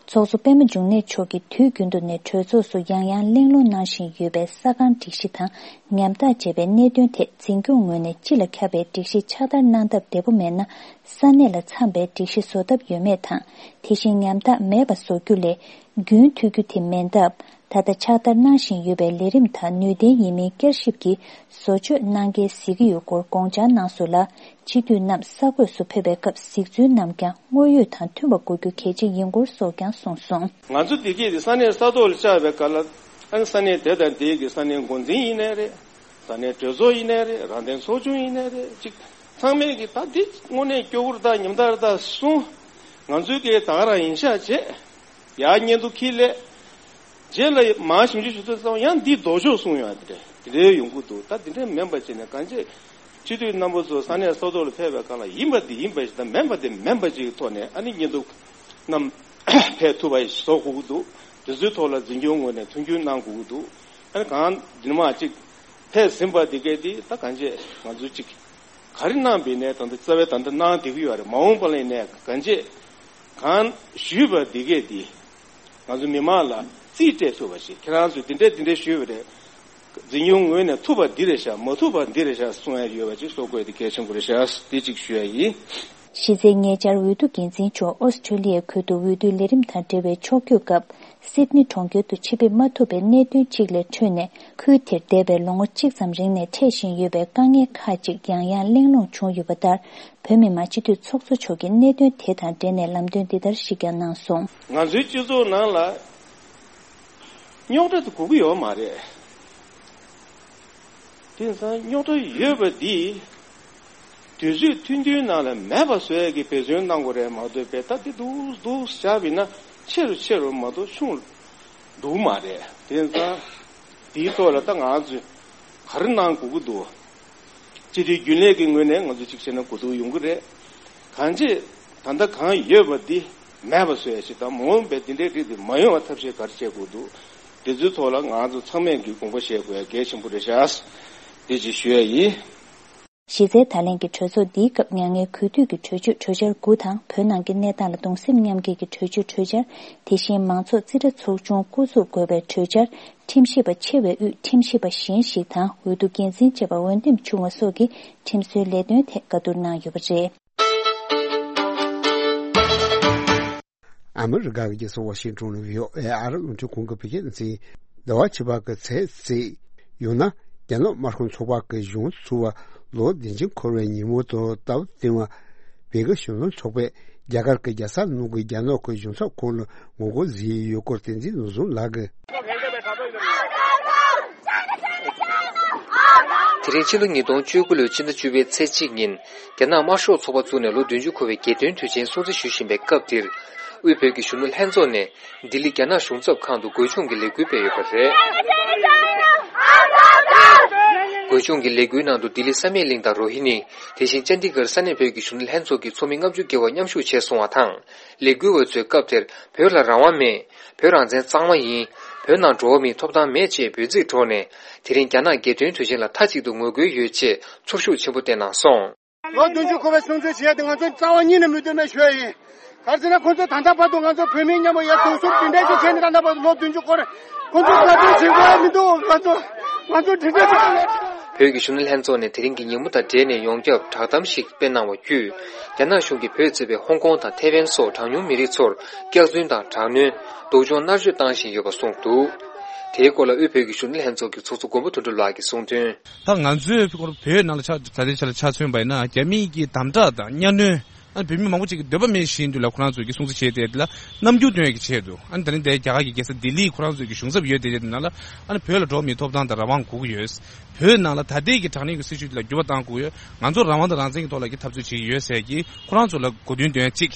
ཚོགས་གཙོ་པད་མ་འབྱུང་གནས་མཆོག་གིས་དུས་རྒྱུན་དུ་ནས་གྲོས་ཚོགས་སུ་ཡང་ཡང་གླེང་སློང་གནང་བཞིན་ཡོད་པའི་ས་ཁང་སྒྲིག་གཞི་དང་ཉམ་ཐག་བྱས་པའི་གནད་དོན་ཐད་འཛིན་སྐྱོང་ངོས་ནས་སྤྱི་ལ་ཁྱབ་པའི་སྒྲིག་གཞི་ཕྱག་བསྟར་གནང་སྟབས་བདེ་པོ་མེད་ན། ས་གནས་ལ་འཚམ་པའི་སྒྲིག་གཞི་བཟོ་ཐབས་ཡོད་མེད་དང་། དེ་བཞིན་ཉམ་ཐག་མེད་པ་བཟོ་རྒྱུ་ལས་རྒྱུན་མཐུད་རྒྱུ་དེ་མིན་སྟབས། ད་ལྟ་ཕྱག་བསྟར་གནང་བཞིན་ཡོད་པའི་ལས་རིམ་དང་ནུས་ལྡན་ཡིན་མིན་བསྐྱར་ཞིབ་ཀྱིས་བཟོ་བཅོས་གནང་གལ་གཟིགས་ཀྱི་ཡོད་སྐོར་དགོངས་འཆར་གནང་སོང་ལ། སྤྱི་འཐུས་རྣམས་ས་གོས་སུ་ཕེབས་པའི་སྐབས་གཟིགས་ཚུལ་རྣམས་ཀྱང་དངོས་ཡོད་དང་མཐུན་པ་དགོས་རྒྱུ་གལ་ཆེ་ཡིན་སྐོར་སོགས་ཀྱང་གསུངས་སོང་། ང་ཚོ་བདེ་སྐྱིད་དེ་ས་གནས་ས་ཐོག་ལ་བཅར་བའི་སྐབས་ལ། ཨ་ནི་ས་གནས་དེ་དང་དེའི་གི་ས་གནས་འགོ་འཛིན་ཡིན་ནའི་རེད། ས་གནས་གྲོས་ཚོགས་ཡིན་ནའི་རེད། རང་བདེན་ཚོགས་ཆུང་ཡིན་ནའི་རེད། ཅིག་ཚང་མས་ཀྱི་ད་འདི་དངོས་གནས་སྐྱོ་པོ་རེད་ད། ཉམ་ཐག་རེད་ད་གསུངས། ང་ཚོའི་གི་ད་ག་རང་ཡིན་ཤག་བྱས། ཡར་སྙན་ཐོ་འཁྱེར་སླེབས། རྗེས་ལ་མར་ཞིབ་འཇུག་ཞུ་དུས་ཙམ་ཡང་འདི་ལྡོག་ཕྱོགས་གསུངས་ཡོང་། དེ་འདྲ་དེ་འདྲའི་ཡོང་གི་འདུག་ད་དེ་འདྲ་མིན་པ་བྱས་ནས་གང་ཅི། སྤྱི་འཐུས་རྣམ་པ་ཚོ་ས་གནས་ས་ཐོག་ལ་ཕེབས་པའི་སྐབས་ལ་ཡིན་པ་འདི་ཡིན་པ་ཞིག་དང་མིན་པ་འདི་མིན་པ་ཅིག་གི་ཐོག་ནས་ཨ་ནི་སྙན་ཐོ་རྣམས་ཕེབས་ཐུབ་པ་ཞིག་བཟོ་དགོས་ཀྱི་འདུག་དེ་ཚོའི་ཐོག་ལ་འཛིན་སྐྱོང་ངོས་ནས་མཐུན་འགྱུར་གནང་དགོས་ཀྱི་འདུག་ཨ་ནི་གང་འདི་ནས་མར་ཅིག་ཕེབས་ཟིན་པ་འདི་གས་འདི་ད་གང་ཅི་ང་ཚོ་ཅིག་ག་རེ་གནང་པའི་ནས་ད་ལྟ་རྩ་བའི་ད་ལྟ་གནང་བསྡད་ཀྱི་ཡོད་རེད། མ་འོངས་པ་ལ་ནས་གང་ཅི་གང་ཞུས་པ་འདི་གས་འདི། ང་ཚོ་མི་མང་ལ་རྩིས་སྤྲད་ཐུབ་པ་ཞིག་ཁྱེད་རང་ཚོས་འདི་འདྲས་འདི་འདྲས་ཞུས་པ་རེད། འཛིན་སྐྱོང་ངོས་ནས་ཐུབ་པ་འདི་རེད་ཤག་མ་ཐུབ་པ་འདི་རེད་ཤག་གསུང་ཡ་ཡོད་པ་ཅིག་གསུང་དགོས་དེ་གལ་ཆེན་པོ་རེད་ཤག་འདི་གཅིག་ཞུ་ཡ་ཡིན། གཞི་རྩའི་ཉེ་ཆར་འོས་བསྡུ་འགན་འཛིན་མཆོག་ཨོ་སི་ཁྲུ་ལི་ཡའི་ཁུལ་དུ་འོས་བསྡུའི་ལས་རིམ་དང་འབྲེལ་བའི་ཕྱོགས་བསྐྱོད་སྐབས། སིད་ནི་གྲོང་ཁྱེར་དུ་ཆེད་ཕེབས་མ་ཐུབ་པའི་གནད་དོན་གཅིག་ལས་འཕྲོས་ནས། ཁུལ་དེར་འདས་པའི་ལོ་ངོ་གཅིག་ཙམ་རིང་ནས་འཕྲད་བཞིན་ཡོད་པའི་དཀའ་ངལ་ཁག་ཅིག་ཡང་ཡང་གླེང་སློང་བྱུང་ཡོད་པ་ལྟར། བོད་མི་མང་སྤྱི་འཐུས་ཚོགས་གཙོ་མཆོག་གིས་གནད་དོན་དེ་དང་འབྲེལ་ནས་ལམ་སྟོན་འདི་ལྟར་ཞིག་ཀྱང་གནང་སོང་། ང་ཚོའི་སྤྱི་ཚོགས་ནང་ལ་རྙོག་དྲ་དེ་དགོས་ཀྱི་ཡོད་མ་རེད། དེང་སང་རྙོག་དྲ་ཡོད་པ་འདི་དུས་ཚོད་ཐུང་ཐུང་ནང་ལ་མེད་པ་བཟོ་ཡས་ཀྱི་འབད་བརྩོན་གནང་དགོས་རེད་མ་གཏོགས། དཔེ་ད་འདི་འདུག་འདུག་བཞག་པ་ཡིན་ན་ཆེ་རུ་ཆེ་རུ་མ་གཏོགས་ཆུང་རུ་འགྲོ་གི་མ་རེད། དེང་སང་དེའི་ཐོག་ལ་ད་ང་ཚོས་ག་རེ་གནང་དགོས་ཀྱི་འདུག་སྤྱི་འཐུས་རྒྱུན་ལས་ཀྱི་ངོས་ནས་ང་ཚོ་གཅིག་བྱས་ན་གོ་བསྡུར་ཡོང་གི་རེད། གང་ཅི་ད་ལྟ་གང་ཡོད་པ་འདི་མེད་པ་བཟོ་ཡ་ཞིག་དང་། མ་འོངས་པའི་འདི་འདྲའི་རིགས་འདི་མ་ཡོང་བ་ཐབས་ཤེས་ག་རེ་བྱེད་དགོས་འདུག་འདི་ཚོའི་ཐོག་ལ་ང་ཚོ་ཚང་མས་ཀྱི་དགོངས་པ་བཞེས་དགོས་ཡ་གལ་ཆེན་པོ་རེད་ཤག་འདི་ཅིག་ཞུ་ཡ་ཡིན། གཞི་རྩའི་བརྡ་ལན་གྱི་གྲོས་ཚོགས་འདིའི་སྐབས་མྱ་ངན་གུས་འདུད་ཀྱི་གྲོས་ཆོད་གྲོས་འཆར་དགུ་དང་། བོད་ནང་གི་གནས་སྟངས་ལ་གདུང་སེམས་མཉམ་སྐྱེད་ཀྱི་གྲོས་ཆོད་གྲོས་འཆར། དེ་བཞིན་མང་ཚོགས་རྩིས་ཁྲ་ཚོགས་ཆུང་བསྐོ་འཛུགས་དགོས་པའི་གྲོས་འཆར། ཁྲིམས་ཞིབ་པ་ཆེ་བའི་དབུས་ཁྲིམས་ཞིབ་པ་གཞན་ཞིག་དང་འོས་བསྡུ་འགན་འཛིན་བཅས་པ་འོས་འདེམས་བྱུང་བ་སོགས་ཀྱི་ཁྲིམས་སྲོལ་ལས་དོན་ཐད་བཀའ་བསྡུར་གནང་ཡོད་པ་རེད། ཨ་མི་རི་ཀ་གི་རྒྱལ་ས་ཝ་ཤིང་ཏོན་ནས་བྷི་ཨོ་ཨེ་ཨ་རི་རླུང་འཕྲིན་ཁང་གི་བོད་སྐད་སྡེ་ཚན། ཟླ་བ་ཕྱི་པ་གི་ཚེས་བརྩིས། ཡང་ན་རྒྱ་ནག་དམར་ཤོག་ཚོགས་པ་གི་གཞུང་ཚུགས་པ་ལོ་བདུན་ཅུ་འཁོར་བའི་ཉིན་མོ་དང་སྟབས་བསྟུན་པ། བོད་ཀྱི་གཞོན་ནུ་ཚོགས་པས་རྒྱ་གར་གྱི་རྒྱལ་ས་ནང་གི་རྒྱ་ནག་གི་གཞུང་ཚབ་ཁང་ལ་ངོ་རྒོལ་བཟོས་ཡོད་སྐོར་བསྟན་འཛིན་ནོར་བཟང་ལགས་ཀྱིས། དེ་རིང་ཕྱི་ལོ་ཉིས་སྟོང་བཅུ་དགུ་ལོའི་ཕྱི་ཟླ་བཅུ་པའི་ཚེས་གཅིག་ཉིན། རྒྱ་ནག་དམར་ཤོག་ཚོགས་པ་བཙུགས་ནས་ལོ་བདུན་ཅུ་འཁོར་བའི་རྒྱལ་སྟོན་དུས་ཆེན་སྲུང་བརྩི་ཞུ་བཞིན་པའི་སྐབས་འདིར། དབུས་བོད་ཀྱི་གཞོན་ནུ་ལྷན་ཚོགས་ནས་ལྡི་ལི་རྒྱ་ནག་གཞུང་ཚབ་ཁང་དུ་འགོད་སྦྱོང་གི་ལས་འགུལ་སྤེལ་ཡོད་པ་རེད། འགོད་སྦྱོང་གི་ལས་འགུལ་ནང་དུ་ལྡི་ལི་བསམ་ཡས་གླིང་དང་རོ་ཧི་ནི། དེ་བཞིན་ཅན་ཌི་གྷར་ས་གནས་བོད་ཀྱི་གཞོན་ནུ་ལྷན་ཚོགས་ཀྱི་ཚོགས་མི་ལྔ་བཅུ་བརྒལ་བ་མཉམ་ཞུགས་བྱས་སོང་བ་དང་། ལས་འགུལ་བ་ཚོས་སྐབས་དེར་བོད་ལ་རང་དབང་མེད། བོད་རང་བཙན་གཙང་མ་ཡིན། བོད་ནང་འགྲོ་བ་མིའི་ཐོབ་ཐང་མེད་ཅེས་འབོད་ཚིག་སྒྲོག་ནས། དེ་རིང་རྒྱ་ནག་རྒྱལ་སྟོན་དུས་ཆེན་ལ་མཐའ་གཅིག་ཏུ་ངོ་རྒོལ་ཡོད་ཅེས་ཚོར་ཤུགས་ཆེན་པོ་བསྟན་གནང་སོང་། ལོ་བདུན་ཅུ་འཁོར་བའི་སྲུང་བརྩི་བྱེད་ཡ་དེ་ང་ཚོ་རྩ་བ་ཉིད་ནས་མི་འདོད་མེད་ཞུ་ཡ་ཡིན། ག་རེ་ཟེར་ན་ཁོང་ཚོ་ད་ལྟ་བར་དུ་ང་ཚོ་བོད་མི་མཉམ་པོ་ཡ་གདུང་སེམས་འདི་འདྲ་ཞིག་བྱས་ནས་ད་ལྟ་བར་དུ་ལོ་བདུན་ཅུ་འཁོར་རེད། ཁོང་ཚོ་ག་དུས་བྱེད་དགོས་ཡ་མི་འདུག་ང་ཚོ་ང་ཚོ་དྲན་རྒྱ་ཆེ་བ་ལས། བོད་ཀྱི་གཞོན་ནུ་ལྷན་ཚོགས་ནས་དེ་རིང་གི་ཉིན་མོ་དང་འབྲེལ་ནས་ཡོངས་ཁྱབ་བསྒྲགས་གཏམ་ཞིག་སྤེལ་གནང་བ་བརྒྱུད། རྒྱ་ནག་གཞུང་གིས་བོད་གཙོས་པའི་ཧོང་ཀོང་དང་ཐེ་ཝན་སོགས་གྲངས་ཉུང་མི་རིགས་ཚོར་སྐྱག་རྫུན་དང་དྲག་གནོན། སྡུག་སྦྱོང་མནར་གཅོད་བཏང་བཞིན་ཡོད་པ་གསུངས་འདུག་དེའི་སྐོར་ལ་དབུས་བོད་ཀྱི་གཞོན་ནུ་ལྷན་ཚོགས་ཀྱི་ཚོགས་གཙོ་མགོན་པོ་དོན་གྲུབ་ལགས་ཀྱིས་གསུངས་དོན། ད་ང་ཚོའི་བོད་ནང་ལ་ཆ་ད་ལྟའི་ཆ་ལ་ཆ་མཚོན་པ་ཡིན་ན་རྒྱ་མིའི་གི་དམ་དྲག་དང་གཉའ་གནོན། ཨ་བོད་མི་མང་པོ་ཅིག་གི་འདོད་པ་མེད་བཞིན་དུ་ལ་ཁོ་རང་ཚོས་ཀྱི་སྲུང་བརྩི་བྱས་ཏེ་དེ་ལ་རྣམ་འགྱུར་སྟོན་ཡག་གི་ཆེད་དུ། ཨ་ནི་ད་རིང་དེ་རྒྱ་གར་གྱི་རྒྱལ་ས་ལྡི་ལིའི་ཁོ་རང་ཚོས་ཀྱི་གཞུང་ཚབ་ཡོད་དེ་དེ་ནང་ལ། ཨ་ནི་བོད་ལ་འགྲོ་བ་མིའི་ཐོབ་ཐང་དང་རང་དབང་དགོས་ཀྱི་ཡོད། བོད་ནང་ལ་ད་ལྟའི་གི་དྲག་གནོན་གྱི་སྲིད་བྱུས་དེ་ལ་འགྱུར་བ་གཏང་དགོས་ཡོད། ང་ཚོ་རང་དབང་དང་རང་བཙན་གྱི་ཐོག་ལ་གི་འཐབ་རྩོད་བྱེད་ཀྱི་ཡོད་ཟེར་གྱི་ཁོ་རང་ཚོ་ལ་གོ་བསྡུར་འདོན་ཡ་གཅིག་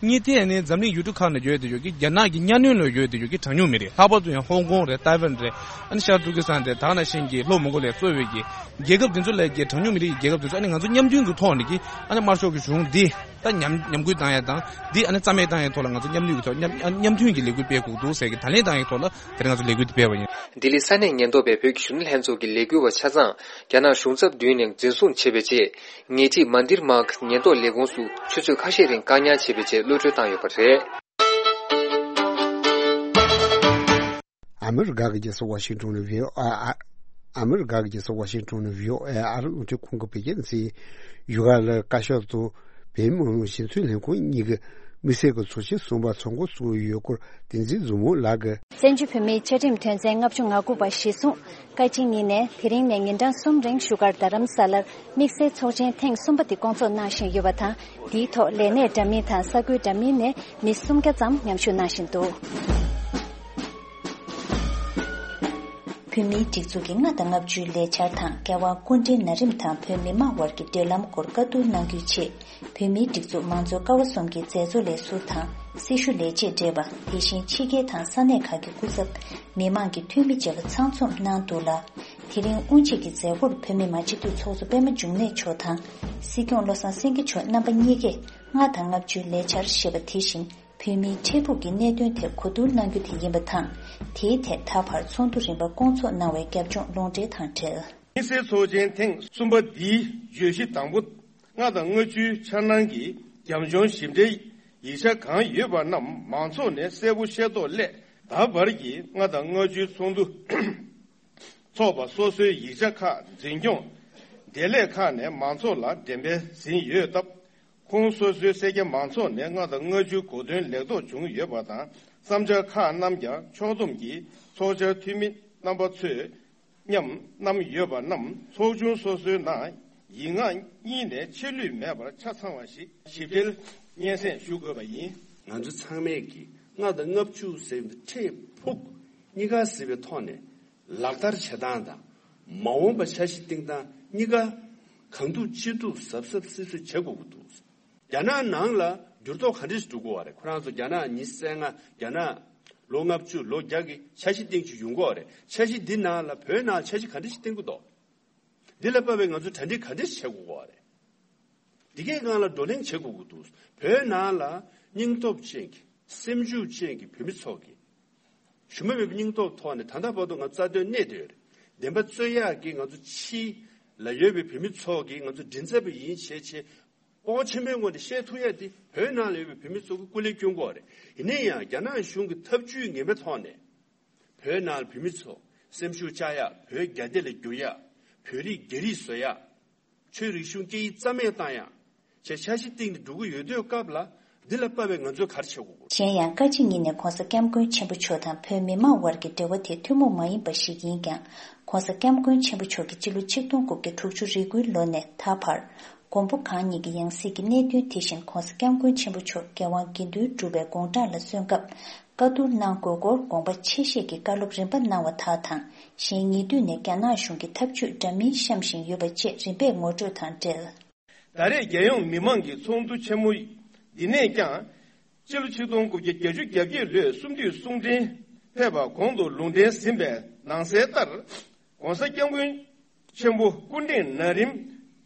གཉིས་དེ་ནི་འཛམ་གླིང་ཡུལ་གྲུ་ཁག་ནང་ཡོད་དེ་ཡོད་ཀྱི་རྒྱ་ནག་གི་གཉའ་གནོན་ལ་ཡོད་དེ་ཡོད་ཀྱི་གྲངས་ཉུང་མི་རིགས། ལྷག་པར་དུ་ཡང་ཧོང་ཀོང་རེད། ཏའེ་ཝན་རེད། ཨ་ནི་ཤར་ཏུར་ཀི་སི་ཐན་རེད། ད་ག་ནང་བཞིན་གྱི་ལྷོ་མོང་གོ་ལི་ཡ་གཙོས་པའི་གི་རྒྱལ་ཁབ་དེ་ཚོ་ལ་གི་གྲངས་ཉུང་མི་རིགས་ཀྱི་རྒྱལ་ཁབ་དེ་ཚོ་ཨ་ནི་ང་ཚོ་མཉམ་མཐུན་གྱི་ཐོག་ནས་ཀྱི་ཨ་ནི་དམར་ཤོག་གི་གཞུང་འདི་ད་ཉམས་ཉམས་རྒུད་བཏང་ཡ་དང་འདི་ཨ་ནི་རྩ་མེད་བཏང་ཡའི་ཐོག་ལ་ང་ཚོ་མཉམ་ལུས་ཀྱི་ཐོག་མཉམ་ཨ་མཉམ་མཐུན་གྱི་ལས་འགུལ་སྤེལ་དགོས་འདུག་ཟེར་གྱི་ད་ལན་བཏང་ཡའི་ཐོག་ལ་དེ་རིང་ང་ཚོ་ལས་འགུལ་འདི་སྤེལ་བ་ཡིན། ལྡི་ལི་ས་གནས་ཉེན་རྟོག་པས་བོད་ཀྱི་གཞོན་ནུ་ལྷན་ཚོགས་ཀྱི་ལས་འགུལ་བ་ཆ་ཚང་རྒྱ་ནག་གཞུང་ཚབ་མདུན་ནས་འཛིན་བཟུང་བྱས་པའི་རྗེས། ཉེ་འཁྲིས་མན་དིར་མཱག་ཉེན་རྟོག་ལས་ཁུངས་སུ་ཆུ་ཚོད་ཁ་ཤས་རིང་བཀག་ཉར་བྱས་པའི་རྗེས་གློད་གྲོལ་བཏང་ཡོད་པ་རེད། ཨ་མི་རི་ཀ་གི་རྒྱལ་ས་ཝ་ཤིང་ཏོན་ནས་བྷི་ཨོ་ཨེ། ཨ་མི་རི་ཀ་གི་རྒྱལ་ས་ཝ་ཤིང་ཏོན་ནས་བྷི་ཨོ་ཨེ་ཨ་རི་རླུང་འཕྲིན་ཁང་གི་བོད་སྐད་སྡེ་ཚན། བཞུགས་སྒར་ལ་བཀའ་ཤག་དང་བོད་མི་མང་སྤྱི་འཐུས་ལྷན་ཁང་གཉིས་ཀྱི་ དམིགས་བསལ་གྱི་ཚོགས་ཆེན་གསུམ་པ་ཚོགས་འགོ་བཙུགས་ཡོད་སྐོར་བསྟན་འཛིན་བཟང་མོ་ལགས་ཀྱིས། བཙན་བྱོལ་བོད་མིའི་བཅའ་ཁྲིམས་དོན་ཚན་ལྔ་བཅུ་ང་དགུ་པ་གཞིར་བཟུང་། བཀའ་སྤྱི་གཉིས་ནས་དེ་རིང་ནས་ཉིན་གྲངས་གསུམ་རིང་བཞུགས་སྒར་རྡ་རམ་ས་ལར་དམིགས་བསལ་ཚོགས་ཆེན་ཐེངས་གསུམ་པ་དེ་བསྐོང་ཚོགས་གནང་བཞིན་ཡོད་པ་དང་། འདིའི་ཐོག་ལས་གནས་འདྲ་མིན་དང་ས་ཁུལ་འདྲ་མིན་ནས་མི་སུམ་བརྒྱ་ཙམ་མཉམ་ཞུགས་གནང་བཞིན་འདུག། བོད་མིའི་སྒྲིག་འཛུགས་ཀྱི་ལྔ་དང་ལྔ་བཅུའི་ལས་འཆར་དང་། རྒྱལ་དབང་སྐུ་ཕྲེང་ན་རིམ་དང་བོད་མི་མང་དབར་གྱི་འབྲེལ་ལམ་སྐོར་བཀའ་བསྡུར་གནང་རྒྱུའི་ཆེད། བོད་མིའི་སྒྲིག་འཛུགས་མང་གཙོ་ཀ་བ་གསུམ་གྱི་མཛད་གཙོ་ལས་ཟུར་དང་། སྲི་ཞུ་ལས་བྱེད་བགྲེས་པ། དེ་བཞིན་ཕྱི་རྒྱལ་དང་ས་གནས་ཁག་གི་སྐུ་ཚབ། མི་མང་གི་འཐུས་མི་བཅས་པ་ཚང་འཛོམས་གནང་འདུག་ལ། དེ་རིང་དབུ་འབྱེད་ཀྱི་མཛད་སྒོར་བོད་མི་མང་སྤྱི་འཐུས་ཚོགས་གཙོ་པད་མ་འབྱུང་གནས་མཆོག་དང་། སྲིད་སྐྱོང་བློ་བཟང་སེང་གེ་མཆོག་རྣམ་པ་གཉིས་ཀས་ལྔ་དང་ལྔ་བཅུའི་ལས་འཆར་ཞེས་པ་དེ་བཞིན། བོད་མིའི་འཕྲལ་ཕུགས་ཀྱི་གནད་དོན་ཐད་གོ་བསྡུར་གནང་རྒྱུ་དེ་ཡིན་པ་དང་། དེའི་ཐད་ད་བར་ཚོགས་འདུ་རིམ་པ་བསྐོང་ཚོགས་གནང་བའི་རྒྱབ་ལྗོངས་ལུང་འདྲེན་དང་འབྲེལ། དམིགས་བསལ་ཚོགས་ཆེན་ཐེངས་གསུམ་པ་འདིའི་བརྗོད་གཞི་དང་པོ། ལྔ་དང་ལྔ་བཅུའི་འཆར་སྣང་གི་རྒྱབ་ལྗོངས་ཞིབ་ཕྲའི་ཡིག་ཆ་གང་ཡོད་པ་རྣམས་མང་ཚོགས་ནས་གསལ་པོ་ཤེས་རྟོགས་སླད། ད་བར་གྱི་ལྔ་དང་ལྔ་བཅུའི་ཚོགས་འདུ་ཚོགས་པ་སོ་སོའི་ཡིག་ཆ་ཁག་འཛིན་སྐྱོང་བདེ་ལེགས་ཁག་ནས་མང་ཚོགས་ལ་འགྲེམས་སྤེལ་ཟིན་ཡོད་སྟབས། ཁོང་སོ་སོའི་སེར་སྐྱ་མང་ཚོགས་ནས་ལྔ་དང་ལྔ་བཅུའི་གོ་དོན་ལེགས་རྟོགས་བྱུང་ཡོད་པ་དང་། བསམ་འཆར་ཁག་རྣམས་ཀྱང་ཕྱོགས་བསྡོམས་ཀྱིས་ཚོགས་བཅར་འཐུས་མི་རྣམ་པ་ཚོས་མཉམ་བསྣམས་ཡོད་པ་རྣམས་ཚོགས་ཆུང་སོ་སོའི་ནང་ཡིག་ངག་གཉིས་ནས་ཆད་ལུས་མེད་པར་ཆ་ཚང་བ་ཞིག་ཞིབ་ཕྲའི་སྙན་སེང་ཞུ་དགོས་པ་ཡིན། ང་ཚོ་ཚང་མས་ཀྱིས་ལྔ་དང་ལྔ་བཅུ་ཟེར་བའི་འཕྲལ་ཕུགས་གཉིས་ཀ་གཟིགས་པའི་ཐོག་ནས། ལག་བསྟར་བྱེད་སྟངས་དང་། མ་འོངས་པ་འཆར་གཞི་བཏིང་སྟངས་གཉིས་ཀ་གང་ཐུབ་ཅི་ཐུབ་གཟབ་གཟབ་སིབ་སིབ་བྱེད་དགོས་ཀྱི་འདུག། རྒྱ་ནག་ནང་ལ་འགྱུར་ལྡོག་ག་འདྲ་ཞིག་འགྲོ་གི་ཡོད་རེད། ཁོ་རང་ཚོ་རྒྱ་ནག་ཉི་ཤུ་རྩ་ལྔ། རྒྱ་ནག་ལོ་ལྔ་བཅུ་ལོ་བརྒྱ་གི་འཆར་གཞི་བཏིང་རྒྱུ་ཡོང་གི་ཡོད་རེད། འཆར་གཞི་འདི་ནང་ལ་བོད་ནང་འཆར་གཞི་ག་འདྲ་ཞིག་བཏིང་གི་འདུག། འདི་ལ་དཔག་པའི་ང་ཚོ་གྲ་སྒྲིག་ག་འདྲ་ཞིག་བྱེད་དགོས་ཀྱི་ཡོད་རེད། འདི་གའི་སྒང་ལ་བགྲོ་གླེང་བྱེད་དགོས་ཀྱི་འདུག། བོད་ནང་ལ་སྙིང་སྟོབས་ཅན་གྱི་སེམས་ཤུགས་ཅན་གྱི་བོད་མི་ཚོ་གིས་ཞུམ་པ་མེད་པའི་སྙིང་སྟོབས་ཐོག་ནས་ད་ལྟ་བར་དུ་ང་ཚོ་རྩ་དོན་གནས་བསྡད་ཡོད་རེད། བདེན་པ་རྩོད་ཡག་གི་ང་ཚོ་ཕྱི་ལ་ཡོད་པའི་བོད་མི་ཚོ་གིས་ང་ཚོ་མགྲིན་ཚབ་པ་ཡིན་བྱས་བྱས་སྤོབས་པ་ཆེན་པོའི་ངང་ནས་བཤད་ཐུབ་ཡག་དེ་བོད་ནང་ལ་ཡོད་པའི་བོད་མི་ཚོ་གིས་སྐུ་ལས་བསྐྱོན་དགོས་རེད། ཡིན་ན་ཡང་རྒྱ་ནག་གཞུང་གི་ཐབས་ཇུས་ངན་པའི་ཐོག་ནས་བོད་ནང་ལ་བོད་མི་ཚོ་སེམས་ཤུགས་བཅག་ཡག། བོད་རྒྱ་སྡེ་ལ་བསྒྱུར་ཡག། བོད་རིགས་རྒྱ་རིགས་བཟོ་ཡག། ཆོས་རིག་གཞུང་སྐད་ཡིག་རྩ་མེད་བཏང་ཡག་བྱས་འཆར་གཞི་བཏིང་ནས་འགྲོ་གི་ཡོད་དུས་སྐབས་ལ། འདི་ལ་དཔག་པའི་ང་ཚོས་ག་རེ་བྱེད་དགོས་ཀྱི། གཞན་ཡང་བཀའ་སྤྱི་གཉིས་ནས་༧གོང་ས་༧སྐྱབས་མགོན་ཆེན་པོ་མཆོག་དང་བོད་མི་མང་དབར་གྱི་འབྲེལ་བ་དེ་ཐུན་མོང་མ་ཡིན་པ་ཞིག་ཡིན་ཀྱང་། ༧གོང་ས་༧སྐྱབས་མགོན་ཆེན་པོ་མཆོག་གིས་སྤྱི་ལོ་ཆིག་སྟོང་དགུ་བརྒྱ་དྲུག་ཅུ་རེ་དགུའི་ལོ་ནས་ད་བར། མགོན་པོ་གང་ཉིད་ཀྱི་ཡང་སྲིད་ཀྱི་གནད་དོན་དེ་བཞིན་༧གོང་ས་༧སྐྱབས་མགོན་ཆེན་པོ་མཆོག་རྒྱལ་དབང་དགེ་འདུན་གྲུབ་པའི་དགུང་གྲངས་ལ་སོན་སྐབས། བཀའ་བསྡུར་གནང་དགོས་སྐོར་དགོངས་པ་ཆེ་བཞེས་ཀྱི་བཀའ་སློབ་རིམ་པ་གནང་བ་དག་དང་། གཞན་ཉེ་དུས་ནས་རྒྱ་ནག་གཞུང་གི་ཐབས་ཇུས་འདྲ་མིན་བཤམས་བཞིན་ཡོད་པ་བཅས་རིམ་པས་ངོ་སྤྲོད་དང་འབྲེལ། ད་རེས་རྒྱལ་ཡོངས་མི་མང་གི་ཚོགས་འདུ་ཆེན་མོ་འདི་ནས་ཀྱང་། སྤྱི་ལོ་ཆིག་སྟོང་དགུ་བརྒྱ་བརྒྱད་ཅུ་གྱ་བརྒྱད་ལོའི་གསུམ་བསྡུས་གསུང་འཕྲིན་ཕེབས་པ་གོང་དུ་ལུང་འདྲེན་ཟིན་པའི་ནང་གསལ་ལྟར། ༧གོང་ས་༧སྐྱབས་མགོན་ཆེན་པོ་སྐུ་ཕྲེང་ན་རིམ་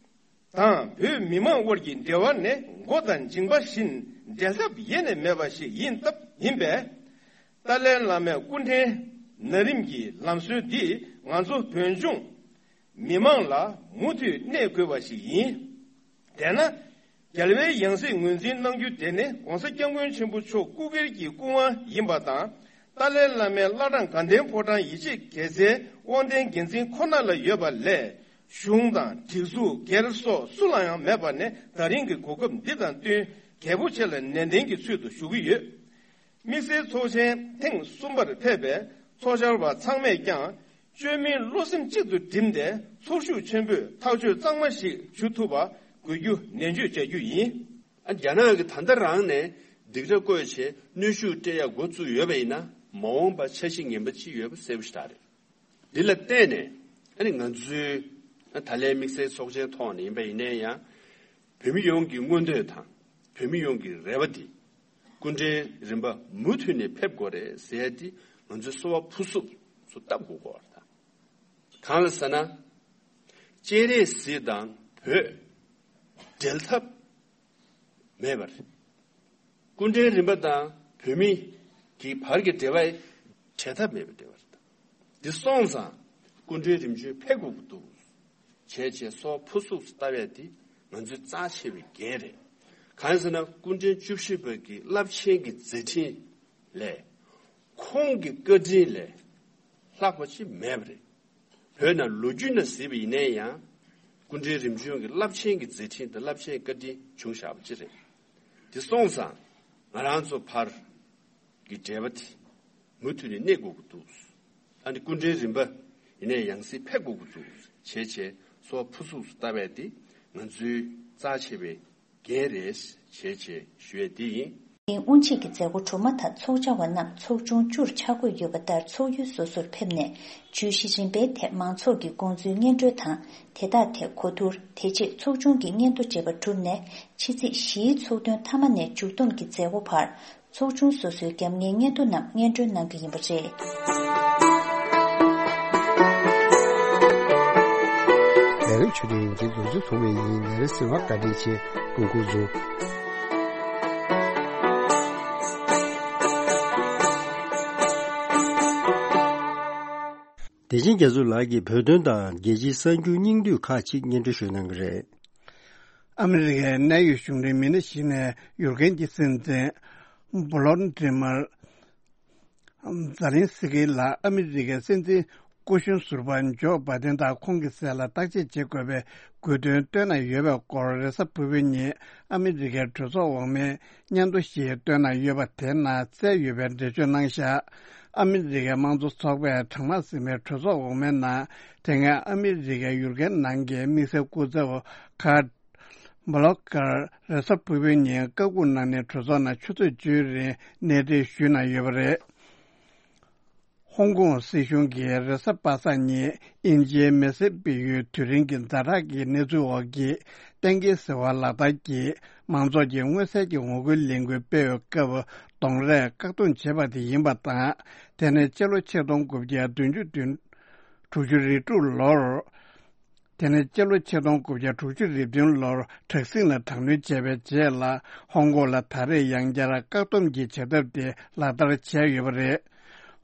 དང་བོད་མི་མང་དབར་གྱི་འབྲེལ་བ་ནི་མགོ་དང་མཇིང་པ་བཞིན་འབྲལ་ཐབས་ཡེ་ནས་མེད་པ་ཞིག་ཡིན་སྟབས་ཡིན་པས། ཏཱ་ལའི་བླ་མའི་སྐུ་ཕྲེང་ན་རིམ་གྱི་ལམ་སྲོལ་འདིས་ང་ཚོ་བོད་ལྗོངས་མི་མང་ལ་མུ་མཐུད་གནས་དགོས་པ་ཞིག་ཡིན། དེས་ན། རྒྱལ་བའི་ཡང་སྲིད་ངོས་འཛིན་གནང་རྒྱུ་དེ་ནི་༧གོང་ས་༧སྐྱབས་མགོན་ཆེན་པོ་མཆོག་སྐུ་སྒེར་གྱི་སྐུ་དབང་ཡིན་པ་དང་། ཏཱ་ལའི་བླ་མའི་བླ་བྲང་དགའ་ལྡན་ཕོ་བྲང་ཡིད་ཆེས་དགེ་རྩའི་དབང་ལྡན་འགན་འཛིན་ཁོ་ན་ལ་ཡོད་པ་ལས། གཞུང་དང་སྒྲིག་འཛུགས་སྒེར་སོགས་སུ་ལ་ཡང་མེད་པ་ནི་ད་རིང་གི་གོ་སྐབས་འདི་དང་བསྟུན་གལ་པོ་ཆེ་ལ་ནན་ཏན་གྱི་ཚུལ་དུ་ཞུ་གི་ཡོད། དམིགས་བསལ་ཚོགས་ཆེན་ཐེངས་གསུམ་པར་ཕེབས་པའི་ཚོགས་བཅར་བ་ཚང་མས་ཀྱང་བཅོས་མིན་བློ་སེམས་གཅིག་ཏུ་བསྒྲིམས་ཏེ་ཚོར་ཤུགས་ཆེན་པོས་ཐག་གཅོད་གཙང་མ་ཞིག་ཞུ་ཐུབ་པ་དགོས་རྒྱུ་ནན་བརྗོད་བྱ་རྒྱུ་ཡིན། ཨ། རྒྱ་ནག་གིས་ད་ལྟ་རང་ནས་སྡིགས་ར་བསྐོས་བྱས་གནོན་ཤུགས་སྤྲད་ཡག་འགོ་བཙུགས་ཡོད་པ་ཡིན་ན། མ་འོངས་པར་འཆར་གཞི་ངན་པ་ཅིག་ཡོད་པ་གསལ་པོ་ཞེ་དྲག་རེད། འདི་ལ་བརྟེན་ནས་ཨ་ནི་ང་ཚོའི་ད་ལན་དམིགས་བསལ་ཚོགས་ཆེན་ཐོག་ནས་ཡིན་པ་ཡིན་ན་ཡང་། བོད་མི་ཡོངས་ཀྱི་མངོན་འདོད་དང་བོད་མི་ཡོངས་ཀྱི་རེ་བ་འདི། སྐུ་ཕྲེང་རིམ་པ་མུ་མཐུད་ནས་ཕེབས་དགོས་རེད་ཟེར་ཡ་འདི་ང་ཚོའི་གསོལ་བ་ཕུར་ཚུགས་སུ་བཏབ་དགོས་ཀྱི་ཡོད་རེད། གང་ལ་ཟེར་ན། སྤྱན་རས་གཟིགས་དང་བོད་འབྲལ་ཐབས་མེད་པ་རེད། སྐུ་ཕྲེང་རིམ་པ་དང་བོད་མི་གི་བར་གྱི་འབྲེལ་བ་བྲལ་ཐབས་མེད་པའི་འབྲེལ་བ་རེད། འདི་སོང་ཙང་སྐུ་ཕྲེང་རིམ་བྱོན་ཕེབས་དགོས་ཀྱི་འདུག་བྱས་བྱས་གསོལ་བ་ཕུར་ཚུགས་སུ་བཏབ་ཡ་འདི་ང་ཚོའི་རྩ་ཆེ་བའི་འགན་རེད། གང་ཡིན་ཟེར་ན་སྐུ་ཕྲེང་བཅུ་བཞི་པ་གི་རླབས་ཆེན་གྱི་མཛད་འཕྲིན་ལས། ཁོང་གི་བཀའ་དྲིན་ལས་ལྷག་པ་ཅིག་མེད་པ་རེད། བོད་ནང་ལོ་རྒྱུས་ནང་གཟིགས་པ་ཡིན་ན་ཡང་། སྐུ་ཕྲེང་རིམ་བྱོན་གྱི་རླབས་ཆེན་གྱི་མཛད་འཕྲིན་དང་རླབས་ཆེན་བཀའ་དྲིན་བྱུང་བཞག་པ་ཅིག་རེད། དེ་སོང་ཙང་ ང་རང་ཚོ་བར་གྱི་འབྲེལ་བ་དེ་མུ་མཐུད་ནས་གནས་དགོས་ཀྱི་འདུག་ཨ་ནི་སྐུ་མགྲོན་རིམ་པ་ཡིན་ནའི་ཡང་སེ་ཕེབས་དགོས་ཀྱི་འདུག་བྱས་བྱས་སོ་ཕུ་སུག་སུ་ལྟ་བས་དེ་ང་ཚོའི་རྩ་ཆེ་བའི་འགན་རེད་བྱས་བྱས་ཞུ་ཡས་འདི་ཡིན། དབུ་འབྱེད་ཀྱི་མཛད་སྒོ་གྲུབ་མ་ཐག་ཚོགས་བཅར་བ་རྣམས་ཚོགས་ཆུང་བཅུར་ཆ་བགོས་ཡོད་པ་ལྟར་ཚོགས་ཡུལ་སོ་སོར་ཕེབས་ནས་བརྗོད་གཞི་རིམ་པའི་ཐད་མང་ཚོགས་ཀྱི་དགོངས་ཚུལ་སྙན་སྒྲོན་དང་དེ་དག་ཐད་གོ་བསྡུར། དེ་རྗེས་ཚོགས་ཆུང་གི་སྙན་ཐོ་བཅས་པ་གྲུབ་ནས་ཕྱི་ཚེས་བཞིའི་ཚོགས་ཐུན་མཐའ་མ་ནས་མཇུག་བསྡོམས་ཀྱི་མཛད་སྒོ་བར་ཚོགས་ཆུང་སོ་སོའི་རྒྱབ་གཉེར་སྙན་ཐོ་རྣམས་སྙན་སྒྲོན་གནང་རྒྱུ་ཡིན་པ་རེད། ལས་རིམ་ཆུ་ཚོད་ཡིན་གྱི་འཛུགས་ཚུགས་ཐུག་མེད་ཡིན། ལས་རིམ་ཟིན་བ་བཀའ་དྲིན་ཆེ། སྐུ་ཁུག་རྫོང་། བདེ་ཆེན་རྒྱ་མཚོ་ལགས་ཀྱིས་བོད་དོན་དང་རྒྱལ་སྤྱིའི་གསར་འགྱུར་སྙིང་བསྡུས་ཁག་ཅིག་སྙན་སྒྲོན་ཞུ་གནང་གི་རེད། ཨ་མི་རི་ཀའི་གནད་ཡོད་གཞུང་འབྲེལ་མི་སྣ་ཞིག་ནས་ཡུཀ་རེན་གྱི་སྲིད་འཛིན་བྷོ་ལོ་ཌི་མར་ཛ་ལིན་སི་ཀི་ལ་ཨ་མི་རི་ཀའི་སྲིད་འཛིན་སྐུ་གཞོན་ཟུར་པ་ཇོ་བྷའི་ཏན་དང་ཁོང་གི་སྲས་ལ་བརྟག་དཔྱད་བྱེད་དགོས་པའི་དགོས་འདུན་བཏོན་གནང་ཡོད་པའི་སྐོར་རེས་གཟའ་ཕུར་བུའི་ཉིན་ཨ་མི་རི་ཀའི་གྲོས་ཚོགས་འོག་མའི་སྙན་ཐོ་ཞིག་བཏོན་གནང་ཡོད་པ་དེ་ནང་གསལ་ཡོད་པའི་འགྲེལ་བརྗོད་གནང་བཞག་ཨ་མི་རི་ཀའི་དམངས་གཙོ་ཚོགས་པས་གྲངས་མང་ཟིན་པའི་གྲོས་ཚོགས་འོག་མའི་ནང་དེ་སྔའི་ཨ་མི་རི་ཀའི་ཡུཀ་རེན་ནང་གི་དམིགས་བསལ་སྐུ་ཚབ་ཁ་བྷ་ལོ་ཀར་རེས་གཟའ་ཕུར་བུའི་ཉིན་བཀའ་འགུག་གནང་ནས་གྲོས་ཚོགས་ནང་ཆུ་ཚོད་བཅུའི་རིང་གནས་འདྲེན་ཞུས་གནང་ཡོད་པ་རེད། ཧོང་ཀོང་སྲིད་གཞུང་གིས་རེས་གཟའ་པ་སངས་ཉིན་དབྱིན་ཇིའི་མེ་སེར་སྤེལ་ཡུལ་དུས་རིང་གི་ཛ་དྲག་གི་གནས་ཚུལ་འོག་གི་གཏན་འཁེལ་ཟེར་བ་ལག་བསྟར་གྱིས་མང་ཚོགས་ཀྱིས་མངོན་གསལ་གྱི་ངོ་རྒོལ་ལས་འགུལ་སྤེལ་བའི་སྐབས་གདོང་རས་བཀག་སྡོམ་བྱས་པ་དེ་ཡིན་པ་དང་། དེ་ནི་སྤྱི་ལོ་ཆིག་སྟོང་དགུ་བརྒྱ་བདུན་ཅུ་དྲུག་ཅུ་རེ་དྲུག་ལོར། དེ་ནས་སྤྱི་ལོ་ཆིག་སྟོང་དགུ་བརྒྱ་དྲུག་ཅུ་རེ་བདུན་ལོར་དྲག་ཟིང་ལ་དྲག་གནོན་བྱས་པའི་རྗེས་ལ་ཧོང་ཀོང་ལ་ད་རེས་ཡང་བསྐྱར་བཀག་སྡོམ་གྱི་བྱ་ཐབས་དེ་ལག་བསྟར་བྱས་ཡོད་པ་རེད།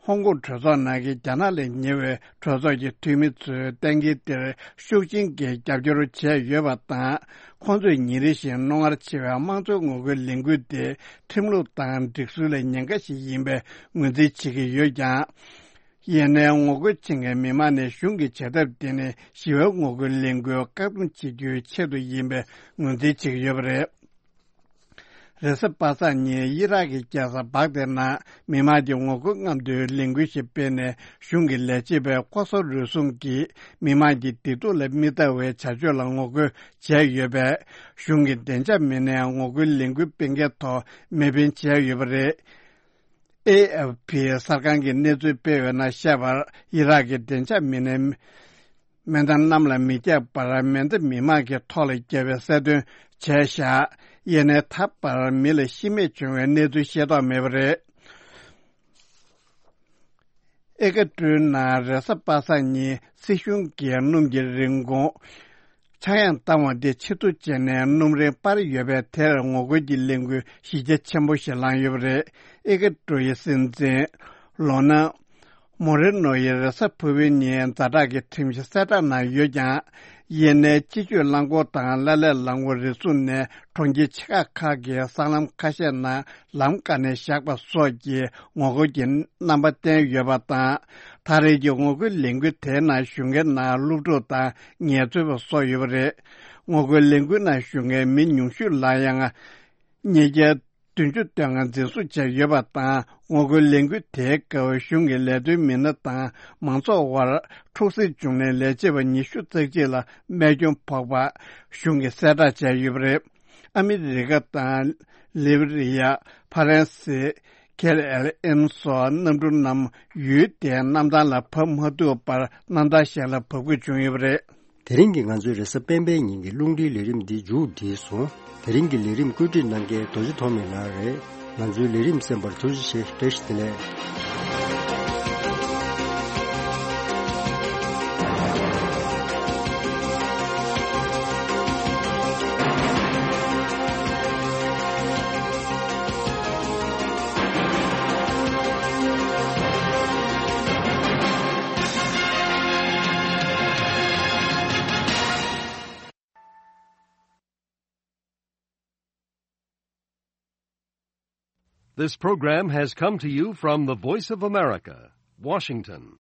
ཧོང་ཀོང་གྲོས་ཚོགས་ནང་གི་རྒྱ་ནག་ལས་ཉེ་བའི་གྲོས་ཚོགས་ཀྱི་འཐུས་མི་ཚོས་གཏན་འཁེལ་དེར་ཤུགས་ཆེན་གྱིས་རྒྱབ་སྐྱོར་བྱས་ཡོད་པ་དང་། ཁོང་ཚོས་ཉིན་རེ་བཞིན་རྣོ་ངར་ཆེ་བའི་དམངས་གཙོའི་ངོ་རྒོལ་ལས་འགུལ་དེ་ཁྲིམས་ལུགས་དང་སྒྲིག་སྲོལ་ལ་ཉེན་ཁ་ཞིག་ཡིན་པའི་ངོས་འཛིན་བྱེད་ཀྱི་ཡོད་ཀྱང་། ཡིན་ནའི་ངོ་རྒོལ་བྱེད་མཁན་མི་མང་ནས་གཞུང་གི་བྱ་ཐབས་དེ་ནི་ཞི་བའི་ངོ་རྒོལ་ལས་འགུལ་བཀག་སྡོམ་བྱེད་རྒྱུའི་ཆེད་དུ་ཡིན་པའི་ངོས་འཛིན་བྱེད་ཀྱི་ཡོད་པ་རེད། རེས་གཟའ་པ་སངས་ཉིན་ཨི་རག་གི་རྒྱལ་ས་བག་དེ་ནང་མི་མང་གི་ངོ་རྒོལ་རྔམ་སྟོན་ལས་འགུལ་ཞིག་སྤེལ་ནས་གཞུང་གི་ལས་བྱེད་པས་ལྐོག་ཟ་རུལ་སུངས་ཀྱིས་མི་མང་གི་བདེ་སྡུག་ལ་མི་ལྟ་བའི་བྱ་སྤྱོད་ལ་ངོ་རྒོལ་བྱས་ཡོད་པས་གཞུང་གི་བདེ་འཇགས་མི་སྣས་ངོ་རྒོལ་ལས་འགུལ་སྤེལ་མཁན་ཐོག་མེ་འཕེན་བྱས་ཡོད་པ་རེད། ཨེ་ཨེཕ་པི་གསར་ཁང་གིས་གནས་ཚུལ་སྤེལ་བའི་ནང་བཤད་པར་ཨི་རག་གི་བདེ་འཇགས་མི་སྣས་མེ་མདའ་གནམ་ལ་མི་བརྒྱབ་པར་མེ་མདའ་མི་མང་གི་ཐོག་ལ་བརྒྱབ་པའི་གསལ་སྟོན་བྱས་བཞག་ཡིན་ནའི་ད་བར་མི་ལ་ཤི་རྨས་བྱུང་བའི་གནས་ཚུལ་ཤེས་རྟོགས་མེད་པ་རེད། ཨེ་ཀ་ཀྲུའུ་ནང་རེས་གཟའ་པ་སངས་ཉིན་སྲིད་གཞུང་གིས་སྣུམ་གྱི་རིན་གོང་ཆག་ཡང་བཏང་བ་དེ་ཕྱིར་བསྡུ་བྱས་ནས་སྣུམ་རིན་སྤར་ཡོད་པས་དེར་ངོ་རྒོལ་གྱི་ལས་འགུལ་གཞི་རྒྱ་ཆེན་པོ་ཞིག་ལངས་ཡོད་པ་རེད། ཨེ་ཀ་ཀྲུའུ་ཡི་སྲིད་འཛིན་ལོ་ན་མོ་རེ་ནོ་ཡིས་རེས་གཟའ་ཕུར་བུའི་ཉིན་ཛ་དྲག་གི་ཁྲིམས་གཞི་གསལ་བསྒྲགས་གནང་ཡོད་ཀྱང་། ཡིན་ནའི་སྤྱི་སྤྱོད་རླངས་འཁོར་དང་ཀླད་ཀླད་རླངས་འཁོར་རེ་ཟུང་ནས་གྲོང་ཁྱེར་ཆེ་ཁག་ཁག་གི་སྲང་ལམ་ཁ་ཤས་ནང་ལམ་བཀག་ནས་བཞག་པ་སོགས་ཀྱི་ངོ་རྒོལ་གྱི་རྣམ་པ་བསྟན་ཡོད་པ་དང་། ད་རེས་ཀྱི་ངོ་རྒོལ་ལས་འགུལ་དེའི་ནང་ཞུགས་མཁན་ནང་སློབ་ཕྲུག་དང་ངལ་རྩོལ་པ་སོགས་ཡོད་པ་རེད། ངོ་རྒོལ་ལས་འགུལ་ནང་ཞུགས་མཁན་མི་ཉུང་ཤོས་ལ་ཡང་ཉིས་བརྒྱ་བདུན་ཅུ་དོན་ལྔ་འཛིན་བཟུང་བྱས་ཡོད་པ་དང་། ངོ་རྒོལ་ལས་འགུལ་དེའི་སྐབས་གཞུང་གི་ལས་དོན་མི་སྣ་དང་མང་ཚོགས་དབར་འཁྲུག་ཟིང་བྱུང་ནས་ལས་བྱེད་པ་ཉི་ཤུ་རྩ་གཅིག་ལ་རྨས་སྐྱོན་ཕོག་པ་གཞུང་གིས་གསལ་བསྒྲགས་བྱས་ཡོད་པ་རེད། ཨ་མི་རི་ཀ་དང་ལི་བི་རི་ཡ། ཕ་རན་སི། ཁེ་ཨེལ་ཨེམ་སོགས་གནམ་གྲུ་རྣམས་ཡུལ་དེའི་གནམ་ཐང་ལ་བབས་མ་ཐུབ་པར་གནམ་ཐང་གཞན་ལ་བབས་དགོས་བྱུང་ཡོད་པ་རེད། དེ་རིང་གི་ང་ཚོའི་རེས་གཟའ་སྤེན་པའི་ཉིན་གྱི་རླུང་འཕྲིན་ལས་རིམ་འདི་མཇུག་བསྒྲིལ་སོང་། དེ་རིང་གི་ལས་རིམ་བཀོད་སྒྲིག་གནང་མཁན་རྡོ་རྗེ་ཐོགས་མེད་ལགས་རེད། ང་ཚོའི་ལས་རིམ་གསན་པར་ཐུགས་རྗེ་ཆེ། བཀྲ་ཤིས་བདེ་ལེགས། This program has come to you from the Voice of America, Washington.